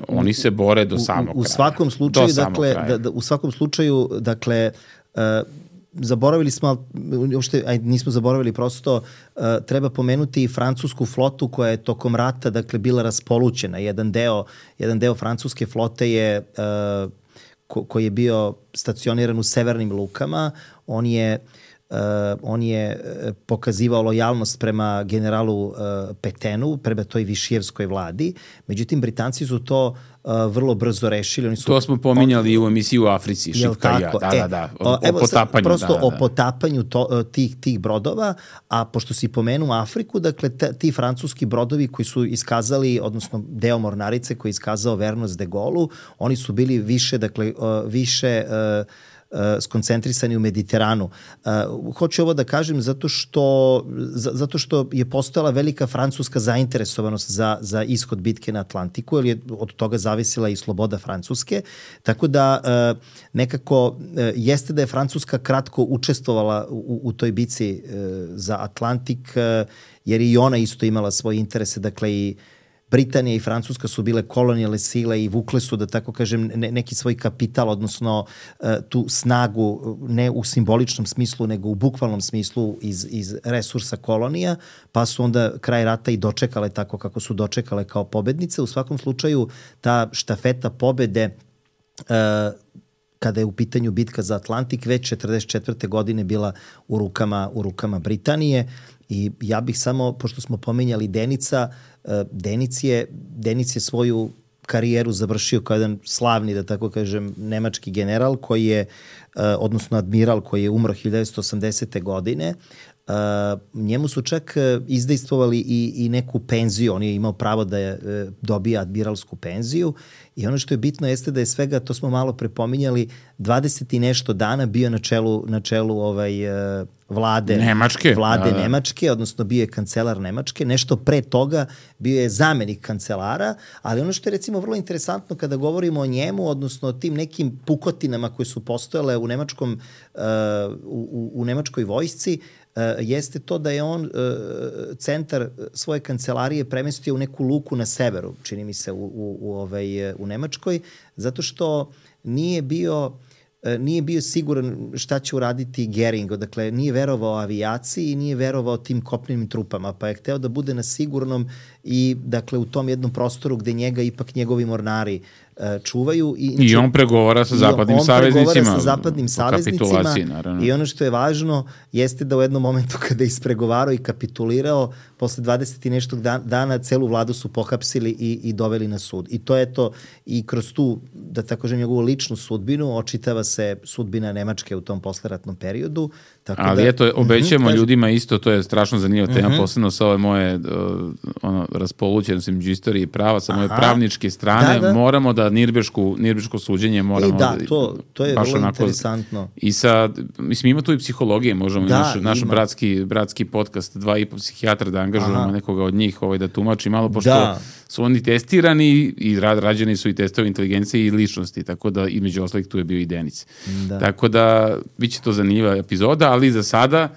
oni se bore do samog u, u, u svakom slučaju, dakle, da, da, u svakom slučaju, dakle, uh, zaboravili smo, uopšte, aj, nismo zaboravili, prosto uh, treba pomenuti i francusku flotu koja je tokom rata, dakle, bila raspolućena. Jedan deo, jedan deo francuske flote je, uh, ko, koji je bio stacioniran u severnim lukama, on je Uh, on je pokazivao lojalnost prema generalu uh, Petenu, prema toj Višijevskoj vladi. Međutim, Britanci su to uh, vrlo brzo rešili. Oni su, to smo pominjali on, u emisiji u Africi, Šipka i ja. Da, e, da, da. O, o evo, potapanju. Prosto da, da, da. o potapanju to, tih, tih brodova, a pošto si pomenuo Afriku, dakle, t, ti francuski brodovi koji su iskazali, odnosno deo mornarice koji je iskazao vernost de Gaullu, oni su bili više, dakle, uh, više... Uh, Uh, skoncentrisani u Mediteranu. Uh, hoću ovo da kažem zato što, za, zato što je postojala velika francuska zainteresovanost za, za ishod bitke na Atlantiku, jer je od toga zavisila i sloboda Francuske. Tako da uh, nekako uh, jeste da je Francuska kratko učestvovala u, u toj bici uh, za Atlantik, uh, jer i ona isto imala svoje interese, dakle i Britanija i Francuska su bile kolonijalne sile i vukle su, da tako kažem, ne, neki svoj kapital, odnosno uh, tu snagu, ne u simboličnom smislu, nego u bukvalnom smislu iz, iz resursa kolonija, pa su onda kraj rata i dočekale tako kako su dočekale kao pobednice. U svakom slučaju, ta štafeta pobede, uh, kada je u pitanju bitka za Atlantik, već četrdeset četvrte godine bila u rukama, u rukama Britanije. I ja bih samo, pošto smo pominjali Denica, Denic je, Denic je svoju karijeru završio kao jedan slavni, da tako kažem, nemački general koji je, odnosno admiral koji je umro hiljadu devetsto osamdesete godine. Uh, njemu su čak izdejstvovali i, i neku penziju, on je imao pravo da je, dobija admiralsku penziju i ono što je bitno jeste da je svega, to smo malo prepominjali, dvadeset i nešto dana bio na čelu, na čelu ovaj, vlade Nemačke, vlade da, da. Nemačke, odnosno bio je kancelar Nemačke, nešto pre toga bio je zamenik kancelara, ali ono što je recimo vrlo interesantno kada govorimo o njemu, odnosno o tim nekim pukotinama koje su postojale u, nemačkom, uh, u, u nemačkoj vojsci, Uh, jeste to da je on uh, centar svoje kancelarije premestio u neku luku na severu, čini mi se, u, u, u, ovaj, u Nemačkoj, zato što nije bio, uh, nije bio siguran šta će uraditi Gering, dakle nije verovao avijaciji i nije verovao tim kopnenim trupama, pa je hteo da bude na sigurnom i dakle u tom jednom prostoru gde njega ipak njegovi mornari uh, čuvaju. I, I on pregovara sa zapadnim saveznicima. On pregovara sa zapadnim saveznicima i ono što je važno jeste da u jednom momentu kada je ispregovarao i kapitulirao, posle dvadeset i nešto dana celu vladu su pohapsili i, i doveli na sud. I to je to, i kroz tu, da tako kažem, njegovu ličnu sudbinu očitava se sudbina Nemačke u tom posleratnom periodu. Tako ali da, eto, obećajemo uh-huh, ljudima isto, to je strašno zanimljiva tema, uh-huh. posebno sa ove moje uh, ono, raspolućenost između istorije i prava, sa moje pravničke strane, da, da. moramo da Nirbešku, Nirbešku suđenje moramo e, da, to, to je vrlo onako, interesantno. I sa, mislim, ima tu i psihologije, možemo da, naš, naš bratski, bratski podcast, dva i po psihijatra da angažujemo Aha. nekoga od njih ovaj, da tumači malo, pošto da. su oni testirani i rad, rađeni su i testovi inteligencije i ličnosti, tako da između ostalih tu je bio i Denic. Da. Tako da, bit će to zanimljiva epizoda, ali za sada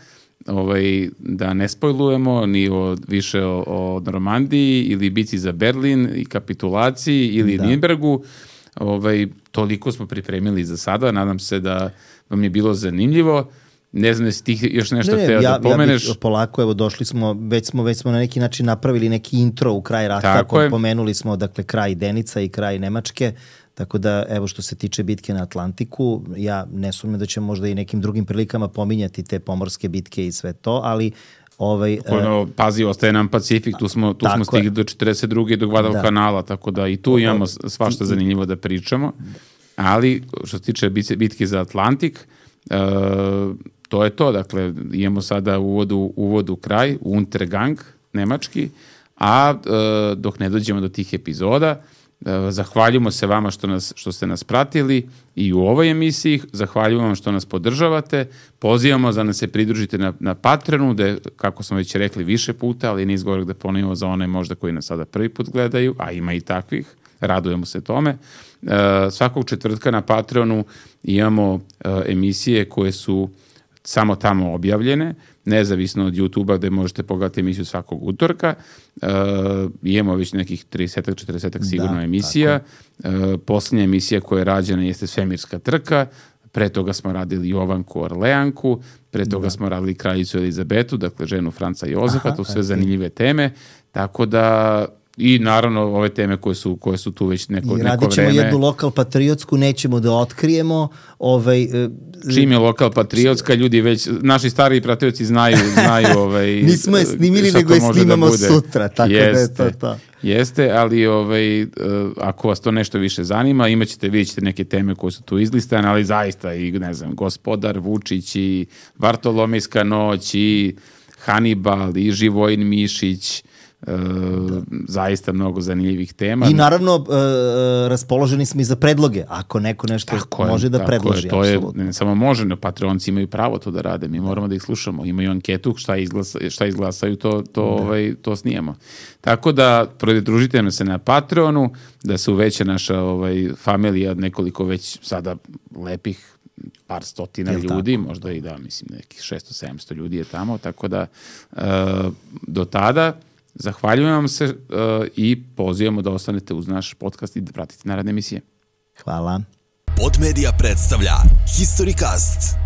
ovaj, da ne spojlujemo ni o, više o, o Normandiji ili biti za Berlin i kapitulaciji ili da. Nürnbergu. Ovaj, toliko smo pripremili za sada. Nadam se da vam je bilo zanimljivo. Ne znam da si ti još nešto ne, hteo ja, da pomeneš. Ja bih polako, evo došli smo, već smo, već smo na neki način napravili neki intro u kraj rata. Tako je. Pomenuli smo dakle kraj Denica i kraj Nemačke. Tako da, evo što se tiče bitke na Atlantiku, ja ne sumnjam da ćemo možda i nekim drugim prilikama pominjati te pomorske bitke i sve to, ali ovaj ono, pazi, ostaje nam Pacifik, tu smo tu smo stigli do četrdeset druge do Guadalcanala, tako da i tu imamo svašta zanimljivo da pričamo. Ali što se tiče bitke za Atlantik, uh, to je to, dakle imamo sada uvodu uvodu kraj, Untergang nemački, a uh, dok ne dođemo do tih epizoda, zahvaljujemo se vama što, nas, što ste nas pratili i u ovoj emisiji, zahvaljujemo vam što nas podržavate, pozivamo da nas se pridružite na, na Patreonu, gde, kako smo već rekli više puta, ali nije izgovorak da ponovimo za one možda koji nas sada prvi put gledaju, a ima i takvih, radujemo se tome. E, svakog četvrtka na Patreonu imamo e, emisije koje su samo tamo objavljene, nezavisno od YouTube-a gde možete pogledati emisiju svakog utorka. E, imamo već nekih trideset četrdeset sigurno da, emisija. E, posljednja emisija koja je rađena jeste Svemirska trka. pre toga smo radili Jovanku Orleanku, pre toga da. smo radili kraljicu Elizabetu, dakle ženu Franca Jozefa, Aha, to su sve okay. zanimljive teme, tako da i naravno ove teme koje su, koje su tu već neko, neko vreme. I radit ćemo jednu lokal patriotsku, nećemo da otkrijemo. Ovaj, Čim je lokal patriotska, ljudi već, naši stariji pratioci znaju, znaju ovaj, nismo je snimili, nego je snimamo sutra, tako jeste, da je to to. Jeste, ali ovaj, ako vas to nešto više zanima, imat ćete, vidjet ćete neke teme koje su tu izlistane, ali zaista i, ne znam, Gospodar Vučić i Vartolomejska noć i Hanibal i Živojin Mišić, E, zaista mnogo zanimljivih tema. I naravno e, raspoloženi smo i za predloge, ako neko nešto tako može je, da predloži. Je, to je, ne samo može, ne, Patreonci imaju pravo to da rade, mi moramo da ih slušamo, imaju anketu, šta, izglasa, šta izglasaju, to, to, ovaj, to snijemo. Tako da pridružite nam se na Patreonu, da se uveća naša ovaj, familija od nekoliko već sada lepih par stotina Jel ljudi, tako? Možda i da, mislim, nekih šesto sedamsto ljudi je tamo, tako da e, do tada zahvaljujem vam se uh, i pozivamo da ostanete uz naš podcast i da pratite naredne emisije. Hvala. Podmedia predstavlja Historycast.